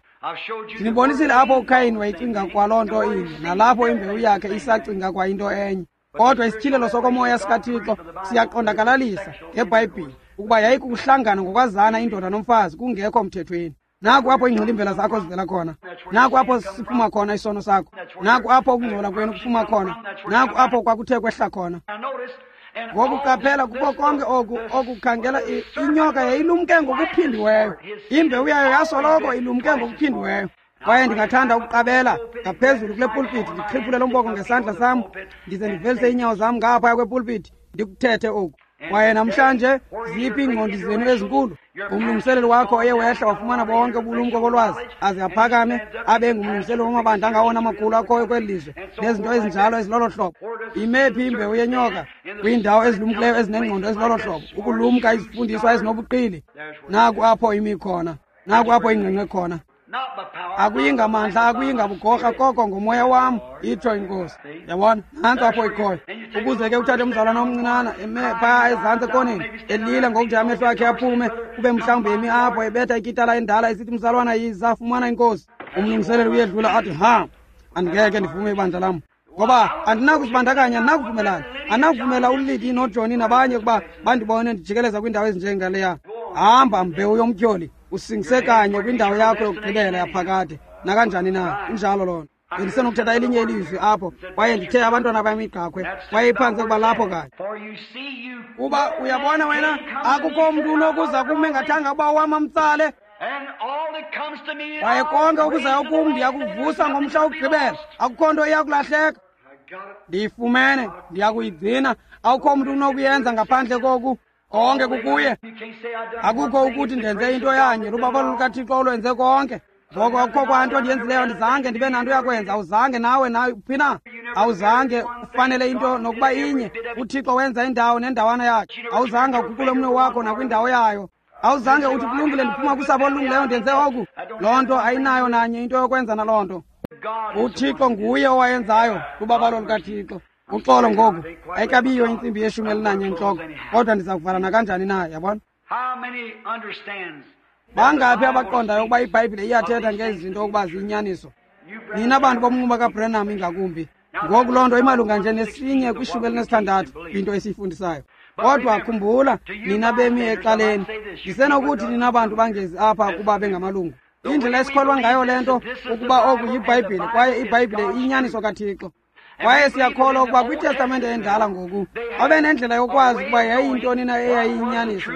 Ndinibonisile apho uKhayini wayecinga kwaloo nto inye, nalapho imbewu yakhe isacinga kwa into enye. Kodwa isityhilelo sokomoya sikaThixo siyaqondakalalisa ngeBhayibhile ukuba yayikukuhlangana ngokwazana indoda nomfazi kungekho mthethweni. Naku apho iingxilimbela zakho zivela khona. Naku apho siphuma khona isono sakho. Naku apho ukungcola kwenu kuphuma khona. Naku apho kwakuthe kwehla khona. Ngoku qaphela, kuko konke oku okukhangela inyoka yayilumke ngokuphindiweyo. Imbewu yayo yasoloko ilumke ngokuphindiweyo. Kwaye ndingathanda ukuqabela ngaphezulu kule pulpiti, ndiqhiphule lo mboko ngesandla sam, ndize ndivelise iinyawo zam ngaphaya kwepulpiti, ndikuthethe oku. Kwaye namhlanje ziphi iingqondi zenu ezinkulu? Umlungiseleli wakho oye wehla wafumana bonke ubulumko bolwazi, aze aphakame abe ngumlungiseleli wamabandla angawona amakhulu akhoyo kweli lizwe, nezinto ezinjalo ezilolo hlobo. Imephi imbewu yenyoka? Kwiindawo ezilumkileyo ezinengqondo ezilolo hlobo, ukulumka izifundiswa ezinobuqili. Naku apho imi khona, naku apho ingqengqe khona. Akuyi ngamandla, akuyi ngabugorha, koko ngomoya wam, itsho iNkosi. Yabona? Nantso apho ikhoyo. Ukuze ke uthathe umzalwana omncinana eme phaa ezantsi ekoneni, elila ngokude amehlo akhe aphume, kube mhlawumbi emi apho ebetha ikitala endala esithi, mzalwana, yiza, fumana iNkosi. Umlungiseleli uyedlula athi, ha, andingeke ndivume ibandla lam, ngoba andinakuzibandakanya, andinakuvumelana, andinakuvumela uLidi noJohny nabanye ukuba bandibone ndijikeleza kwiindawo ezinjengaleya. Hamba, mbewu yomtyholi, usingise kanye kwindawo yakho yokugqibela yaphakade, nakanjani na. Injalo loo nto. Bendisenokuthetha elinye ilizwi apho, kwaye ndithe abantwana bamigqakhwe, kwaye iphantse ukuba lapho kanye. Kuba uyabona wena, akukho mntu unokuza kum engathanga uba wam amtsale. Kwaye konke okuzayo kum ndiyakuvusa ngomhla wokugqibela. Akukho nto iyakulahleka. Ndiyifumene, ndiyakuyigcina. Akukho mntu unokuyenza ngaphandle koku. Konke kukuye. Akukho ukuthi ndenze into yanye, lubabalo lukaThixo olwenze konke. Ngoko akukho kwanto ndiyenzileyo, andizange ndibe nanto yakwenza. Awuzange nawe, nawe uphi na? Awuzange ufanele into nokuba inye. UThixo wenza indawo nendawana yakhe. Awuzange uguqule umnwe wakho nakwindawo yayo. Awuzange uthi, kulungile, ndiphuma kusapho olulungileyo, ndenze oku. Loo nto ayinayo nanye into yokwenza naloo nto. UThixo nguye owayenzayo, lubabalo lukaThixo. Uxolo ngoku, ayikabiyo intsimbi yeshumi elinanye entloko, kodwa ndiza kuvala nakanjani na, yabona? Bangaphi abaqondayo ukuba iBhayibhile iyathetha ngezi zinto ukuba ziyinyaniso? Nina bantu bomnquba kaBranham ingakumbi. Ngoku loo nto imalunga nje nesinye kwishumi elinesithandathu kwinto esiyifundisayo. Kodwa khumbula, nina bemi ecaleni, ndisenokuthi nina bantu bangezi apha kuba bengamalungu. Indlela esikholwa ngayo le nto ukuba oku yiBhayibhile, kwaye iBhayibhile iyinyaniso kaThixo. Kwaye siyakholwa ukuba kwiTestamente endala ngoku babenendlela yokwazi ukuba yayiyintoni na eyayiyinyaniso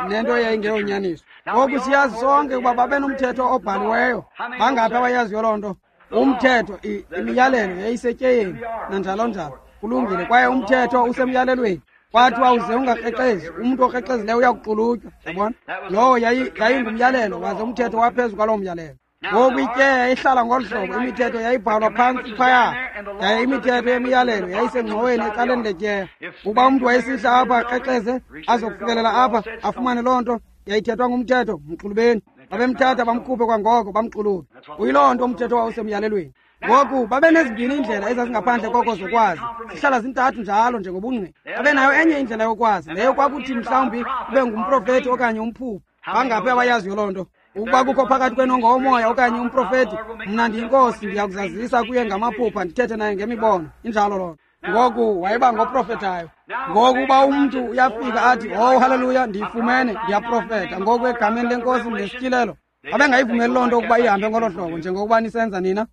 nento eyayingeyonyaniso. Ngoku siyazi sonke ukuba babenomthetho obhaliweyo. Bangaphi abayaziyo loo nto? Umthetho, imiyalelo yayisetyeyeni nanjalo njalo. Kulungile, kwaye umthetho usemyalelweni. Kwathiwa uze ungakrexezi, umntu okrexezileyo uyakuxulutywa, yabona? Lowo yayingumyalelo, waze umthetho waphezu kwaloo myalelo. Ngoku ityeya yayihlala ngolu hlobo, imithetho yayibhalwa phantsi phaya, yaye imithetho yemiyalelo yayisengxoweni ecaleni letyeya. Ukuba umntu wayesihla apha akrexeze, azokufikelela apha afumane loo nto yayithethwa ngumthetho, mxulubeni. Babemthatha bamkhuphe kwangoko bamxulube. Kuyiloo nto umthetho wawusemyalelweni. Ngoku babenezimbini iindlela ezazingaphandle koko zokwazi, zihlala zintathu njalo njengobungqina. Babenayo enye indlela yokwazi, leyo kwakuthi mhlawumbi ube ngumprofethi okanye umphuphi. Bangaphi abayaziyo loo nto? Ukuba kukho phakathi kwenu ongowomoya okanye umprofethi, mna ndiyiNkosi, ndiyakuzazisa kuye ngamaphupha, ndithethe naye ngemibono. Injalo loo nto. Ngoku wayeba ngoprofethayo. Ngoku uba umntu uyafika athi, oh haleluya, ndiyifumene, ndiyaprofetha ngoku egameni leNkosi ndesityilelo. Babengayivumeli loo nto ukuba ihambe ngolo hlobo njengokuba nisenza nina.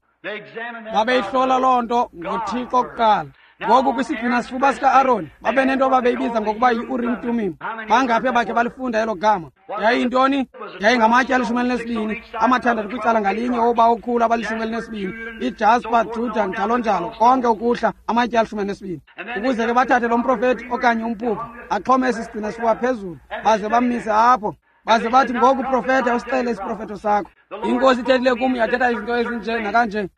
Babeyihlola loo nto ngoThixo kuqala. Ngoku kwisigcina sifuba sika-Aroni babenento ababeyibiza ngokuba yi-Urim Tumim. Bangaphi abakhe balifunda elo gama? Yayiyintoni? Yayingamatye 12, amathandathu kwicala ngalinye oba okhulu abali-12, ijaspa, Juda, njalo njalo, konke ukuhla amatye 12. Ukuze ke bathathe lo mprofethi okanye umphuphi axhome esi sigcina sifuba phezulu, baze bammise apho. Baze bathi, ngoku profetha, usixele isiprofetho sakho. INkosi ithethile kum, yathetha izinto ezinje nakanje.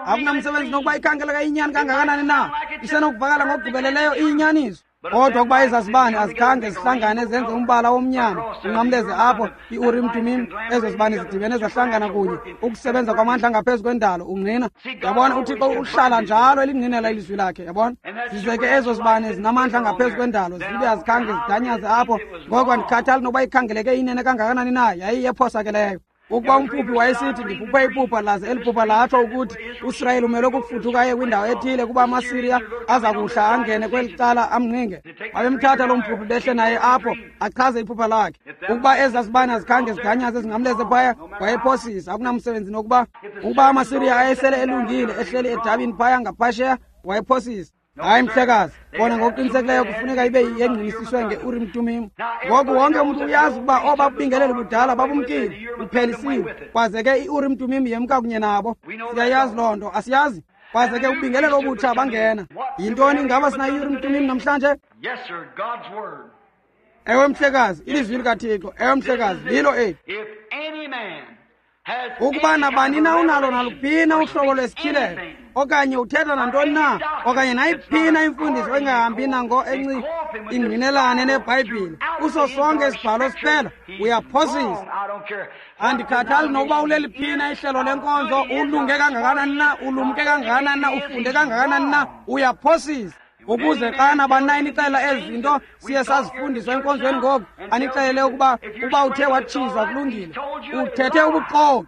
Akunamsebenzi nokuba ikhangeleka iyinyani kangakanani na, isenokuvakala ngokugqibeleleyo iyinyaniso. Kodwa ukuba ezazibane azikhange zihlangane zenze umbala womnyama unqamleze apho i-Urim Tumim, ezo zibane zidibene zahlangana kunye ukusebenza kwamandla angaphezu kwendalo ungqina. Yabona, uThixo uhlala njalo elingqinela ilizwi lakhe, yabona. Zize ke ezo zibane zinamandla angaphezu kwendalo zibe azikhange zidanyaze apho. Ngoko andikhathali nokuba ikhangeleke inene kangakanani na, yayiyephosakeleyo. Ukuba umphuphi wayesithi, ndiphuphe iphupha, laze eli phupha latsho ukuthi uSirayeli umelwe kukufuduka aye kwindawo ethile kuba amaSiriya aza kuhla angene kweli cala amnqinge, babemthatha loo mphuphi behle naye apho achaze iphupha lakhe. Ukuba ezaa zibane azikhange ziganyaze zingamleze phaya, wayephosisa. Akunamsebenzi nokuba ukuba amaSiriya ayesele elungile ehleli edabini phaya ngaphasheya, wayephosisa. Hayi mhlekazi, bona ngokuqinisekileyo kufuneka ibe yengqinisiswe nge-Urim Tumim. Ngoku wonke umntu uyazi ukuba oba bubingeleli budala babumkile, buphelisiwe. Kwaze ke i-Urim Tumim yemka kunye nabo. Siyayazi loo nto, asiyazi? Kwaze ke ubingelelo obutsha bangena. Yintoni? Ingaba sinayo i-Urim Tumim namhlanje? Yes, sir, God's word. Ewe mhlekazi, ilizwi likaThixo. Ewe mhlekazi, lilo eli. If any man has Ukuba nabani na unalo naluphina uhlobo lwesityhilelo okanye uthetha nantoni na okanye nayiphina imfundiso engahambi nango ingqinelane neBhayibhile kuso sonke isibhalo siphela, uyaphosisa. Andikhathali nokuba uleliphina ihlelo lenkonzo, ulunge kangakanani na, ulumke kangakanani na, ufunde kangakanani na, uyaphosisa. Ukuze xa nabani na inixelela ezi zinto siye sazifundiswa enkonzweni ngoku, anixelele ukuba uba uthe watshizwa kulungile, uthethe ubuxoki.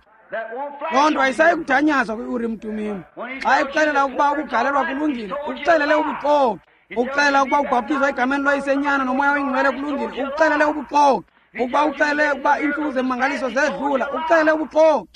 Loo nto ayisayi kudanyazwa kwi-Urim Tumim. Xa ikuxelela ukuba ukugalelwa kulungile, ukuxelele ubuxoki. Ukuxelela ukuba ubhaptizwa egameni loyisenyana nomoya oyingcwele kulungile, ukuxelele ubuxoki. Ukuba uxelele ukuba iintsuku zemangaliso zedlula, ukuxelele ubuxoki.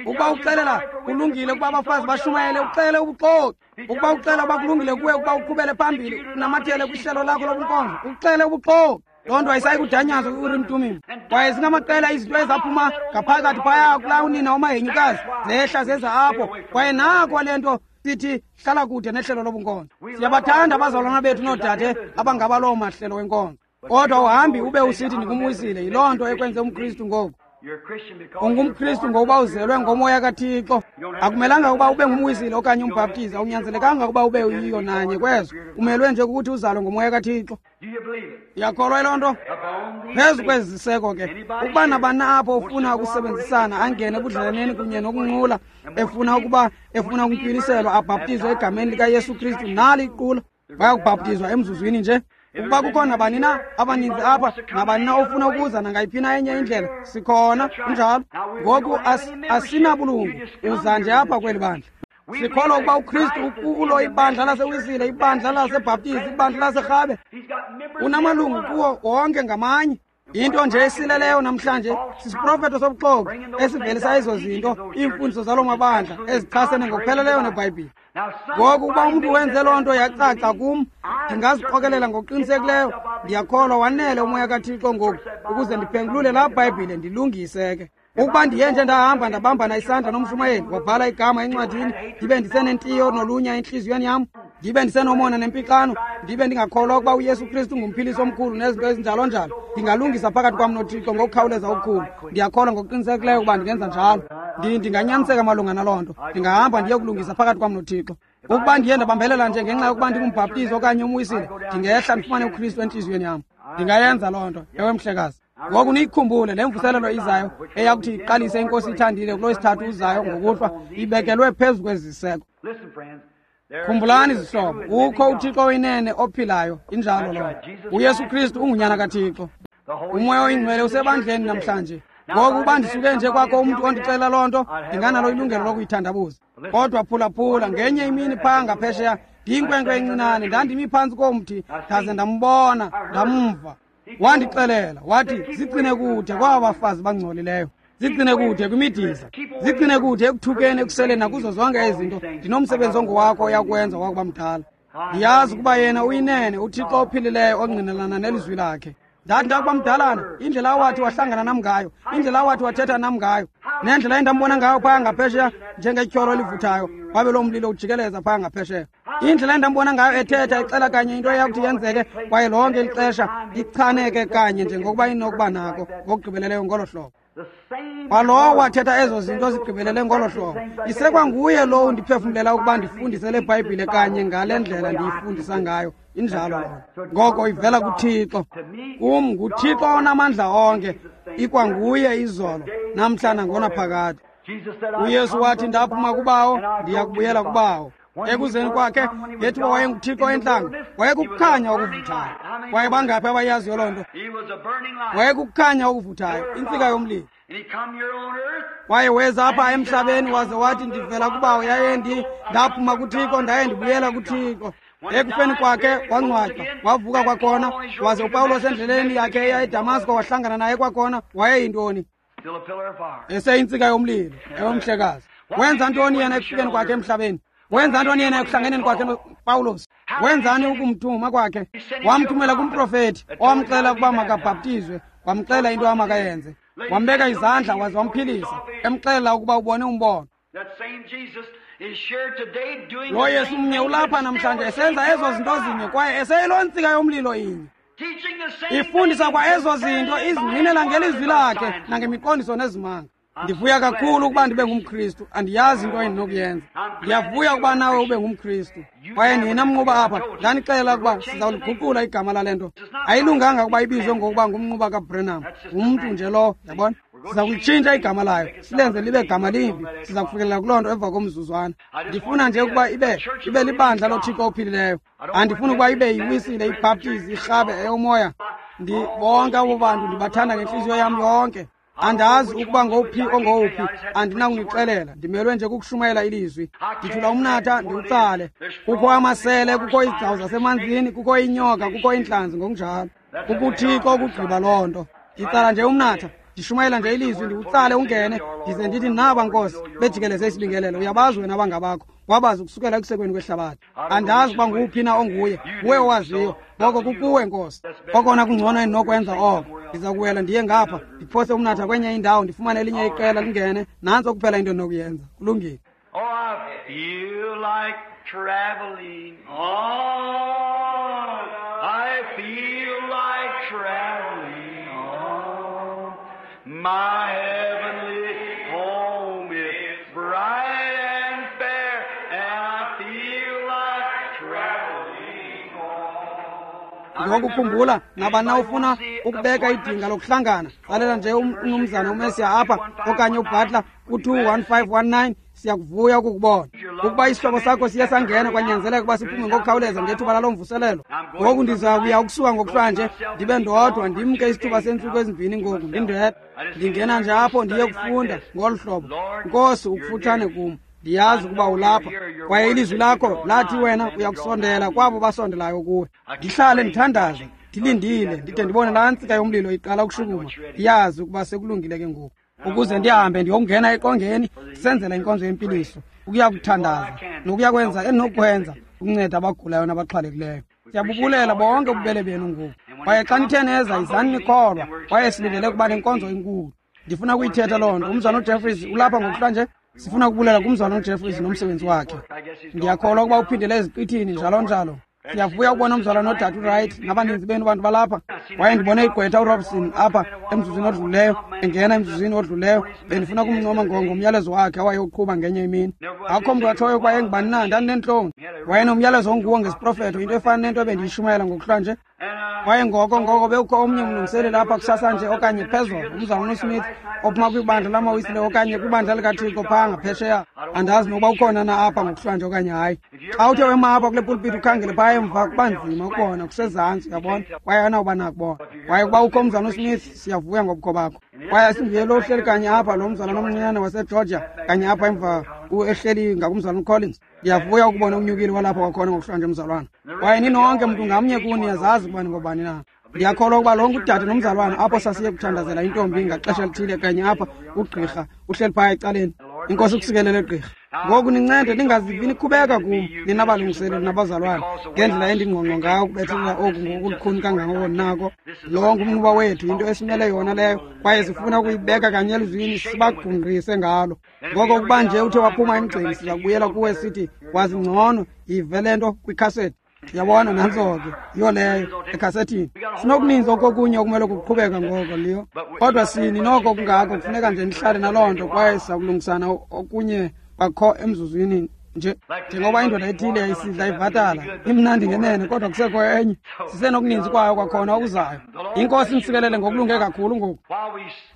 Ukuba uxelela kulungile ukuba abafazi bashumayele, uxelele ubuxoki. Ukuba uxelela uba kulungile kuwe ukuba uqhubele phambili unamathele kwihlelo lakho lobunkonzo, uxelele ubuxoki. Loo nto ayisayi kudanyazwa kwi-Urim Tumim. Kwaye zingamaqela izinto ezaphuma ngaphakathi phaya kulaa unina wamahenyukazi, zehla zeza apho. Kwaye nako le nto sithi hlala kude nehlelo lobunkonzo. Siyabathanda abazalwana bethu noodade abangaba loo mahlelo wenkonzo, kodwa uhambi ube usithi ndingumwisile. Yiloo nto ekwenze umKristu ngoku. You're a Christian because UngumKristu ngokuba uzelwe ngomoya kaThixo. Akumelanga ukuba ube ngumwisile okanye umbhaptizi, awunyanzelekanga ukuba ube yiyo nanye kwezo. Umelwe nje ukuthi uzalwe ngomoya kaThixo. Do you believe it? Uyakholwa yiloo nto? Upon these Phezu kwezi ziseko ke, ukuba nabani apho ufuna ukusebenzisana angene ebudlelaneni kunye nokunqula, efuna ukuba efuna ukuntywiliselwa abhaptizwe egameni likaYesu Kristu, nali iqula bayakubhaptizwa emzuzwini nje. Ukuba kukho nabani na abaninzi apha, nabani na ofuna ukuza nangayiphi na enye indlela, sikhona. Kunjalo. Ngoku asinabulungu, uza nje apha kweli bandla. Sikholwa ukuba uKristu ukulo ibandla laseWisile, ibandla laseBhaptizi, ibandla laseRhabe. He's got members Unamalungu kuwo wonke ngamanye. Into nje esileleyo namhlanje sisiprofeto sobuxoki esivelisa ezo zinto, iimfundiso zaloo mabandla ezichasene ngokupheleleyo neBhayibhile. Ngoku ukuba umntu wenze loo nto yacaca kum, ndingaziqokelela ngokuqinisekileyo. Ndiyakholwa wanele uMoya kaThixo ngoku ukuze ndiphengulule laa Bhayibhile ndilungise ke. Ukuba ndiye nje ndahamba ndabambana isandla nomshumayeli, wabhala igama encwadini, ndibe ndisenentiyo nolunya entliziyweni yam, ndibe ndisenomona nempixano, ndibe ndingakholwa ukuba uYesu Kristu ngumphilisi omkhulu nezinto ezinjalo njalo, ndingalungisa phakathi kwam noThixo ngokukhawuleza okukhulu. Ndiyakholwa ngokuqinisekileyo ukuba ndingenza njalo. Ndinganyaniseka malunga naloo nto. Ndingahamba ndiye kulungisa phakathi kwam noThixo. Ukuba ndiye ndabambelela nje ngenxa yokuba ndingumbhaptizi okanye umwisile, ndingehla ndifumane uKristu entliziyweni yam. Ndingayenza loo nto, ewe mhlekazi. Ngoku niyikhumbule le mvuselelo izayo eyakuthi iqalise iNkosi ithandile kulo sithathu uzayo ngokuhlwa, ibekelwe phezu kweziseko. Khumbulani zihlobo, kukho uThixo oyinene ophilayo, injalo loo nto. UYesu Kristu ungunyana kaThixo. UMoya oyiNgcwele usebandleni namhlanje. Ngoku uba ndisuke nje kwakho umntu ondixelela loo nto, ndinganalo ilungelo lokuyithandabuza. Kodwa phulaphula, ngenye imini phaa ngaphesheya, ndiyinkwenkwe encinane, ndandimi phantsi komthi, ndaze ndambona, ndamva. Wandixelela, wathi, zigcine kude kwaba bafazi bangcolileyo, zigcine kude kwimidiza, zigcine kude ekuthukeni, ekuseleni nakuzo zonke ezi zinto. Ndinomsebenzi ongowakho oyakwenza wakuba mdala. Ndiyazi ukuba yena uyinene, uThixo ophilileyo ongqinelana nelizwi lakhe. Ndathi ndakuba mdalana, indlela awathi wahlangana nam ngayo, indlela awathi wathetha nam ngayo, nendlela endambona ngayo phaya ngaphesheya njengetyholo elivuthayo, wabe loo mlilo ujikeleza phaya ngaphesheya. Indlela endambona ngayo ethetha, ixela kanye into eyakuthi yenzeke, kwaye lonke elixesha ichaneke kanye njengokuba inokuba nako ngokugqibeleleyo ngolo hlobo. Kwalowo wathetha ezo zinto zigqibelele ngolo hlobo, isekwanguye lowo undiphefumlela ukuba ndifundise le Bhayibhile kanye ngale ndlela ndiyifundisa ngayo. Injalo loo nto. Ngoko ivela kuThixo. Kum nguThixo onamandla onke, ikwanguye izolo, namhla nangonaphakade. uYesu wathi, ndaphuma kuBawo, ndiya kubuyela kuBawo. Ekuzeni kwakhe, ngethuba wayenguThixo entlango, wayekukukhanya okuvuthayo. Kwaye bangaphi abayaziyo loo nto? Wayekukukhanya okuvuthayo, intsika yomlilo. Kwaye weza apha emhlabeni waze wathi, ndivela kuBawo, yaye ndaphuma kuThixo, ndaye ndibuyela kuThixo. Ekufeni kwakhe wangcwatywa, wavuka kwakhona, waze uPawulos endleleni yakhe eya eDamasko wahlangana naye kwakhona. Wayeyintoni? Eseyintsika yomlilo, ewomhlekazi. Wenza ntoni yena ekufikeni kwakhe emhlabeni? Wenza ntoni yena ekuhlangeneni kwakhe noPawulos? Wenzani ukumthuma kwakhe? Wamthumela kumprofethi owamxela ukuba makabhaptizwe, wamxela into amakayenze, wambeka izandla waze wamphilisa, emxelela ukuba ubone umbono. Lo Yesu mnye ulapha namhlanje esenza ezo zinto zinye, kwaye eseyiloo ntsika yomlilo inye, ifundisa kwa ezo zinto, izingqinela ngelizwi lakhe nangemiqondiso nezimanga. Ndivuya kakhulu ukuba ndibe ngumKristu. Andiyazi into endinokuyenza. Ndiyavuya ukuba nawe ube ngumKristu. Kwaye nina mnquba apha, ndanixelela ukuba sizawuliguqula igama lale nto. Ayilunganga ukuba ibizwe ngokuba ngumnquba kaBrenham. Ngumntu nje lowo, yabona? Siza kulitshintsha igama layo, silenze libe gama limbi. Siza kufikelela kuloo nto emva komzuzwana. Ndifuna nje ukuba ibe libandla loThixo ophilileyo. Andifuni ukuba ibe yiwisile, ibhaptizi, irhabe, eyomoya. Bonke abo bantu ndibathanda ngentliziyo yam yonke. Andazi ukuba ngowuphi ongowuphi, andinakunixelela. Ndimelwe nje kukushumayela ilizwi. Ndithula umnatha ndiwutsale. Kukho amasele, kukho izigcawu zasemanzini, kukho inyoka, kukho iintlanzi ngokunjalo. KukuThixo ukugqiba loo nto. Nditsala nje umnatha, ndishumayela nje ilizwi, ndiwutsale ungene, ndize ndithi, naba Nkosi, bejikeleze isibingelelo. Uyabazi wena abangabakho, wabazi ukusukela ekusekweni kwehlabathi. Andazi ukuba nguwuphi na onguye, nguwe owaziyo. Ngoko kukuwe Nkosi. Okona kungcono endinokwenza oko, ndiza kuwela ndiye ngapha, ndiphose umnatha kwenye indawo, ndifumane elinye iqela lingene. Nantso kuphela into endinokuyenza. Kulungile. Oh, I feel like traveling on. I feel like traveling on. My heavenly home is bright and fair, and I feel like traveling on. Ngokukhumbula nabani na ufuna ukubeka idinga lokuhlangana, xelela nje umnumzana uMesiya apha okanye uButler ku-21519. Siyakuvuya ukukubona. Ukuba isihlobo sakho siye sangena, kwanyanzeleka ukuba siphume ngokukhawuleza ngethuba laloo mvuselelo. Ngoku ndiza kuya ukusuka ngokuhlwanje, ndibe ndodwa, ndimke isithuba seentsuku ezimbini ngoku ndindedwa. Ndingena nje apho ndiye kufunda ngolu hlobo. Nkosi, ukufutshane kum. Ndiyazi ukuba ulapha, kwaye ilizwi lakho lathi wena uyakusondela kwabo basondelayo kuwe. Ndihlale ndithandaze, ndilindile, ndide ndibone laa ntsika yomlilo iqala ukushukuma. Ndiyazi ukuba sekulungile ke ngoku. Ukuze ndihambe ndiyokungena eqongeni senzela inkonzo yempiliso, ukuya kuthandaza nokuya kwenza endinokwenza ukunceda abagulayo nabaxhwalekileyo. Siyabubulela bonke ububele benu ngoku. Kwaye xa nithe neza, izani nikholwa, kwaye silindele ukuba nenkonzo enkulu. Ndifuna ukuyithetha loo nto. Umzalwana uJeffries ulapha ngokuhlanje. Sifuna ukubulela kumzalwana uJeffries nomsebenzi wakhe. Ndiyakholwa ukuba uphindele eziqithini njalo njalo. Siyavuya ukubona umzalwana nodade uWright nabaninzi benu bantu balapha. Kwaye ndibone igqwetha uRobson apha emzuzwini odluleyo, engena emzuzwini odluleyo. Bendifuna kumncoma ngomyalezo wakhe awayewuqhuba ngenye imini. Akukho mntu watshoyo ukuba engubani na, ndandineentloni. Wayenomyalezo onguwo ngesiprofeto, into efana nento ebendiyishumayela ngokuhlanje. Kwaye ngoko bekukho omnye umlungiseleli apha kusasa nje okanye phezolo, umzalwana uSmith ophuma kwibandla lamaWisile okanye kwibandla likaThixo phaa ngaphesheya. Andazi nokuba ukhona na apha ngokuhlanje okanye hayi. Xa uthe wema apha kule pulpiti ukhangele phaa emva, kuba nzima ukubona, kusezantsi, uyabona, kwaye anawuba nakubona. Kwaye ukuba ukho umzalwana uSmith, siyavuya ngobukho bakho. Kwaye asinguye lo uhleli kanye apha, lo mzalwana omncinane waseGeorgia kanye apha emva ehleli ngakumzalwana uCollins. Ndiyavuya ukubona unyukile walapha kwakhona ngokuhlanje mzalwana. Kwaye ninonke, mntu ngamnye kuni niyazazi ukuba ningobani na. Ndiyakholwa ukuba lonke udade nomzalwana apho sasiye kuthandazela intombi ngaxesha elithile kanye apha, ugqirha uhleli phaya ecaleni. Inkosi ukusikelele, gqirha. Ngoku nincede ningazivi nikhubeka kum, nina balungiseleli nabazalwana, ngendlela endingqongqo ngayo ukubethelela oku ngokulukhuni kangangoko nako. Lo ngumnquba wethu, yinto esimele yona leyo, kwaye sifuna ukuyibeka kanye elizwini sibagungqise ngalo. Ngoko ukuba nje uthe waphuma emgceni, siza kubuyela kuwe sithi wazi ngcono, yive le nto kwikhasethi. Yabona, nantso ke, yiyo leyo ekhasethini. Sinokuninzi okokunye okumele kuqhubeka ngoko liyo, kodwa sini noko kungako kufuneka nje nihlale naloo nto, kwaye siza kulungisana okunye kwakho emzuzwini nje. Njengoba indoda ethile yayisidla ivatala, imnandi ngenene, kodwa kusekho enye. Sisenokuninzi kwayo kwakhona okuzayo. Inkosi inisikelele ngokulunge kakhulu ngoku.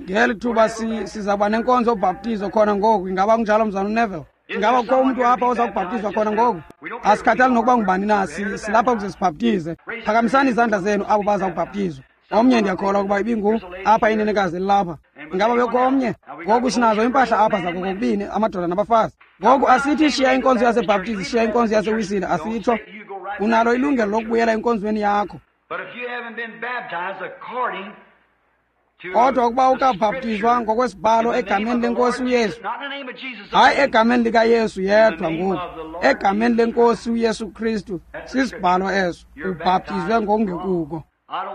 Ngeli thuba sizawuba nenkonzo yobhaptizo khona ngoku. Ingaba kunjalo, mzalwana uNeville? Ingaba kukho umntu apha oza kubhaptizwa khona ngoku? Asikhathali nokuba ngubani na, silapha ukuze sibhaptize. Phakamisani izandla zenu abo baza kubhaptizwa. Omnye ndiyakholwa ukuba ibingu apha inenekazi elilapha. Ingaba bekho omnye? Ngoku sinazo impahla apha zako kokubini, amadoda nabafazi. Ngoku asithi shiya inkonzo yaseBhaptizi, shiya inkonzo yaseWisile, asitsho. Unalo ilungelo lokubuyela enkonzweni yakho. Kodwa ukuba ukabhaptizwa ngokwesibhalo egameni lenkosi uYesu, hayi egameni likaYesu yedwa ngoku, egameni lenkosi uYesu Kristu, sisibhalo eso, ubhaptizwe ngokungekuko.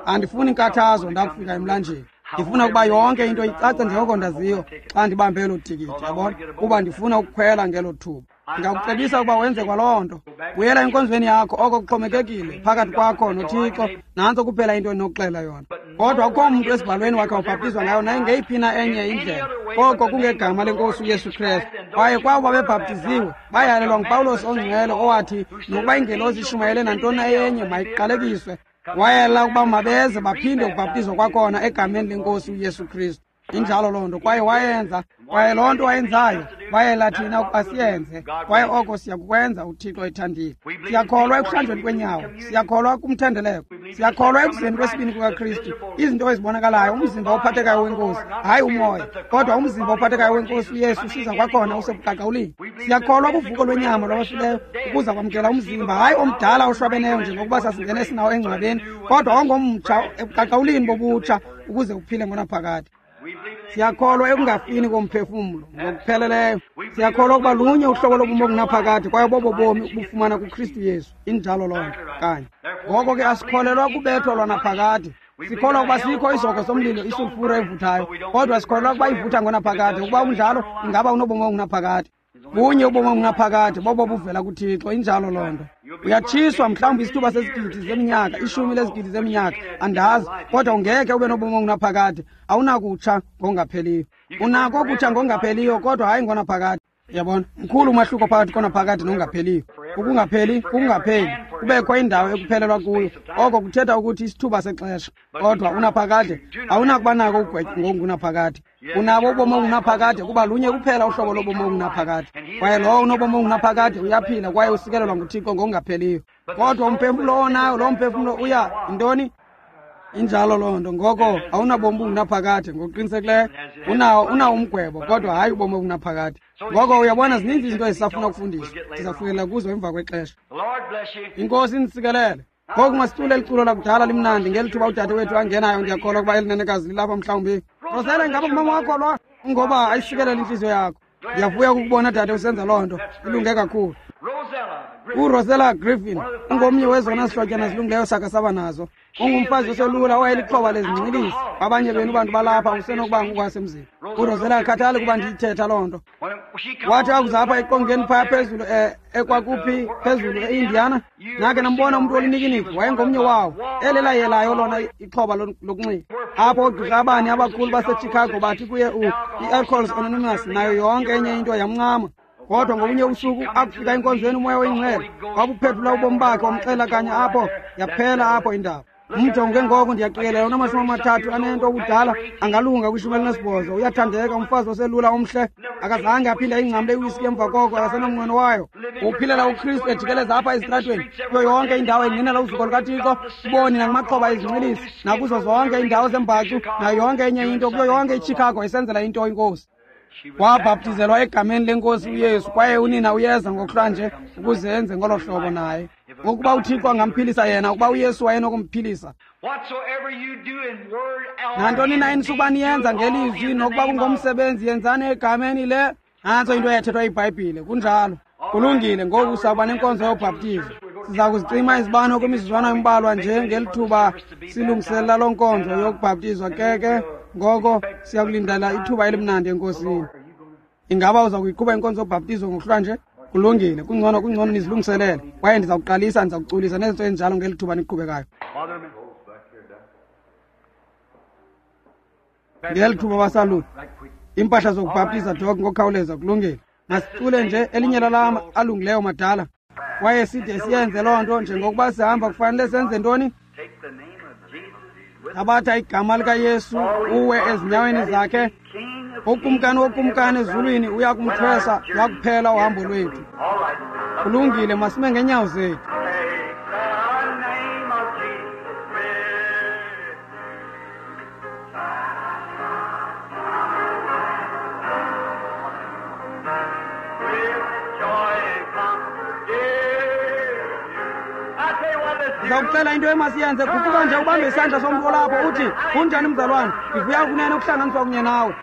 Andifuni inkathazo ndakufika emlanjeni. Ndifuna ukuba yonke into icace njengoko ndaziyo xa ndibambe elo tikiti, yabona, kuba ndifuna ukukhwela ngelo thuba. Ndingakucebisa ukuba wenze kwaloo nto. Buyela enkonzweni yakho, oko kuxhomekekile phakathi kwakho noThixo. Nantso kuphela into endinokuxela yona. Kodwa akukho mntu esibhalweni wakhe wabhaptizwa ngayo nayingeyiphi na enye indlela, koko kungegama lenkosi uYesu Kristu. Kwaye kwabo babebhaptiziwe bayalelwa nguPawulos ongcwele owathi nokuba ingelosi ishumayele nantoni na enye mayiqalekiswe. Wayela ukuba mabeze baphinde ukubhaptizwa kwakhona egameni lenkosi uYesu Kristu. Injalo loo nto, kwaye wayenza. Kwaye loo nto wayenzayo wayela thina ukuba siyenze, kwaye oko siyakukwenza uThixo ethandile. Siyakholwa ekuhlanjweni kwenyawo, siyakholwa kumthendeleko, siyakholwa ekuzeni kwesibini kukaKristu, izinto ezibonakalayo, umzimba ophathekayo wenkosi, hayi umoya, kodwa umzimba ophathekayo wenkosi uYesu usiza kwakhona usebuqaqawulini. Siyakholwa kuvuko lwenyama lwabafileyo, ukuza kwamkela umzimba, hayi omdala oshwabeneyo njengokuba sasingene sinawo engcwabeni, kodwa ongomtsha ebuqaqawulini bobutsha, ukuze uphile ngonaphakade. Siyakholwa ekungafini komphefumlo ngokupheleleyo. Siyakholwa ukuba lunye uhlobo lobomi obungunaphakade, kwaye bobo bomi ubufumana kuKristu Yesu. Injalo loo nto kanye. Ngoko ke asikholelwa kubetho lwanaphakade. Sikholwa ukuba sikho isihogo somlilo, isulfure evuthayo, kodwa sikholelwa ukuba ivutha ngonaphakade. Ukuba kunjalo, ingaba unobomi obungunaphakade. Bunye ubomi obungunaphakade, bobo buvela kuThixo. Injalo loo nto. Uyatshiswa mhlawumbi isithuba sezigidi zeminyaka, ishumi lezigidi zeminyaka, andazi, kodwa ungeke ube nobomi obungunaphakade. Awunakutsha ngokungapheliyo. Unako ukutsha ngokungapheliyo, kodwa hayi ngonaphakade. Yabona, mkhulu umahluko phakathi konaphakade nongapheliyo. Ukungapheli kukungapheli, kubekho indawo ekuphelelwa kuyo. Oko kuthetha ukuthi isithuba sexesha, kodwa unaphakade awunakuba nako ukugwetywa ngokungunaphakade. Unabo ubomi obungunaphakade kuba lunye kuphela uhlobo lobomi obungunaphakade, kwaye lowo unobomi obungunaphakade uyaphila kwaye usikelelwa nguThixo ngokungapheliyo. Kodwa umphefumlo owonayo, loo mphefumlo uya yintoni? Injalo loo nto. Ngoko awunabomi obungunaphakade ngokuqinisekileyo. Unawo umgwebo, kodwa hayi ubomi obungunaphakade. Ngoko uyabona, zininzi izinto ezisafuna ukufundiswa. Sizafikelela kuzo emva kwexesha. Inkosi inisikelele. Ngoku masicule eliculo lakudala limnandi ngeli thuba udade wethu angenayo. Ndiyakholwa ukuba elinenekazi lilapha mhlawumbi. Rosela, ingaba ngumama wakho lo? Ngoba ayisikelele intliziyo yakho. Ndiyavuya ukukubona dade usenza loo nto. Ilunge kakhulu. URosella Griffin ungomnye wezona zihlotyana zilungileyo sakha saba nazo. Ungumfazi oselula owayelixhoba lezinxilisi. Abanye benu bantu balapha usenokuba ngokwasemzini. URosella akhathali kuba ndiyithetha loo nto. Wathi akuza apha eqongeni phaya phezulu ekwakuphi phezulu eIndiana, nakhe nambona umntu olinikiniki, wayengomnye wawo elelayelayo lona ixhoba lokunxila. Apho oogqirha abane abakhulu baseChicago bathi kuye i-Alcoholics Anonymous nayo yonke enye into yamncama. Kodwa ngobunye ubusuku akufika enkonzweni umoya oyingcwele wabuphethula ubomi bakhe, wamxela kanye apho, yaphela apho indaba. Umjonge ngoko ndiyaqikelela unama-30 anento obudala, angalunga kwi-18. Uyathandeka, umfazi oselula omhle. Akazange aphinde ayingcamle iwiski emva koko, akasenamnqweno wayo. Uphilela uKristu ejikeleza apha ezitratweni, kuyo yonke indawo engqinela uzuko lukaThixo, kuboni nakumaxhoba ezinxilisi, nakuzo zonke iindawo zembacu, nayo yonke enye into, kuyo yonke iChicago esenzela into iNkosi. Wabhaptizelwa egameni lenkosi uYesu, kwaye unina uyeza ngokuhlwanje ukuze enze ngolo hlobo naye. Ukuba uThixo angamphilisa yena, ukuba uYesu wayenokumphilisa. Nantoni na enisukuba niyenza ngelizwi nokuba kungomsebenzi, yenzani egameni le. Nantso into eyathethwa iBhayibhile, kunjalo. Kulungile, ngoku sawuba nenkonzo yobhaptizo. Siza kuzicima izibane kwimizuzwana embalwa nje ngelithuba silungiselela loo nkonzo yokubhaptizwa. Ke ngoko siyakulindela ithuba elimnandi enkosini. Ingaba uza kuyiqhuba inkonzo yobhaptizo ngokuhlwanje? Kulungile, kungcono nizilungiselele. Kwaye ndiza kuqalisa, ndiza kuculisa nezinto ezinjalo ngeli thuba niqhubekayo. Ngeli thuba basalula iimpahla zokubhaptiza dok ngokukhawuleza. Kulungile, masicule nje elinye lalama alungileyo madala. Kwaye side siyenze loo nto njengokuba sihamba. Kufanele senze ntoni? Thabatha igama likaYesu uwe ezinyaweni zakhe. Ukumkani wokumkani ezulwini uya kumthwesa lwakuphela uhambo lwethu. Kulungile, masime ngeenyawo zethu. Ndizakucela into emasiyenze, guquka nje ubambe isandla somntu olapho uthi, kunjani mzalwane, ndivuya kunene ukuhlanganiswa kunye nawe.